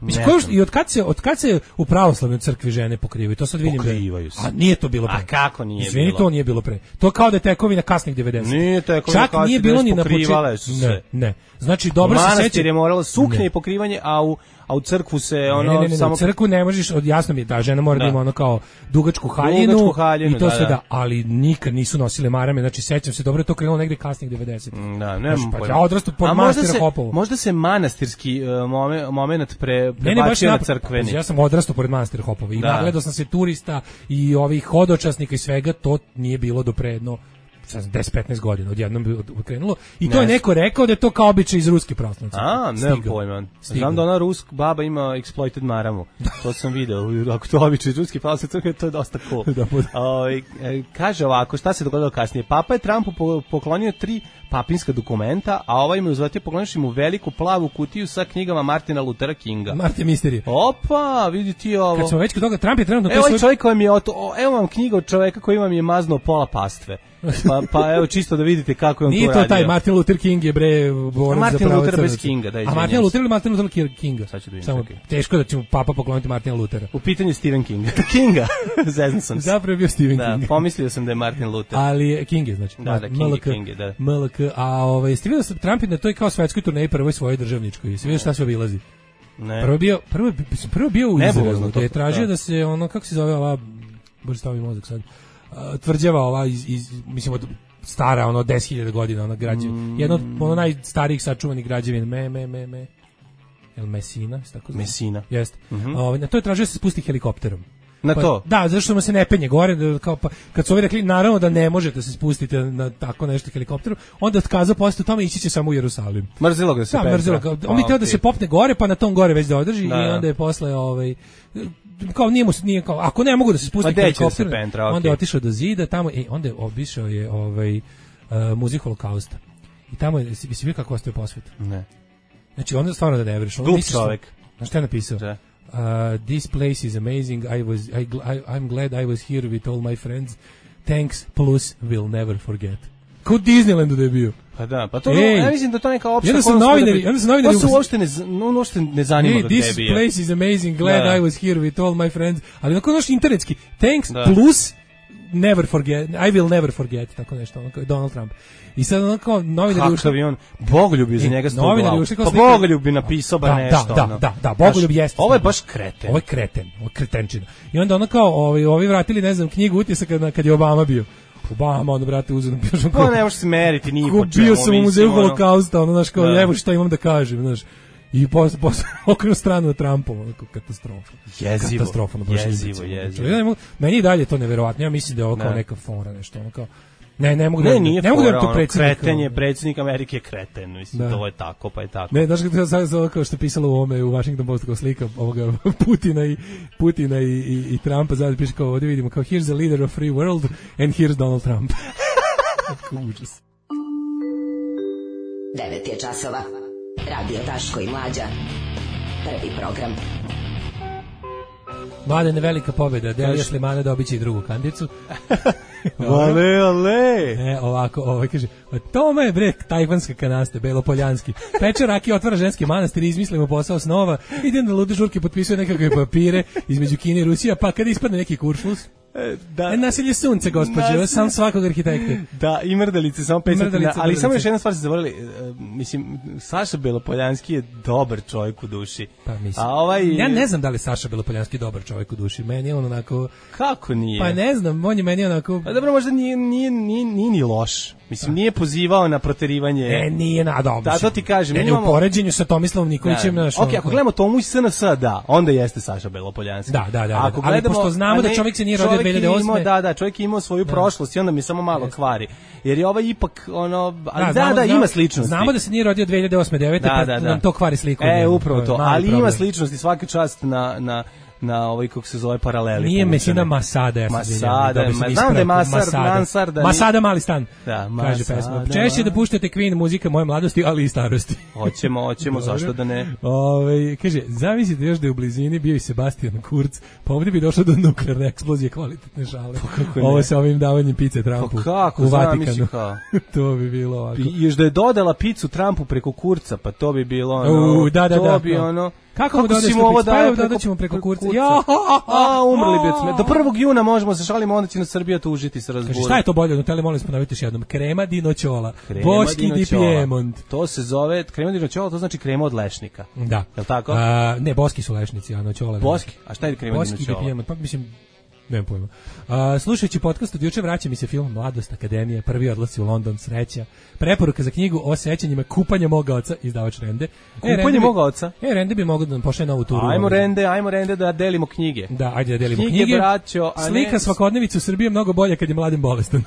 Mislim, ne ko je- znam. i od kad se od kad se u pravoslavnoj crkvi žene pokrivaju, to sad vidim da je- Pokrivaju se. A nije to bilo pre. A kako nije Izvini, bilo? to nije bilo pre. To kao da je tekovina kasnih devedesetih. Nije tekovina Čak kasnih nije bilo ni na pokrivale početku. su se. Ne, ne. Znači dobro se Manastir sećam. je morala suknje Ne. i pokrivanje, a u, a u crkvu se ono ne, ne, ne, ne, samo... u crkvu ne možeš, od jasno mi je da žena mora da, Da. ima ono kao dugačku haljinu, Dugačku haljinu, i to da, sve da. da, ali nikad nisu nosile marame, znači sećam se dobro, je to krenulo negde kasnih devedesetih. Da, nemam Znaš, pa pojma. ja odrastao pod A možda manastira se- Hopovo. Možda se manastirski uh, momen, moment pre, Ne, ne, baš prebacio na napad. crkveni. Ja sam odrastao pored manastira Hopova i Da. nagledao sam se turista i ovih hodočasnika i svega, to nije bilo do pre jedno deset petnaest godina odjednom bi krenulo i to ne. je neko rekao da je to kao običaj iz ruske prostitucije. A, nemam pojma. Znam da ona rusk baba ima exploited maramu. To sam video. Ako to običaj iz ruske prostitucije, to je dosta cool. Da, o, kaže ovako, šta se dogodilo kasnije? Papa je Trumpu poklonio tri papinska dokumenta, a ovaj mu uzvratio pokloniš mu veliku plavu kutiju sa knjigama Martina Luthera Kinga. Martin Misterije. Opa, vidi ti ovo. Kad smo već kod toga, Trump je trenutno... Evo ovaj svoj... čovjek koji mi je, o, evo vam knjiga od čoveka koji vam je maznuo pola pastve. Pa, pa evo čisto da vidite kako je on Nije to radio. Nije to taj Martin Luther King je bre borac za Martin pravo Luther crnaca. bez Kinga, da, A Martin Luther ili Martin Luther Kinga? Sad ću da vidim. Samo okay. Teško da će mu papa pokloniti Martina Luthera. U pitanju je Stephen King. Kinga. Zezno sam se. Zapravo je bio Stephen da, King. Da, pomislio sam da je Martin Luther. Ali King je, znači. Da, da, King, M L K, King je, da. M L K, a ovaj, jeste vidio da Trump je na toj kao svetskoj turneji prvoj svojoj državničkoj. Jeste vidio šta se obilazi? Ne. Prvo bio, prvo, prvo bio u Izraelu, da je tražio da. da se ono, kako se zove ova, bože stavi mozak sad, uh, tvrđava ova iz, iz mislim, od stara, ono, deset hiljada godina, ona građevina. Mm. Jedna od ono najstarijih sačuvanih građevina. Me, me, me, me. El Mesina, tako zove? Mesina. Jeste. Mm -hmm. Ovaj, na to je tražio da se spusti helikopterom. Na pa, to? Da, zato što mu se ne penje gore, da, kao, pa, kad su ovi rekli, naravno da ne možete se spustiti na tako nešto helikopterom, onda otkazao posle tome ići će samo u Jerusalim. Mrzilo ga se da, pentra. Mrzilo ga. On bi teo da se popne gore, pa na tom gore već da održi da, i onda je posle, ovaj, kao nije mu nije kao ako ne mogu da se spusti helikopter, pentra, onda okay. je otišao do zida tamo i onda je obišao je ovaj uh, muzej holokausta. I tamo je si vidio kako ostaje posvet. Ne. Znači onda stvarno da ne veriš. Glup čovjek. Znaš šta je napisao? Da. Uh, this place is amazing. I was I, I I'm glad I was here with all my friends. Thanks plus we'll never forget. Kao Disneylandu da je bio. Pa da, pa to Ej, ja mislim da to neka opšta. Onda su novinari, onda su novinari. To se uopšte ne, no, uopšte ne zanima gde je bio. This place is amazing. Glad da. I was here with all my friends. Ali onako naš internetski. Thanks da. plus never forget. I will never forget. Tako nešto. Onako Donald Trump. I sad onako novinari ušli. Kakav je on Bogoljub iz njega sto glavu. Pa slika... Bogoljub bi napisao bar da, nešto. Da, da, da, da, Bogoljub jeste. Ovo je baš kreten. Ovo je kreten. Ovo je kretenčina. I onda ono kao, ovi, ovi vratili, ne znam, knjigu utisaka kad je Obama bio. Obama, onda, brate, uzeo da pišem kao... Pa ne možeš se meriti, nije po čemu. Bio sam u muzeju holokausta, ono, znaš, kao, evo šta imam da kažem, znaš. I posle, posle okrenu stranu na Trumpovu, onako, katastrofa. Jezivo, katastrofa, no, jezivo, jezivo. Ja mogu, meni i dalje to neverovatno, ja mislim da je ovo kao neka fora, nešto, ono kao, ne, ne mogu ne, da, nije ne mogu fora, da to predsjednik. Kreten je, predsjednik Amerike je kreten, mislim, da. To je tako, pa je tako. Ne, znaš kako sad kao što je pisalo u ovome, u Washington Postu, kao slika ovoga Putina i, Putina i, i, i Trumpa, zadnje piše kao, ovdje vidimo, kao, here's the leader of free world and here's Donald Trump. Užas. devet je časova. Radio Daško i Mlađa. Prvi program. Mladene, velika pobjeda. Delija Slimana dobit će i drugu kandicu. Ale, ale. E, ovako, ovaj kaže, tome je bre tajvanska kanasta, belopoljanski. Peče rakije, otvara ženski manastir, izmislimo posao snova, idem na lude žurke, potpisuje nekakve papire između Kine i Rusija, pa kad ispadne neki kuršlus, da. E, nasilje sunce, gospođe, sam svakog arhitekta. Da, i mrdalice, samo pet ali mrdalice. Samo još jedna stvar se zaboravili, uh, mislim, Saša Belopoljanski je dobar čovjek u duši. Pa mislim, a ovaj... ja ne znam da li Saša Belopoljanski je dobar čovjek u duši, meni je on onako... Kako nije? Pa ne znam, on je meni onako... Pa dobro, možda nije, nije, nije, nije ni loš. Mislim, nije pozivao na proterivanje. E, nije na dobro. Da, to ti kažem. Ne, imamo... u poređenju sa Tomislavom Nikolićem. Da, ok, ako gledamo Tomu i S N S, da, onda jeste Saša Belopoljanski. Da, da, da. Ako da. Ali pošto znamo ne, da čovjek se nije rodio dve hiljade osme. Da, da, čovjek je imao svoju da. prošlost i onda mi samo malo yes. kvari. Jer je ovaj ipak, ono, ali da, znamo, da, da, znamo, ima sličnosti. Znamo da se nije rodio dve hiljade osme devete, da, pa da, da. nam to kvari sliku. E, upravo to, ali ima sličnosti, svaka čast na... na na ovaj kako se zove paraleli. Nije Mesina Masada, ja Masada, ma znam da je Masar, Mansar, da Masada mali stan. Da, kaže pesma. Češće da puštate Queen, muzika moje mladosti, ali i starosti. Hoćemo, hoćemo, zašto da ne? Ovaj kaže, zamislite još da je u blizini bio i Sebastian Kurz, pa ovdje bi došlo do nuklearne eksplozije, kvalitetne šale. Ovo sa ovim davanjem pice Trumpu u Vatikanu. To bi bilo ovako. I još da je dodala picu Trumpu preko Kurca, pa to bi bilo ono. To bi ono. Kako mu dodaš ovo da dodaćemo preko Kurca? Ja, a umrli bi od smeta. Do prvog juna možemo se šalimo, onda će na Srbija tužiti sa razburom. Šta je to bolje od Nutelle, molim vas ponovite još jednom. Krema di noćola. Boški di Piemont. To se zove krema di noćola, to znači krema od lešnika. Da. Jel tako? A, ne, boski su lešnici, a noćola. Boski. A šta je krema boski di noćola? Boski di Piemont, pa mislim nemam pojma. Uh, slušajući podcast od juče vraća mi se film Mladost Akademije, prvi odlasci u London, sreća. Preporuka za knjigu o sećanjima Kupanja moga oca, izdavač Rende. Kupanje e, moga oca? E, Rende bi mogao da nam pošle novu turu. Ajmo Rende, ajmo Rende da delimo knjige. Da, ajde da delimo knjige. knjige. Braćo, a slika ne... svakodnevicu u Srbiji je mnogo bolje kad je mladim bolestan.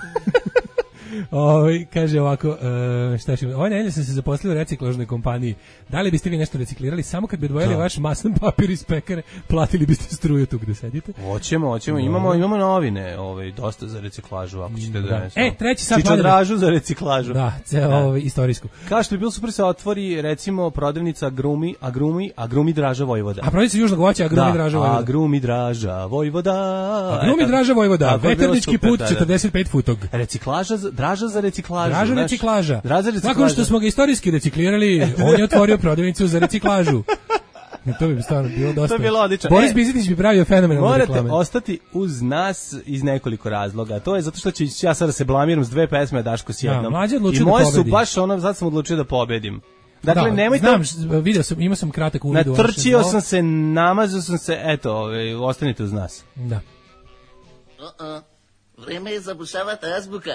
Ovaj kaže ovako, uh, šta ćemo? Ovaj nedelje sam se zaposlio u reciklažnoj kompaniji. Da li biste vi nešto reciklirali? Samo kad bi odvojili da. vaš maslan papir iz pekare, platili biste struju tu gde sedite? Hoćemo, hoćemo. Imamo, imamo novine, ovaj, dosta za reciklažu, ako ćete da, da ne. E, treći sat Čičodražu za reciklažu. Da, ceo da. ovaj istorijsku. Kao što bi bilo super se otvori, recimo, prodavnica Agrumi, Agrumi, Agrumi Draža Vojvoda. A prodavnica Južnog voća, Agrumi da, Draža Vojvoda. Agrumi Draža Vojvoda. Agrumi Draža Vojvoda, veternički put četrdeset pet futog. Reciklaža, Draža za reciklažu. Draža reciklaža. Draža reciklaža. Nakon što smo ga istorijski reciklirali, on je otvorio prodavnicu za reciklažu. To bi stvarno bilo dosta. To bi bilo odlično. Boris Bizetić bi pravio fenomenalne reklame. Morate ostati uz nas iz nekoliko razloga. To je zato što ću ja sada se blamiram s dve pesme, Daško s jednom. Da, I moje da su baš ono, sad sam odlučio da pobedim. Dakle, da, nemojte... Znam, vidio sam, imao sam kratak uvid. Natrčio sam se, namazao sam se, eto, ovaj, ostanite uz nas. Da. Uh-uh. Vreme je zabušavati azbuka.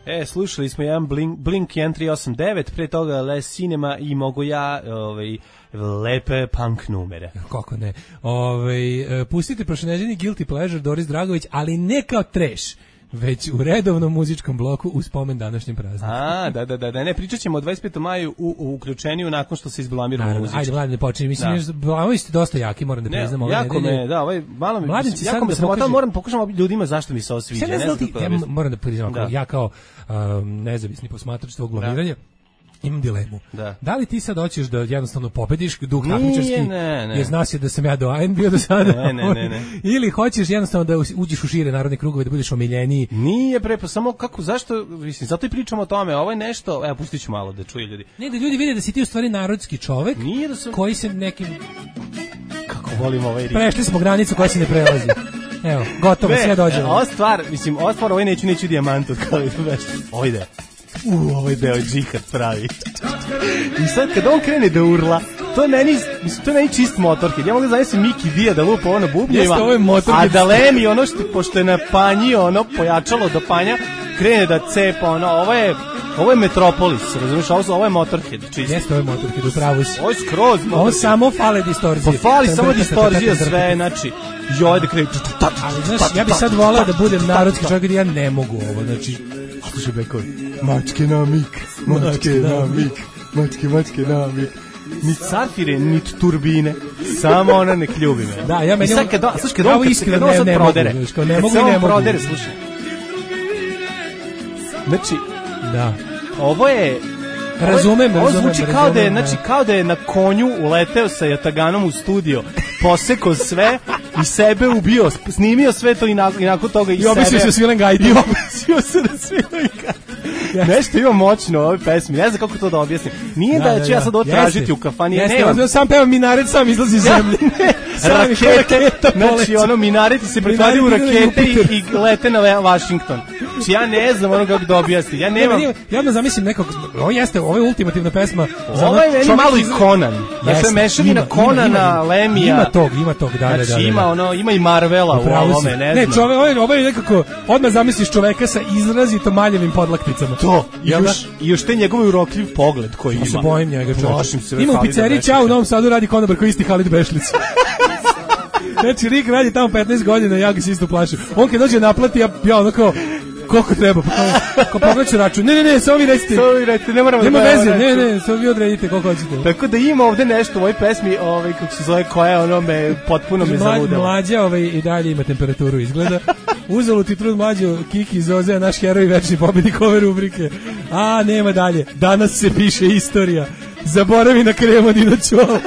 E, slušali smo jedan Blink, Blink jedan tri osam devet, pre toga Les Cinema i mogu ja ovaj, lepe punk numere. Kako ne. Ovaj, pustite prošleneđeni Guilty Pleasure Doris Dragović, ali ne kao trash, već u redovnom muzičkom bloku u spomen današnjem prazniku. A, da, da, da, da, ne, pričat ćemo o dvadeset petom maju u, u uključeniju nakon što se izblamiramo muzički. Ajde, mladen, ne počinje, mislim, da. Blamovi ste dosta jaki, moram da priznam. Ne, jako me, da, ovaj, malo mi, Mladenci jako me sramota, moram pokušam ljudima zašto mi se ovo sviđa. Ne znam, ja moram da priznam, da. ja kao um, nezavisni posmatrač tvog blamiranja, imam dilemu. Da. da li ti sad hoćeš da jednostavno pobediš duh takmičarski, jer znaš je da sam ja doajen bio do sada, ne, ne, ne, ne. ili hoćeš jednostavno da uđeš u šire narodne krugove, da budeš omiljeniji? Nije bre, pa samo kako, zašto, mislim, zato i pričamo o tome, ovo je nešto, evo, pustit ću malo da čuje ljudi. Ne, da ljudi vide da si ti u stvari narodski čovek, Nije da sam... koji se nekim... Kako volim ovaj rit. Prešli smo granicu koja se ne prelazi. Evo, gotovo, sve dođemo. Ova stvar, mislim, ova stvar, ovaj neću, neću dijamant od kao ovo ide. U, ovaj deo džihad pravi. I sad kad on krene da urla, to je meni, mislim, to je meni čist motorkid. Ja mogu zamislim Miki Dija da lupa ono bubnjeva, a da Lemi ono što, pošto je na panji ono pojačalo do panja, krene da cepa ono, ovo je, ovo je Metropolis, razumiješ, ovo, ovo je motorkid, čist. Jeste, ovo je motorkid, upravo si. Ovo je skroz motorkid. Ovo samo fale distorzije. Pa fali samo distorzija sve, znači, joj da krene. Ali znaš, ja bi sad volao da budem narodski čovjek, ja ne mogu ovo, znači, slušaj bekovi, mačke na mik, mačke na mik, mačke, mačke na mik. Ni safire, ni turbine, samo ona nek ljubi me. Da, ja meni... I sad kad on, slušaj, kad on, kad, kad on sad ne prodere, mogu, ne mogu, ne mogu. Prodere, slušaj. Znači, da. Ovo je... Razumem, ovo razumem. zvuči kao da je, znači, kao da je na konju uleteo sa jataganom u studio, posekao sve i sebe ubio, snimio sve to i, na, i nakon toga i, I sebe... I obisio se svilen gajdi. I obisio se na svilen gajdi. Yes. Nešto ima moćno u ovoj pesmi, ne znam kako to da objasnim. Nije da, da, da ću ja sad ovo tražiti u kafani. Jeste, ne, sam pevam Minaret, sam izlazi iz zemlje. Rakete, znači ono Minareti se pretvori u rakete i, i lete na Washington. Znači ja ne znam ono kako da objasnim. Ja nemam... Ja odmah zamislim nekog, ovo jeste, ovo je ultimativna pesma. Ovo je meni malo i Conan. Znači mešavina Conana, Lemija. Ima tog, ima tog, da, da, da. Znači ima ono, ima i Marvela u ovome, ne znam. Ne, čovek, ovo je nekako, odmah zamisliš čoveka sa izrazito maljevim podlakticama. To, i još, i još te njegove urokljiv pogled koji ima. Ja se bojim njega, čovjek. Ima u pizzeriji Ćao u Novom Sadu radi konobar koji isti Halid Bešlic. Znači, Rik radi tamo petnaest godina, ja ga se isto plašim. On kad dođe naplati, ja, ja ono kao, koliko treba, pa kao, kao pogledaću račun. Ne, ne, ne, samo vi recite. Samo vi recite, ne moramo da... Nema veze, ne, ne, samo vi odredite koliko hoćete. Tako da ima ovde nešto u ovoj pesmi, ovaj, kako se zove, koja ono me, potpuno me zaludela. Mlađa ovaj, i dalje ima temperaturu izgleda. Uzelo ti trud mlađo, Kiki Zozea, naš heroj, večni pobednik ove rubrike. A, nema dalje, danas se piše istorija. Zaboravi na kremodino čolo.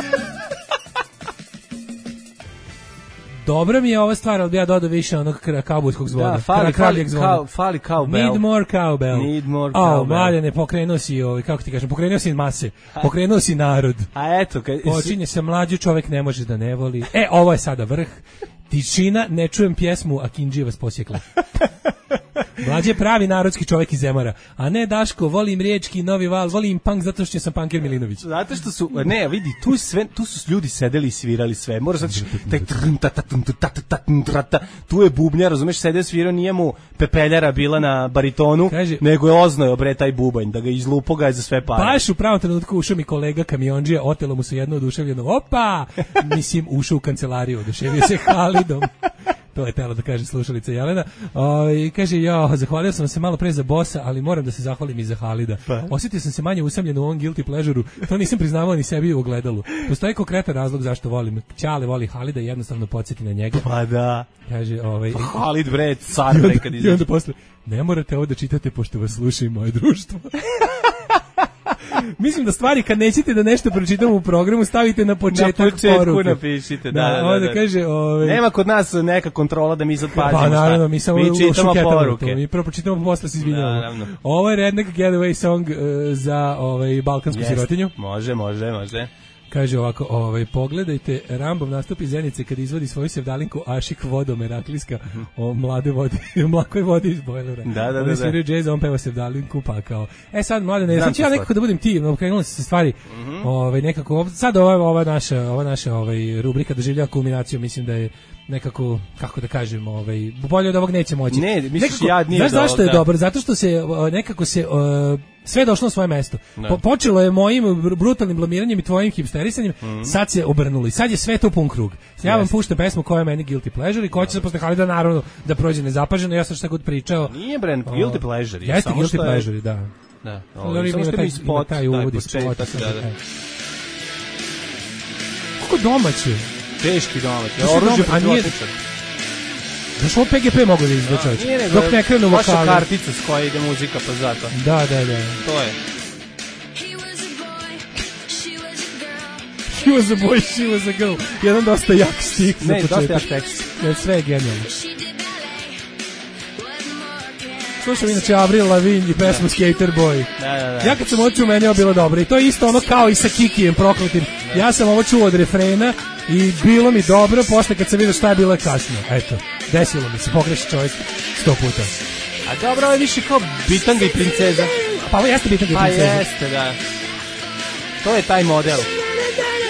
Dobro mi je ova stvar, ali bi ja dodao više onog kaubojskog zvona. Da, fali, fali, kao, fali cowbell. Need more cowbell. Need more cowbell. O, mladene, pokrenuo si, ovaj, kako ti kažem, pokrenuo si mase, pokrenuo si narod. A eto. Kad... Počinje se mlađu, čovek ne može da ne voli. E, ovo je sada vrh. Tišina, ne čujem pjesmu, a Kindžije vas posjekla. Mlađe je pravi narodski čovjek iz Zemara. A ne Daško, volim riječki, Novi Val, volim punk zato što sam punker Milinović. Zato što su, ne, vidi, tu sve, tu su ljudi sedeli i svirali sve. Moraš znači taj tu je bubnjar, razumeš, sede svirao, nije mu pepeljara bila na baritonu, kaže, nego je oznojio bre taj bubanj, da ga izlupo ga je za sve pare. Baš u pravom trenutku ušao mi kolega kamiondžija, otelo mu se jedno oduševljeno. Opa! Mislim, ušao u kancelariju, oduševio se Halidom. To je tela da kaže slušalica Jelena. O, i kaže, ja, zahvalio sam se malo pre za bossa, ali moram da se zahvalim i za Halida. Pa. Osjetio sam se manje usamljen u ovom guilty pleasure-u, to nisam priznavao ni sebi u ogledalu. Postoji konkretan razlog zašto volim. Ćale voli Halida i jednostavno podsjeti na njega. Pa da. Kaže, ovaj... Halid, bre, car, bre, kad izađe. I onda posle, ne morate ovo da čitate pošto vas sluša i moje društvo. Mislim da stvari kad nećete da nešto pročitamo u programu stavite na početak na početku poruke. Napišite, da, da, da, onda da. kaže, ovaj nema kod nas neka kontrola da mi sad pazimo. Pa naravno, mi samo mi čitamo poruke. To, mi prvo pročitamo, posle se izvinjavamo. Ovo je Redneck Getaway song uh, za ovaj balkansku yes. sirotinju. Može, može, može. Kaže ovako, ovaj, pogledajte Rambov nastup iz Zenice kad izvodi svoju sevdalinku Ašik Vodomer Aklijska o mlade vodi, mlakoj vodi iz bojlera. Da, da, Oni da. sviraju džez, on peva sevdalinku, pa kao, e sad mlade, ne, sad ću ja nekako da budem ti, krenule se stvari, mm -hmm. ovaj, nekako, sad ova, ova naša, ova naša ovaj, rubrika doživljava kulminaciju, mislim da je nekako, kako da kažem, ovaj, bolje od ovog neće moći. Ne, misliš nekako, ja nije znaš zašto je dobro? Zato što se nekako se uh, sve je došlo na svoje mesto. Po, počelo je mojim brutalnim blamiranjem i tvojim hipsterisanjem, mm. sad se obrnulo i sad je sve to pun krug. Ja vam puštam pesmu koja je meni guilty pleasure i ko će se posle Halida naravno da prođe nezapaženo, ja sam šta god pričao. Nije brand guilty pleasure. Jeste samo guilty pleasure, da. Da. Ovo, samo što mi spot, taj uvod i spot. Kako domaće? Teški domaći. Oružje protivotečan. Znaš, ovo P G P mogu da izgleda čovječ. Dok ne krenu vokali. Vaša kartica s koja ide muzika, pa zato. Da, da, da. To je. He was a boy, she was a girl. Jedan dosta jak stih za početak. Ne, dosta jak tekst. Ne, sve je genijalno. Slušam inače Avril Lavigne i pesmu Skater Boy. Da, da, da. Ja kad sam ovo čuo, meni je bilo dobro. I to je isto ono kao i sa Kikijem prokletim. Ja sam ovo čuo od refrena i bilo mi dobro, posle kad sam vidio šta je bilo kasno. Eto, desilo mi se, pogreši čovjek sto puta. A dobro, ovo je više kao Bitanga i princeza. Pa ovo jeste Bitanga i princeza. Pa jeste, da. To je taj model.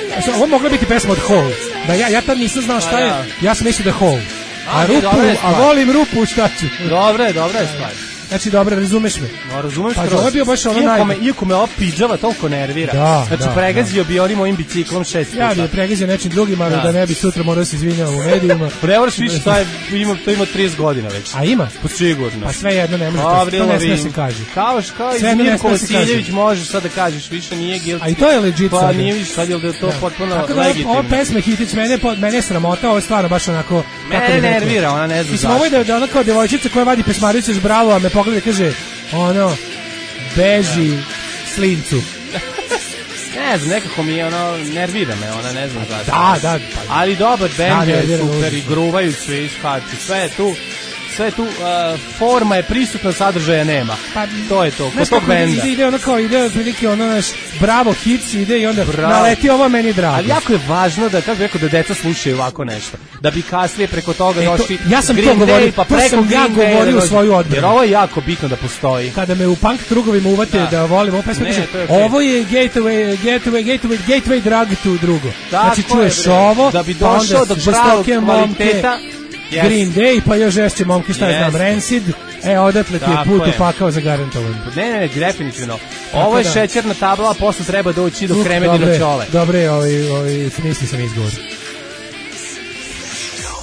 Znači, ovo mogla biti pesma od Hole. Da ja, ja tad nisam znao šta je, ja sam mislio da Hole. A, a rupu, a volim rupu, šta ću? Dobro je, dobra je stvar. Znači, dobro, razumeš me. No, razumeš pa, kroz. Pa, bio baš ono iako, naj... me, iako me ova pidžava toliko nervira. Da, znači, da, pregazio da. bi onim mojim biciklom šest puta. Ja bi je pregazio nečim drugim, ali da, da ne bi sutra morao se izvinjava u medijima. Prevoraš više, taj ima, to ima trideset godina već. A ima? Pa sigurno. Pa sve jedno ne može, to, to ne smije se kaže. Kao, kao i Mirko Vasiljević možeš sad da kažeš, više nije guilty. A i to je legit pa, sad. Pa nije više, sad je da to potpuno legitimno. Tako da ovo pesme Hitić, mene, mene je sramota, ovo je stvarno baš onako... Mene nervira, ona ne zna zašto. Ovo je da ona kao devojčica koja vadi pesmaricu iz bravo, a me pogleda i kaže, ono, beži slincu. Ne znam, nekako mi je ono, nervira me, ona ne znam zašto. Da, da. Pa, ali dobar bend je da, super i gruvaju svi iskaču, sve je tu, sve tu, uh, forma je prisutna, sadržaja nema. Pa, to je to, kod tog benda. Ide ono kao, ide otprilike ono naš bravo hits, ide i onda bravo. Naleti ovo meni drago. Ali jako je važno da, kako bih rekao, da deca slušaju ovako nešto. Da bi kasnije preko toga došli e, ja sam Green to govorio, pa preko to sam ja govorio u svoju odbranu. Jer ovo je jako bitno da postoji. Kada me u punk krugovima uvate da, da volim ovo pesmu, kaže, okay. Ovo je gateway, gateway, gateway, gateway drug to drugo. Tako znači čuješ je, ovo, da bi došao do pravog kvaliteta. Yes. Green Day, pa još žešće momke, šta je znam, Rancid, e, odatle ti je put je. upakao za garantovan. Ne, ne, ne, definitivno. Ovo je da. šećerna tabla, a posle treba doći do kremedino čole. Dobre, ovi, ovi, smisli sam izgovor.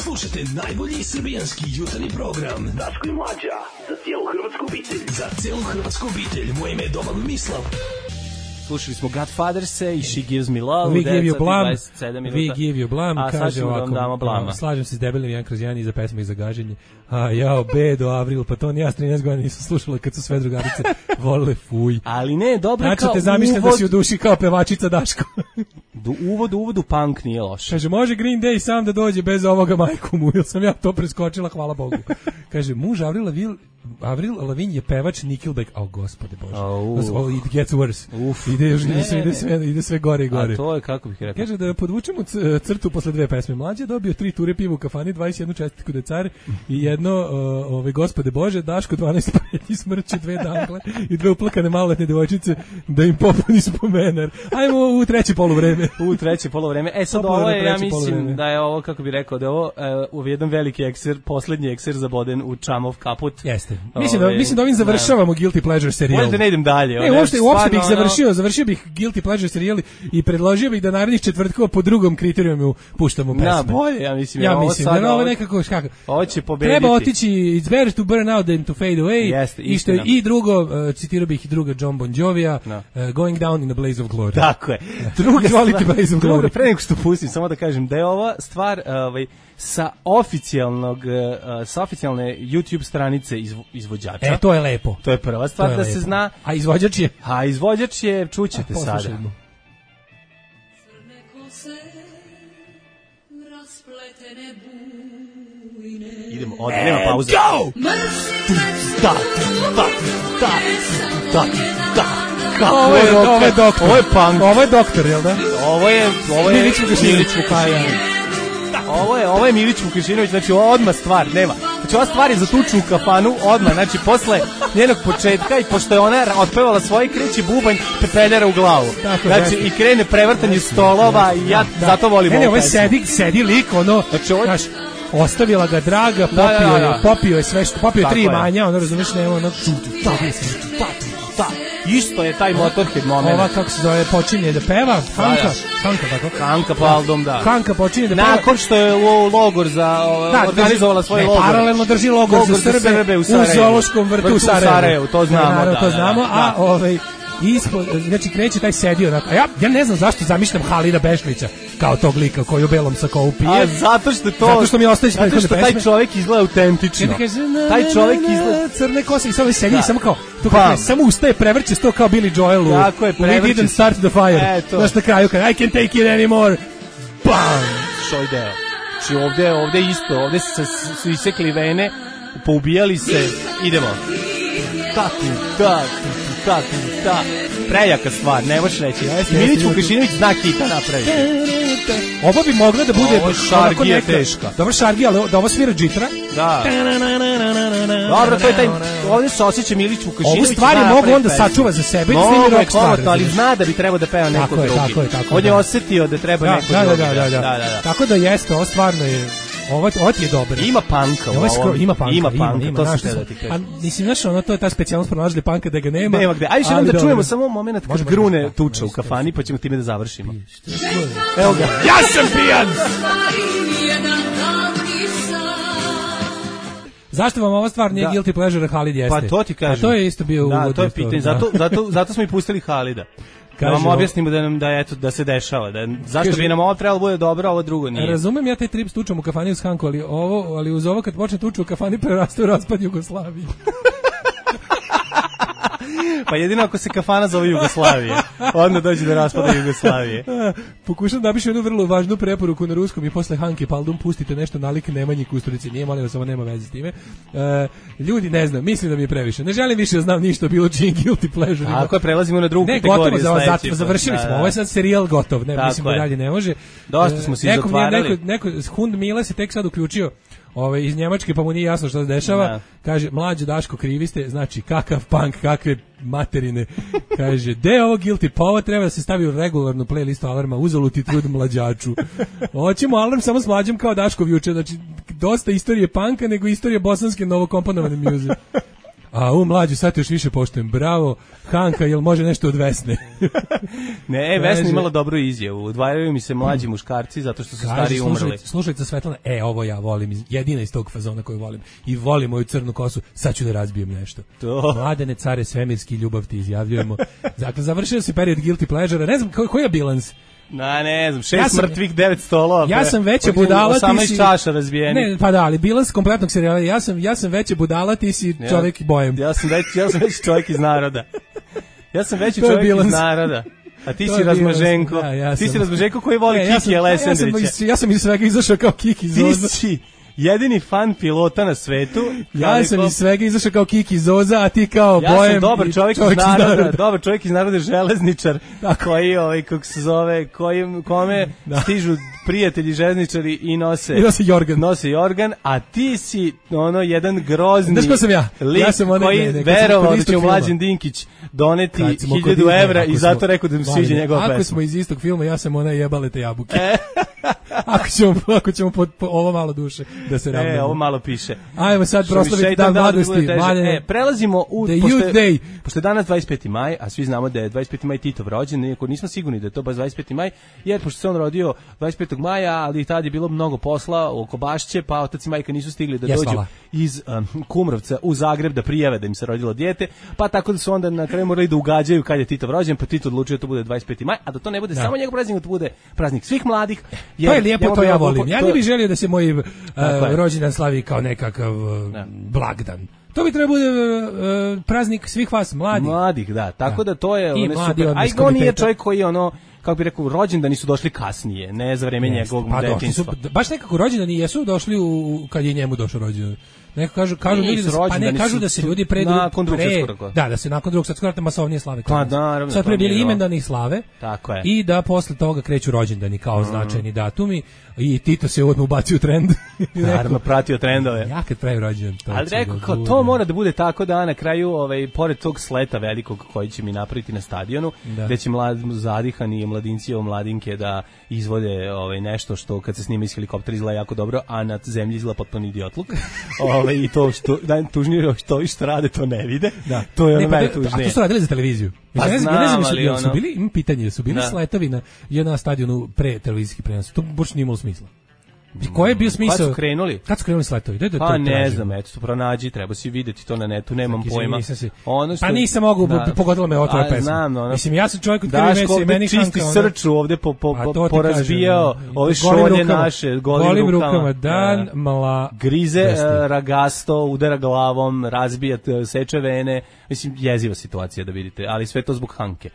Slušajte najbolji srbijanski jutarnji program Daško i Mlađa, za cijelu hrvatsku obitelj. Za cijelu hrvatsku obitelj, moje ime je Domagoj Mislav. Slušali smo Godfatherse i She Gives Me Love. We give you blam, we give you blam, a kaže ovako, slažem se s debelim jedan kroz jedan i za pesme i za gaženje. A jao, bedo, Avril, pa to ni ja s trinaest godina nisam slušala kad su sve drugarice volile fuj. Ali ne, dobro znači, kao te zamišljam uvod... da si u duši kao pevačica Daško. Do uvod, uvod u punk nije loše. Kaže, može Green Day sam da dođe bez ovoga majku mu, ili sam ja to preskočila, hvala Bogu. Kaže, muž Avril Lavigne, Avril Lavigne je pevač Nickelback, o oh, gospode Bože, oh, oh, it gets worse. Uf. Ide, još, ide, sve, ide, sve, ide sve gore i gore. A to je, kako bih rekao. Kaže, da podvučemo crtu posle dve pesme. Mlađe dobio tri ture piva u kafani, dvadeset jednu čestitku decar i jedno, uh, ove, gospode Bože, Daško dvanaest pretnji smrće, dve dangle i dve uplakane maloletne devojčice da im popuni spomenar. Ajmo u treće poluvreme. U treće poluvreme. E sad ovo je, ja mislim da je ovo, kako bih rekao, da je ovo uh, u jedan veliki ekser, poslednji ekser zaboden u Čamov kaput. Jeste. Jeste. Mislim da, mislim da ovim završavamo Guilty Pleasure serijal. Možda ne idem dalje. Ne, uopšte, uopšte bih završio, završio bih Guilty Pleasure serijal i predložio bih da narednih četvrtkova po drugom kriterijumu puštamo pesme. Na, bolje, ja mislim. Ja ovo mislim, sad, da ovo nekako, kako, ovo će pobediti. Treba otići, it's better to burn out than to fade away. Jeste, I, što, I drugo, uh, citirao bih i druga John Bon Jovija, no. uh, Going Down in a Blaze of Glory. Tako je. Druga stvar, Blaze of druga, Glory. Pre nego što pustim, samo da kažem da je ova stvar ovaj, sa oficijalnog uh, sa oficijalne YouTube stranice izvo, izvođača. E, to je lepo. To je prva stvar je da lepo. se zna. A izvođač je? A izvođač je, čućete sada. Idemo, od, nema pauze. Go! Da, da, da, da, da. Kako ovo je, ovo je doktor. Ovo je punk. Ovo je doktor, jel da? Ovo je, ovo je Milić Vukašinović. Ovo je, ovo je Milić Vukašinović, znači odmah stvar, nema. Znači ova stvar je za tuču u kafanu, odmah, znači posle njenog početka i pošto je ona otpevala svoj kreći bubanj, pepeljara u glavu. Tako, znači i krene prevrtanje stolova i ja da, zato volim ovo. Ne, ovo je sedi, sedi lik, ono, znači, ovo... Znaš, ostavila ga draga, popio, da, da, da. je, popio je sve što, popio je tri manja, ono razumiješ, nema ono, da, isto je taj Motorhead moment. Ova, kako se zove, počinje da peva, Hanka, Hanka, tako? Hanka po album, da. Hanka počinje da peva. Nakon što je u logor za, da, organizovala svoj ne, logor. Paralelno drži logor, logor za, za Srbe, Srbe u, u zoološkom vrtu, vrtu u Sarajevu. Sarajevu. To znamo, naravno, da, to da, znamo, da, a ovaj... Ispod, znači kreće taj sedio onako. A ja, ja ne znam zašto zamišljam Halida Bešlića kao tog lika koji u belom sakovu pije. A zato što to zato što mi ostaje zato što taj čovjek izgleda autentično. Kaže, taj čovjek izgleda crne kose i samo sedi samo kao to kako samo ustaje prevrće sto kao Billy Joel. Tako je, We didn't start the fire. Znaš na kraju kad I can't take it anymore. Bam! Što ide? Znači ovde, ovde isto, ovde su, su isekli vene, poubijali se, idemo. Tako, da, da, da, prejaka stvar, ne možeš reći. I Milić Vukašinović zna hita napraviti. Ovo bi mogla da bude... Ovo šargija teška. Dobro šargija, ali da ovo svira džitra. Da. Dobro, to je taj... Ovdje se osjeća Milić Vukašinović. Ovu stvar je mogu onda sačuva za sebe i snimi rock stvar. Ali zna da bi trebao da peva neko drugi. Tako je, tako je. On je osjetio da treba neko drugi. Da, da, da. Tako da jeste, ovo stvarno je... Ovo, ovo ti je dobro. Ima panka u ovom. Ima panka, ima, panka, ima, ima, to se da ti kažem. A mislim, znaš, ono, to je ta specijalnost pronašli panka da ga nema. Nema gde. Ajde što da čujemo samo moment kad grune tuča u kafani, pa ćemo time da završimo. Evo ga. Ja sam pijan! Zašto vam ova stvar nije guilty pleasure, Halid jeste? Pa to ti kažem. A to je isto bio uvod. Da, to je pitanje. Zato, zato, zato smo i pustili Halida. Da vam objasnimo da nam da eto da se dešava, da zašto kaže, bi nam ovo trebalo bude dobro, a ovo drugo nije. Razumem ja taj trip s tučom u kafani uz Hanku, ali ovo, ali uz ovo kad počne tuča u kafani preraste u raspad Jugoslavije. Pa jedino ako se kafana zove Jugoslavije, onda dođe do raspada Jugoslavije. Pokušam da biš jednu vrlo važnu preporuku na ruskom i posle Hanke Paldum pustite nešto nalik Nemanji Kusturici. Nije, molim vas, ovo nema veze s time. Uh, ljudi, ne znam, mislim da mi je previše. Ne želim više da znam ništa o bilo čijim guilty pleasure. Ako prelazimo na drugu ne, kategoriju. Ne, gotovo, za, završili smo. Da, da. Ovo je sad serijal gotov. Ne, mislim da dalje ne može. Dosta smo se izotvarali. Neko, neko, Hund Mile se tek sad uključio Ove, iz Njemačke, pa mu nije jasno što se dešava. Da. Kaže, mlađe Daško, krivi ste, znači kakav punk, kakve materine. Kaže, de ovo guilty, pa ovo treba da se stavi u regularnu playlistu alarma, uzaluti trud mlađaču. Hoćemo alarm samo s mlađom kao Daškov juče, znači dosta istorije punka nego istorije bosanske novokomponovane muze. A u mlađu sad još više poštujem. Bravo, Hanka, jel može nešto od Vesne? Ne, Vesna imala dobru izjavu. Udvajaju mi se mlađi muškarci zato što su stari umrli. Slušajte Svetlana, e, ovo ja volim, jedina iz tog fazona koju volim. I volim moju crnu kosu, sad ću da razbijem nešto. To. Mladene care svemirski, ljubav ti izjavljujemo. Dakle, završio se period guilty pleasure. Ne znam, koji, koji je bilans? Na, ne znam, šest ja sam, mrtvih, devet stolova. Ja sam veća budala, ti si... čaša razbijeni. Ne, pa da, ali bilans kompletnog serijala. Ja sam, ja sam veća budala, ti si čovjek ja, bojem. Ja sam veći, ja sam veći čovjek iz naroda. Ja sam veći čovjek iz naroda. A ti si Razmaženko. Ja, ja ti si Razmaženko koji voli ne, Kiki Alessandrića. Ja sam, ja sam iz svega izašao kao Kiki Zoza. Ti si jedini fan pilota na svetu. Ja sam iz svega izašao kao Kiki Zoza, a ti kao ja bojem. Ja sam dobar čovjek, čovjek iz naroda, naroda. Dobar čovjek iz naroda, železničar, koji, ovaj, kako se zove, koji, kome da. stižu prijatelji željezničari i nose I nose jorgan. Nose jorgan, a ti si ono jedan grozni Znaš ko sam ja? lik Ja sam onaj, koji ne, ne, kad sam verovao kod da će istog Mlađan filma. Dinkić doneti Kad smo kod hiljadu Disneya, evra ako i smo- zato rekao da mu sviđa Mladine, njegova Ako pesma. smo iz istog filma, ja sam ona jebale te jabuke. ako ćemo, ako ćemo po, po ovo malo duše da se ravnamo. E, ovo malo piše. Ajmo sad Što mi proslaviti šeitan dan dao da mladosti. bude teže. Mladene, E, prelazimo u... The pošto Youth je- Day. Pošto je danas dvadeset peti maj, a svi znamo da je dvadeset peti maj Titov rođendan, iako nismo sigurni da je to baš dvadeset peti maj, jer pošto se on rodio dvadeset petog maja, ali tad je bilo mnogo posla oko Bašće, pa otac i majka nisu stigli da Jes, dođu hvala. iz um, Kumrovca u Zagreb da prijave da im se rodilo dijete, pa tako da su onda na kraju morali da ugađaju kad je Titov rođen, pa Tito odlučio da to bude dvadeset peti maj, a da to ne bude Da. samo njegov praznik, da to bude praznik svih mladih. To je lijepo, njemu to bi ja ovo- volim. Ja to- ne bih želio da se moj uh, Tako je. rođendan slavi kao nekakav uh, Da. blagdan. To bi trebao bude uh, praznik svih vas mladih. Mladih, da. Tako Da. da to je I ono mladi super. od A i on nije diskomiteta. čovjek koji je ono, kako bi rekao, rođendani su došli kasnije, ne za vreme Jeste, njegovog pa došli detinjstva. su, baš nekako rođendani jesu došli u, kad je njemu došao rođendan. Neko kažu, kažu Nisu ljudi da se, pa ne rođendani kažu su da se ljudi pre nakon Drugog pre- svjetskog rata. Da, da se nakon drugog svjetskog rata masovnije slave. kod Pa nas. naravno, Sad to pre bili nije ovo. imendani slave. Tako je. I da posle toga kreću rođendani kao Mm. značajni datumi i Tito se odmah ubacio u trend. I rekao, Naravno, pratio trendove. ja kad pravim rođendan, to Ali će rekao, da kao, bude. to mora da bude tako da na kraju, ovaj, pored tog sleta velikog koji će mi napraviti na stadionu, Da. gde će mlad, zadihani i mladinci i mladinke da izvode ovaj, nešto što kad se snima iz helikoptera izgleda jako dobro, a na zemlji izgleda potpuno idiotluk. ovaj, I to što, najtužnije što ovi što rade to ne vide. Da. To je ono Ne, pa, najtužnije. A to su radili za televiziju. Pa Ja ne znam, znam, ja ne znam, jesu- ali jel su ono- bili, imam pitanje, su bili Da. sletovi na, je na stadionu pre televizijski prenos. To baš nije imalo smisla. I koji je bio smisao? Kad su krenuli? Kad su krenuli sletovi? Da, da, Pa to ne tražim. znam, eto, pronađi, treba si videti to na netu, nemam Izvini, pojma. nisam si- Ono što, Pa nisam mogu, Da. pogodila me ova tvoja A, pesma. Znam, ono, Mislim, ja sam čovjek od krvi Daško mesa i ovde meni čisti Hanka, ono- srču ovde po, po, A po, to ti porazbijao kažem, ove golim šolje rukama. naše, golim, Golim rukama. rukama, dan, Da. mla... Grize Jeste. e, ragasto, udara glavom, razbija, t- seče vene. Mislim, jeziva situacija da vidite, ali sve to zbog Hanke.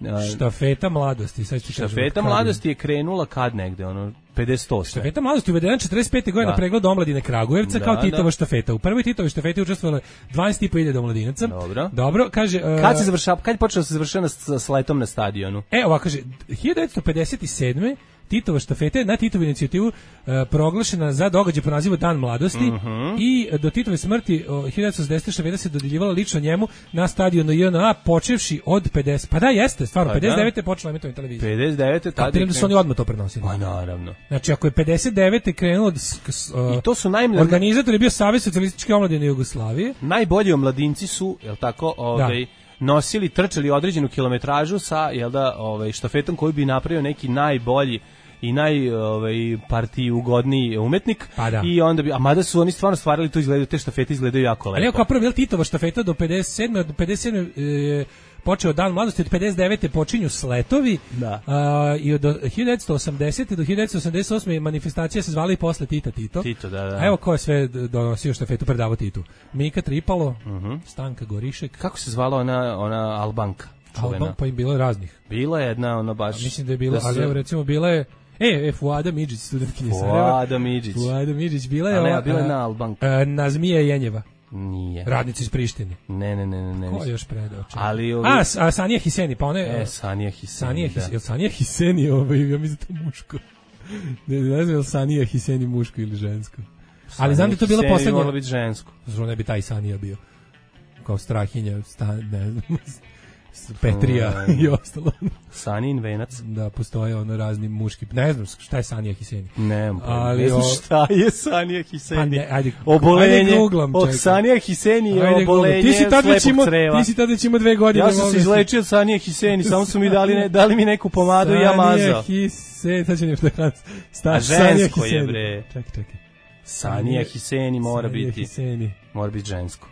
E, Štafeta mladosti, sad ću ti kažem. Štafeta kad- mladosti je krenula kad negde, ono, pedeset osam. Štafeta mladosti uvedena četrdeset pete godine Da. na pregled omladine Kragujevca Da, kao Titova da. štafeta. U prvoj Titovoj štafeti učestvovalo dvanaest i po hiljada omladinaca. Dobro. Dobro, kaže... uh, Kad se završava, kad je počeo da se završava s, s letom na stadionu? E, ovako kaže, hiljadu devetsto pedeset sedme Titova štafeta je na Titovu inicijativu e, proglašena za događaj po nazivu Dan mladosti Mhm. i do Titove smrti o, hiljadu devetsto sedesete štafeta se dodjeljivala lično njemu na stadionu J N A počevši od pedeset. Pa da, jeste, stvarno, Pa da. pedeset devete je počela emitovanje televizije. pedeset devete tada je Kapiram da su oni krenulo. odmah to prenosili. Pa naravno. Znači, ako je pedeset devete krenulo... od s- s- I to su najmlađi. Organizator je bio Savez socijalističke omladine Jugoslavije. Najbolji omladinci su, jel tako, ovaj, nosili, trčali određenu kilometražu sa, jel da, ovaj, štafetom koji bi napravio neki najbolji i naj ovaj partiji ugodniji umetnik. Pa da. I onda bi, a mada su oni stvarno stvarali to, izgledaju, te štafete izgledaju jako lepo. Ali evo kao prvo, je li Titova štafeta do pedeset sedme, od pedeset sedme je počeo dan mladosti, od pedeset devete počinju sletovi, Da. a, i od hiljadu devetsto osamdesete do hiljadu devetsto osamdeset osme manifestacija se zvala i posle Tita Tito. Tito, da, da. A evo ko je sve donosio štafetu predavo Titu. Mika Tripalo, Stanka Gorišek, Kako se zvala ona, ona Albanka? Čuvena. Alban, pa im bilo je raznih. Bila je jedna, ona baš... A mislim da je bilo, su- ali evo recimo bila je E, e Fuada Midžić, studentkinja Sarajeva. Fuada Midžić. Fuada Midžić, bila je Ali ova, ja, bila je a, jedna Albanka. a, Nazmija Jenjeva, Nije. radnici iz Prištine. Ne, ne, ne, ne. ne Ko je nisam. još predao? čekaj? Ali ovi... A, S- a Sanija Hiseni, pa ona je... E, Sanija Hiseni, Sanija da. Hiseni, jel Sanija Hiseni, ovaj, ja mislim da je to muško. Ne, ne znam je li Sanija Hiseni muško ili žensko. Ali znam da je to bila Hiseni poslednja... moralo biti žensko. Zašto ne bi taj Sanija bio? Kao Strahinja, sta, ne znam, Petrija Mm. i ostalo. Sanijin venac. Da, postoje ono razni muški... Ne znam šta je Sanija Hiseni. Ne, Ali ne znam o- šta je Sanija Hiseni. Pa ne, ajde, obolenje. ajde googlam, O, čekaj. Sanija Hiseni je Ajde, obolenje Google. Ti si tad već slepog imao, creva. ti si tad već imao dve godine. Ja sam molim se te. izlečio od Sanije Hiseni, samo su mi dali, ne, dali mi neku pomadu i ja mazao. Sanija Hiseni, sad ću nešto da sta, A Sanija žensko je, Hiseni. bre. Čekaj, čekaj. Sanija Hiseni mora Sanija biti, Hiseni. mora biti žensko.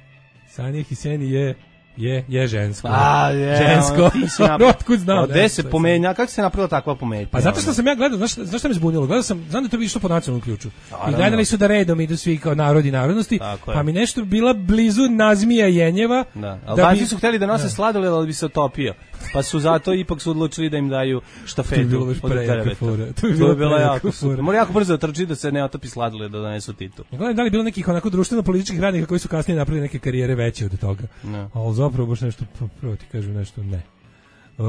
Sanija Hiseni je je je žensko. A, je, žensko. ono, ti si napravio. Otkud znao? A ne gde znam se šta je pomenja, kako se napravila takva pomenja? Pa zato što sam ja gledao, znaš, znaš šta me zbunilo? Gledao sam, znam da je to išlo po nacionalnom ključu. I Naravno. gledali su da redom idu svi kao narodi i narodnosti, Tako je. pa mi nešto bila blizu Nazmija Jenjeva. Da, da Albanci bi- su hteli da nose Da. sladoled, ali bi se otopio. Pa su zato ipak su odlučili da im daju štafetu. To bi bilo baš od prejaka kreveta. fora. To bi To bilo bi bilo prejaka jako fora. super. Mora jako brzo da trči da se ne otopi sladoled da donesu Titu. Ja gledam da li je bilo nekih onako društveno-političkih radnika koji su kasnije napravili neke karijere veće od toga. Ne. Ali zapravo baš nešto, pa prvo ti kažem nešto, ne. Uh,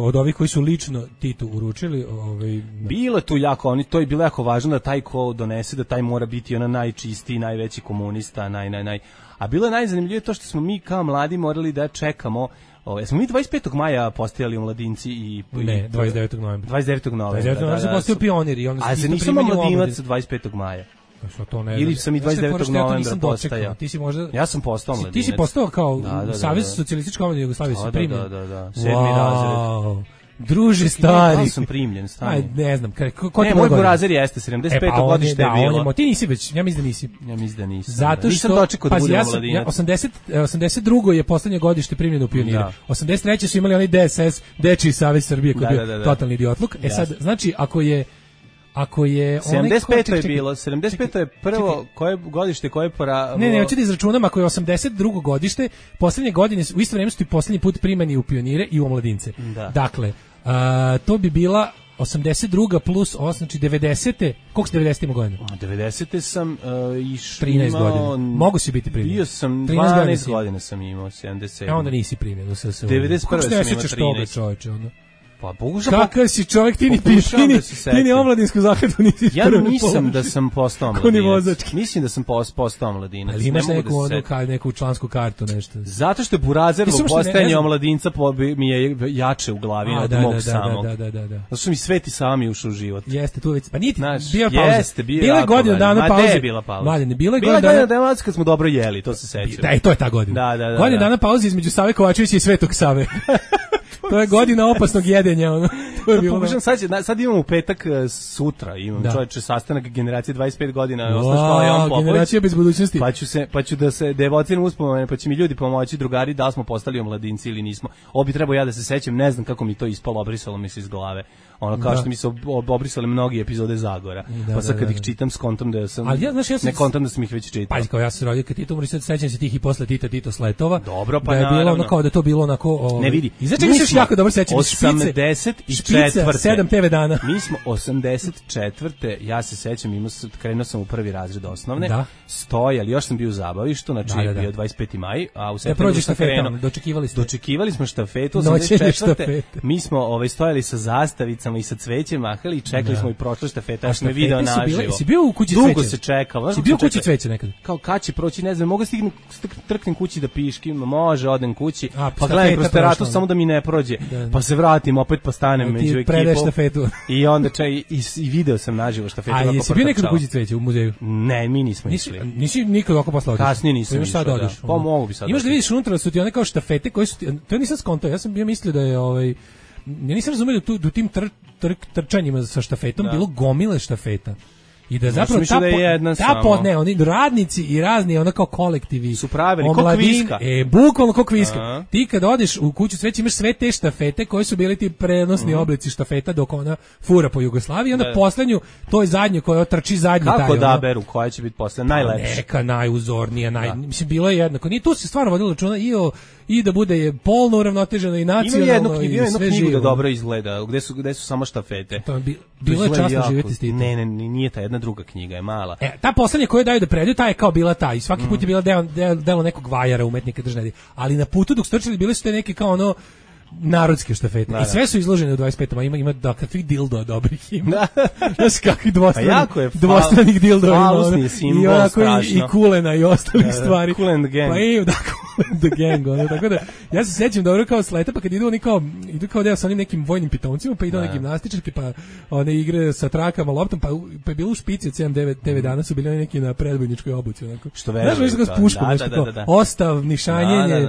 od ovih koji su lično Titu uručili, ovaj bilo je tu jako, oni to je bilo jako važno da taj ko donese, da taj mora biti ona najčistiji, najveći komunista, naj naj naj. A bilo je najzanimljivije to što smo mi kao mladi morali da čekamo. Ove, smo mi dvadeset petog maja postajali u Mladinci i... Ne, dvadeset devetog novembra. dvadeset devetog novembra. dvadeset devetog novembra se postao pionir i onda a se nisam mladinac dvadeset petog maja. Pa to ne. Ili sam i dvadeset devetog novembra postajao. Ti si možda Ja sam postao mladinac. Ti si postao kao da, da, da, Savez socijalističke omladine Jugoslavije se primio. Da, da, da, sedmi razred. Druže stari. Ja sam primljen, stani. Aj, ne znam, ko, ko ne, moj burazer jeste, sedamdeset peto e, godište je bilo. Da, on, ti nisi već, ja mislim da nisi. Ja mislim da nisam. Zato što, nisam dočekao da budem mladinac. Ja, osamdeset, osamdeset drugo je poslednje godište primljeno u pionire. Da. osamdeset treće su imali onaj D S S, Dečiji savez Srbije, koji je bio da, da, da. totalni idiotluk. E sad, znači, ako je Ako je sedamdeset peto je bilo, sedamdeset peto je prvo čekaj, koje godište koje pora... Ne, ne, hoću da izračunam, ako je osamdeset drugo godište, poslednje godine, u isto vreme su ti poslednji put primani u pionire i u omladince. Da. Dakle, a, to bi bila osamdeset druga plus osam, znači devedesete. Koliko si devedesete ima godina? devedesete sam uh, išao... trinaest godina. Mogu si biti primljen. Bio sam dvanaest godina sam imao, sedamdeset. A onda nisi primljen u S S U. devedeset prve sam imao trinaest. Čoveče, ono. Pa pokušam. Kakav si čovjek, ti ni ti ni, ti ni omladinsku zakladu nisi. Ja nisam da sam postao mladinac. Mislim da sam postao mladinac. Ali imaš neku onu kao neku člansku kartu nešto. Zato što je Burazerlo postajanje omladinca mi je jače u glavi od mog samog. Da, da, da, da. Zato što mi sveti sami ušao u život. Jeste tu već. Pa niti bio pauza. Jeste, bio. Bila je godina dana pauze. Ma bila pauza. Mladine, bila je godina dana kad smo dobro jeli, to se sećam. Da, i to je ta godina. Da, da, da. Godina dana pauze između Save Kovačevića i Svetog Save. To je godina opasnog jedenja, ono. To je bilo. Pokušam sad, sad imam u petak sutra, imam da. čovječe sastanak generacije dvadeset pet godina, osnovna škola Jovan Popović. Generacija bez budućnosti. Pa ću se pa ću da se devociram uspomene, pa će mi ljudi pomoći, drugari, da li smo postali omladinci ili nismo. Obi trebao ja da se sećam, ne znam kako mi to ispalo, obrisalo mi se iz glave. Ono kao da. što mi se ob, obrisale mnogi epizode Zagora. Da, pa sad kad da, da, ih čitam skontom da sam ali ja, znaš, ja sam, ne kontam da sam ih već čitao. Pazi, kao ja sam rodio kad Tito umri, sad sećam se tih i posle Tita Tito Sletova. Dobro, pa da je bilo ono kao da to bilo onako ovaj. Ne vidi. I znači se jako dobro sećam osamdeset četvrte sedam te ve dana. Mi smo osamdeset četvrte ja se sećam, imao krenuo sam u prvi razred osnovne. Da. Stojali, još sam bio u zabavištu, znači da, da, da. bio dvadeset peti maj, a u septembru sam krenuo. Dočekivali ste. Dočekivali smo štafetu osamdeset četvrte Mi smo ovaj stojali sa zastavicama i sa cvećem mahali i čekali da. smo i prošla štafeta, ja sam je video naživo. Si bio u kući cveća? Dugo se čekalo. Si bio u kući cveća nekad? Kao kad će proći, ne znam, mogu stignem, trknem kući da piškim, može, odem kući, a, pa gledam kroz teratu samo da mi ne prođe, da, da. pa se vratim, opet postanem među ekipom. I onda čaj, i, i video sam naživo štafetu. A jesi bio nekad u kući cveća u muzeju? Ne, mi nismo išli. Nisi nikad oko posla otišao? Kasnije nisam išao, da. Pa mogu bi sad. Imaš da vidiš unutra su ti one kao štafete koje su ti, to nisam skontao, ja sam bio mislio da je ovaj, ja nisam razumio da tu tim tr, tr, trčanjima sa štafetom da. bilo gomile štafeta. I da zapravo ta, da je jedna ta pod, ne, oni radnici i razni ono kao kolektivi su pravili kao kviska. E, bukvalno kao kviska. Aha. Ti kad odeš u kuću cveća imaš sve te štafete koji su bili ti prenosni uh-huh. oblici štafeta dok ona fura po Jugoslaviji, onda da. poslednju, to je zadnje koja trči zadnji taj. Kako da beru, koja će biti posle najlepša? Neka najuzornija, naj, da. mislim bilo je jednako. Nije tu se stvarno vodilo računa i o i da bude polno uravnoteženo i nacionalno. Ima jednu, jednu knjigu da dobro izgleda, gde su gde su samo štafete. To bi, bilo je časno živjeti s tim. Ne, ne, nije ta jedna druga knjiga, je mala. E, ta poslednja koju daju da predaju, ta je kao bila ta i svaki mm. put je bila deo, deo, delo nekog vajara, umetnika držne. Ali na putu dok strčali bile su te neke kao ono narodske štafete. Da, I sve su izložene u dvadeset petom Ima ima da kakvih dildo dobrih ima. Znaš kakvih dvostranih, pa je, dvostranih dildo ima. Simbol, i onako i, i kulena i ostalih da, stvari. Cool and the gang. Pa i da, Cool and the gang. Ono, tako da, ja se sećam dobro kao s leta, pa kad idu oni kao, idu kao deo sa onim nekim vojnim pitomcima, pa idu na gimnastičarke, pa one igre sa trakama, loptom, pa, pa je bilo u špici od sedam devet dana su bili oni neki na predbojničkoj obuci. Onako. Što verujem. Znaš, kao s puškom, nešto kao ostav, nišanjenje,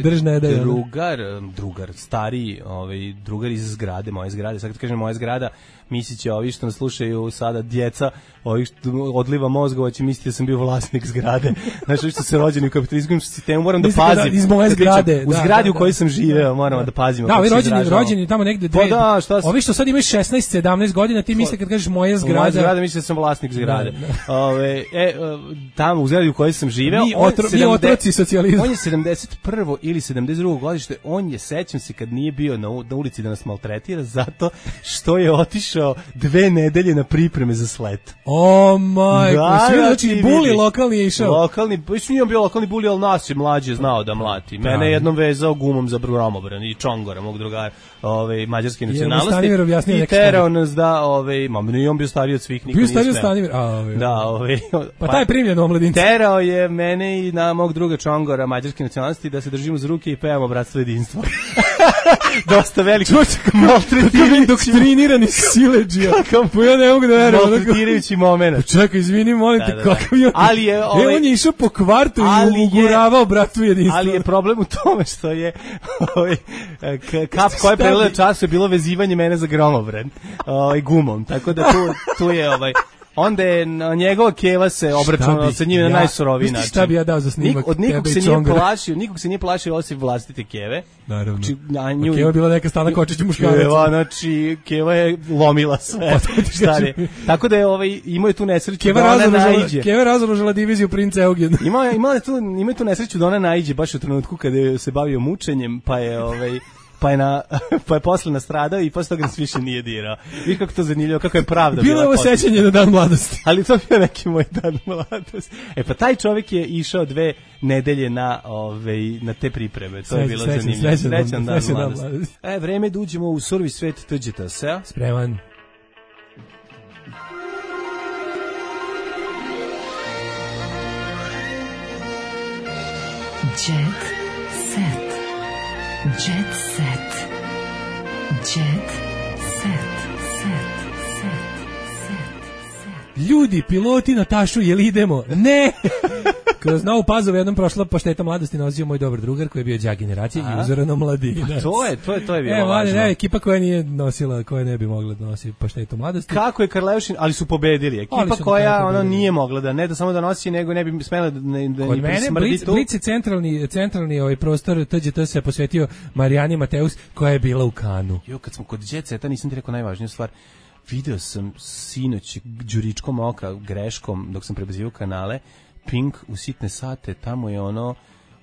držne da drugar, drugar, stariji, ovaj drugar iz zgrade, moje zgrade, sad kad kažem moja zgrada, misliće ovi što nas slušaju sada djeca, ovi što odliva mozgova će misliti da sam bio vlasnik zgrade. Znači što se rođeni u kapitalističkom sistemu, moram da pazim. Da, iz moje zgrade, u zgradi da, u kojoj sam živeo, moramo da, da pazimo. Da, ovi rođeni, rođeni tamo negde dve. Pa da, šta ovi što sad imaju šesnaest sedamnaest godina, ti misliš kad kažeš moja zgrada. Moja zgrada, misliš da sam vlasnik zgrade. Ove, e, tamo u zgradi u kojoj sam živeo, mi, otro, mi otroci socijalizma. On je sedamdeset prvo ili sedamdeset drugo godište, on je, sećam se kad nije bio na, na ulici da nas maltretira zato što je otišao dve nedelje na pripreme za slet. O majko, da, znači buli lokalni je išao. Lokalni, pa nije bio lokalni buli, ali nas je mlađe znao da mlati. Mene je jednom vezao gumom za gromobran i čongora, mog drugara, ovaj, mađarske nacionalnosti. I terao nas da, ovaj, mam, nije on bio stariji od svih, niko bio nije stariji od smeo. Stanimir, a ovaj. Da, ovaj. Pa, pa taj primljen u omladinci. Terao je mene i na mog druga čongora mađarske nacionalnosti da se držimo za ruke i pevamo bratstvo jedinstvo. Dosta veliko. Maltretirajući doktrinirani siledžija. Pa ja ne mogu da verujem. Maltretirajući moment. Čekaj, izvini, molim te, kakav je. Ali je ovaj, e, on je išao po kvartu i uguravao bratvu jedinstvo. Ali je problem u tome što je ovaj kap koja je prelila čas je bilo vezivanje mene za gromobran, ovaj gumom. Tako da tu tu je ovaj onda je njegova keva se obračunala sa njim na najsuroviji način. Šta bi ja dao za snimak? Nik, od nikog se nije plašio, nikog se nije plašio osim vlastite keve. Naravno. Znači, na nju, keva je bila neka Stana Kočić muškarac. Keva, znači, keva je lomila sve. Stari. Tako da je ovaj, imao je tu nesreću keva da ona naiđe. Keva razoružala diviziju princa Eugen. Imao je, imao je tu, imao je tu nesreću da ona naiđe baš u trenutku kada je se bavio mučenjem, pa je ovaj pa je, na, pa je posle nastradao i posle toga nas više nije dirao. Viš kako to zanimljivo, kako je pravda bila. Bilo je ovo sećanje na dan mladosti. Ali to bio neki moj dan mladosti. E pa taj čovjek je išao dve nedelje na, ove, na te pripreme. To Srećan, je bilo srećan, zanimljivo. Srećan, Srećan dan srećan mladosti. Dan mladosti. E, vreme da uđemo u survi svet T Đ T S-a. Spreman. Jet set. Jet set. Jet set. Set. Set. Set. Set. Ljudi, piloti na tašu, jel idemo? Ne! Kroz Novu Pazovu jednom prošla pašteta mladosti nosio moj dobar drugar koji je bio đak generacije i uzorano mladinac. Pa to je, to je, to je bilo e, važno. Ne, ekipa koja nije nosila, koja ne bi mogla da nosi paštetu mladosti. Kako je Karleušin, ali su pobedili. Ekipa koja ono nije mogla da ne da samo da nosi, nego ne bi smela da ne da ni prismrdi tu. Blic je centralni, centralni ovaj prostor T Đ T se posvetio Marijani Mateus koja je bila u Kanu. Jo, kad smo kod Jet Seta, nisam ti rekao najvažniju stvar. Video sam sinoć đuričkom oka greškom dok sam prebazivao kanale Pink u sitne sate, tamo je ono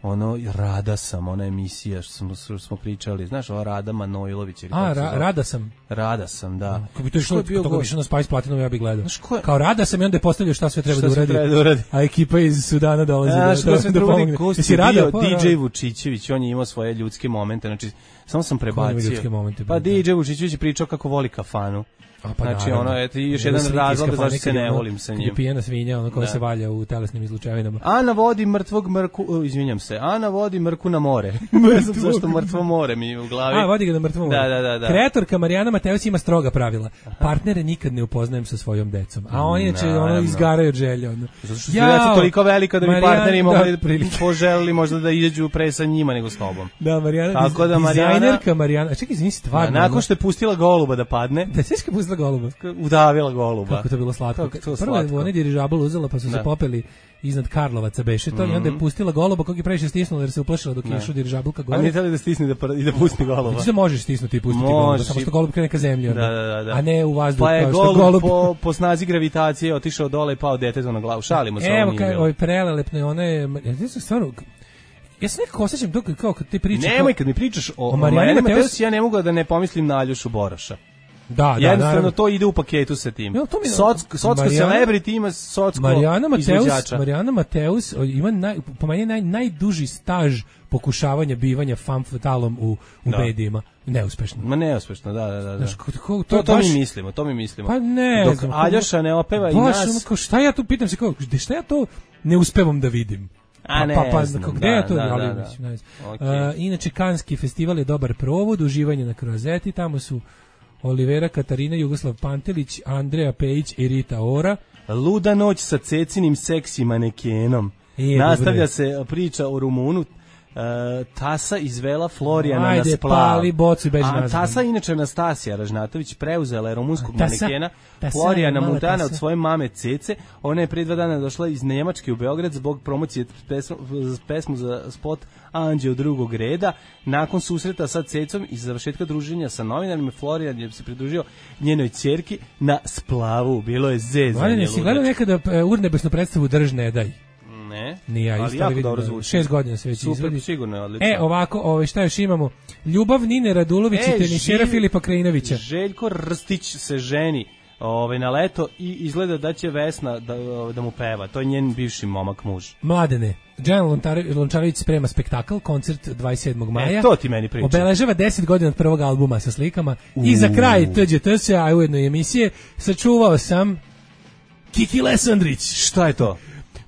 ono Rada sam, ona emisija što smo, što smo pričali, znaš, ova Rada Manojlović. A, ra, Rada sam. Rada sam, da. Kako bi to išlo, to bi išlo na Spice Platinum, ja bih gledao. Kao Rada sam i onda je postavljao šta sve treba, šta da, uradi, treba da uradi. A ekipa iz Sudana dolazi da, da, da, da pomogne. Jesi Rada? D J Vučićević, on je imao svoje ljudske momente, znači, samo sam prebacio. Momente, pa D J Vučićević je pričao kako voli kafanu. A pa znači naravno. Ono je još jedan razlog zašto se ne volim sa njim. Pijena svinja, ono koja se valja u telesnim izlučevinama. Ana vodi mrtvog mrku, uh, izvinjam se. Ana vodi mrku na more. Ne znam zašto mrtvo more mi u glavi. A vodi ga na mrtvo more. Da, da, da, da. Kreatorka Marijana Mateus ima stroga pravila. Partnere nikad ne upoznajem sa svojom decom. A oni inače ono izgaraju od želje. Ono. Zato što su deca toliko velika da bi partneri mogli poželili možda da iđu pre sa njima nego s tobom. Da, Marijana, tako da Marijana, dizajnerka Marijana. Čekaj, izvini, stvarno. Nakon što je pustila goluba da padne. Da, sve je pustila goluba. Udavila goluba. Kako to bilo slatko. To prvo je onaj dirižabl uzela pa su da. se popeli iznad Karlovaca beše to mm -hmm. i onda je pustila goluba kog je previše stisnula jer se uplašila dok je išao dirižablka gore. A nije htjela da stisne da i da pusti goluba. Ti se možeš stisnuti i pustiti goluba, samo što golub krene ka zemlji, da, da, da. a ne u vazduh. Pa je golub, golub po, po snazi gravitacije otišao dole i pao detetu na glavu. Šalimo se. Evo kaj, ovaj prelelepno je one, ja sam stvarno ja se nekako osjećam dok kao kad ti pričaš. Nemoj kad mi pričaš o, o Marijani Mateus, ja ne mogu da ne pomislim na Aljošu Boroša. Da, da, jednostavno to ide u paketu sa tim. Jo, to mi Socko, socko celebrity ima socko Marijana Mateus, Marijana Mateus ima naj, po meni naj, najduži staž pokušavanja bivanja femme fatalom u, u da. medijima. Neuspešno. Ma neuspešno, da, da, da. Znaš, ko, ko, to, to, to baš, mi mislimo, to mi mislimo. Pa ne, dok znam, Aljoša ne opeva i nas. Ono, šta ja tu pitam se, kao, šta ja to ne uspevam da vidim? A ne, pa, pa, znam, gde da, je to? Da, ali, da, da. Mislim, ne znam. Okay. Uh, inače, Kanski festival je dobar provod, uživanje na Krozeti, tamo su Olivera Katarina, Jugoslav Pantelić, Andreja Pejić i Rita Ora. Luda noć sa cecinim seksi manekenom. E, nastavlja dobre. se priča o Rumunu. Uh, Tasa izvela Florijana Ajde, na splav. Pali bocu i beži nazad. Tasa, inače Anastasija Ražnatović, preuzela je rumunskog tasa, manekena tasa, Florijana Mutana od svoje mame Cece. Ona je pre dva dana došla iz Njemačke u Beograd zbog promocije pesmu, pesmu za spot Anđeo drugog reda. Nakon susreta sa Cecom i završetka druženja sa novinarima, Florijan je se pridružio njenoj ćerki na splavu. Bilo je zezanje. Valjan, jesi gledao nekada urnebesnu predstavu Drž ne daj? Ne, ni ja, ali jako dobro zvuči. Šest godina se već super, izvodi. Sigurno je odlično. E, ovako, ovaj, šta još imamo? Ljubav Nine Radulović e, i tenišera Filipa Krajinovića. Željko Rstić se ženi ovaj, na leto i izgleda da će Vesna da, da mu peva. To je njen bivši momak muž. Mladene, Dejan Lončarević sprema spektakl, koncert dvadeset sedmog maja. E, to ti meni priča. Obeležava deset godina od prvog albuma sa slikama. Uh. I za kraj T Đ T S-a, a ujedno i emisije, sačuvao sam Kiki Lesandrić. Šta je to?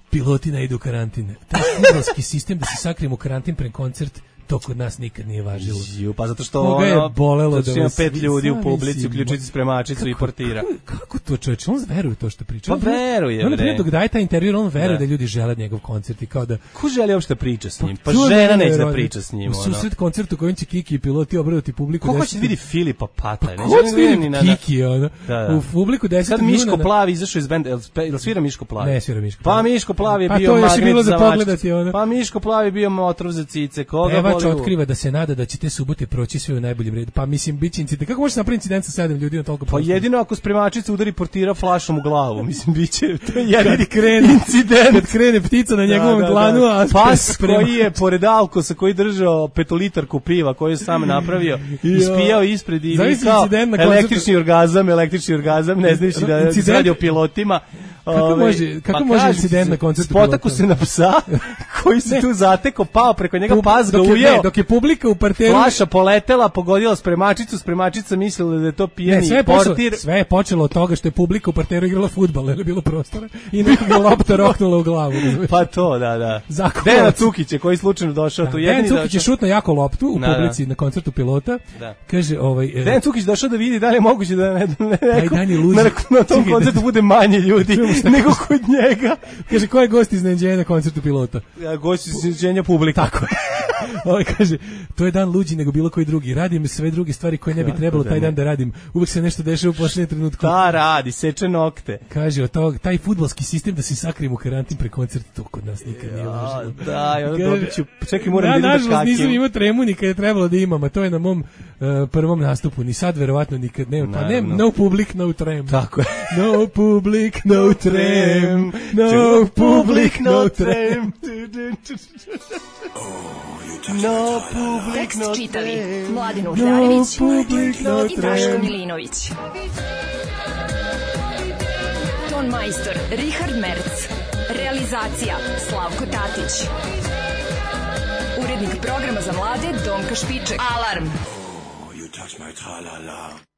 Piloti ne idu u karantin. Taj fudbalski sistem da se sakrijemo u karantin pre koncert, to kod nas nikad nije važilo. Ju, pa zato što Koga je ono, bolelo zato da ima vas pet ljudi u sami publici, si- uključujući spremačicu i portira. Kako, kako to čoveče? On veruje to što priča. Pa On- veruje, On, na primjer, bre. dok daje taj intervju, on veruje Da. da ljudi žele njegov koncert i kao da... Ko želi uopšte priča s njim? Pa to je žena neće da nevjerovatno. priča s njim. U susret koncertu kojim će Kiki i piloti obradati publiku. Ko hoće deset- da vidi Filipa Pata? Pa ko će vidi Kiki, ono? Da, da. U publiku desetog Sad Miško juna na- Plavi izašao iz benda, jel, spe- jel svira Miško Plavi? Ne svira Miško Pa Plavi. Miško Plavi je Pa bio to još je magnet bilo za za pogledati, mačkice. ono. Pa Miško Plavi je bio otrov za cice. Koga Pevač boli u- otkriva da se nada da će te subote proći sve u najboljem redu. Pa mislim, bit će incident. Kako može se napraviti incident sa sedam ljudi na toliko Pa prostora? jedino ako spremačica udari portira flašom u glavu, mislim, biće, to je jedini Kad krene, incident. kad krene ptica na njegovom dlanu, a pas sprema- koji je pored Alkosa, koji je držao petolitarku piva, koji je sam napravio, ispijao ispred i Zamisli vikao incident na koncertu- električni orgazam, električni orgazam, ne znaš da Incident- se radi o pilotima. Kako Ove, može- kako pa može kažem incident ti, na koncertu spotaku pilota? se na psa koji se Ne. tu zateko, pao preko njega, Pub- pas ga dok je- ujeo. ne, dok je publika u parteru... Flaša poletela, pogodila spremačicu, spremačica mislila da je to Ne, pijeni sve je, počelo, portir. sve je počelo od toga što je publika u parteru igrala fudbal, jer je bilo prostora i nekog je lopta roknula u glavu. razumeš? Pa to, da, da. Zakuvac. Dejan Cukić je koji je slučajno došao Da, tu Dejan jedini Cukić je došao. šutno jako loptu u Da, da. publici na koncertu pilota. Da. Kaže, ovaj... e, Dejan Cukić došao da vidi da li je moguće da ne, ne, neko, dan je luđi. na, na tom Čekaj, koncertu da- bude manje ljudi nego kod njega. Kaže, ko je gost iznenađenja na koncertu pilota? Ja, gost iznenađenja publika. Tako je. Ovaj kaže, to je dan luđi nego bilo koji drugi. Radim sve druge stvari koje ne bi trebalo da taj ne. dan da radim. Uvek se nešto dešava u posljednjem trenutku. Da, radi, seče nokte. Kaže, od tog, taj fudbalski sistem da se sakrijemo u karantin pre koncerta, to kod nas nikad nije Ja, važilo. da, ja Kaže, dobit ću, čekaj, moram ja, da idem da nažalost, nisam škakim. imao tremu ni kad je trebalo da imam, a to je na mom uh, prvom nastupu. Ni sad, verovatno, nikad ne. Pa ne, Naravno. no public, no trem. Tako je. No public, no trem. No public, no trem. No public, Tekst no čitali trem. Mladin Urdarević public, no i Daško trem. Milinović. Ton majstor Richard Merc. Realizacija Slavko Tatić. Urednik programa za mlade Donka Špiček. Alarm! You touch my tra-la-la.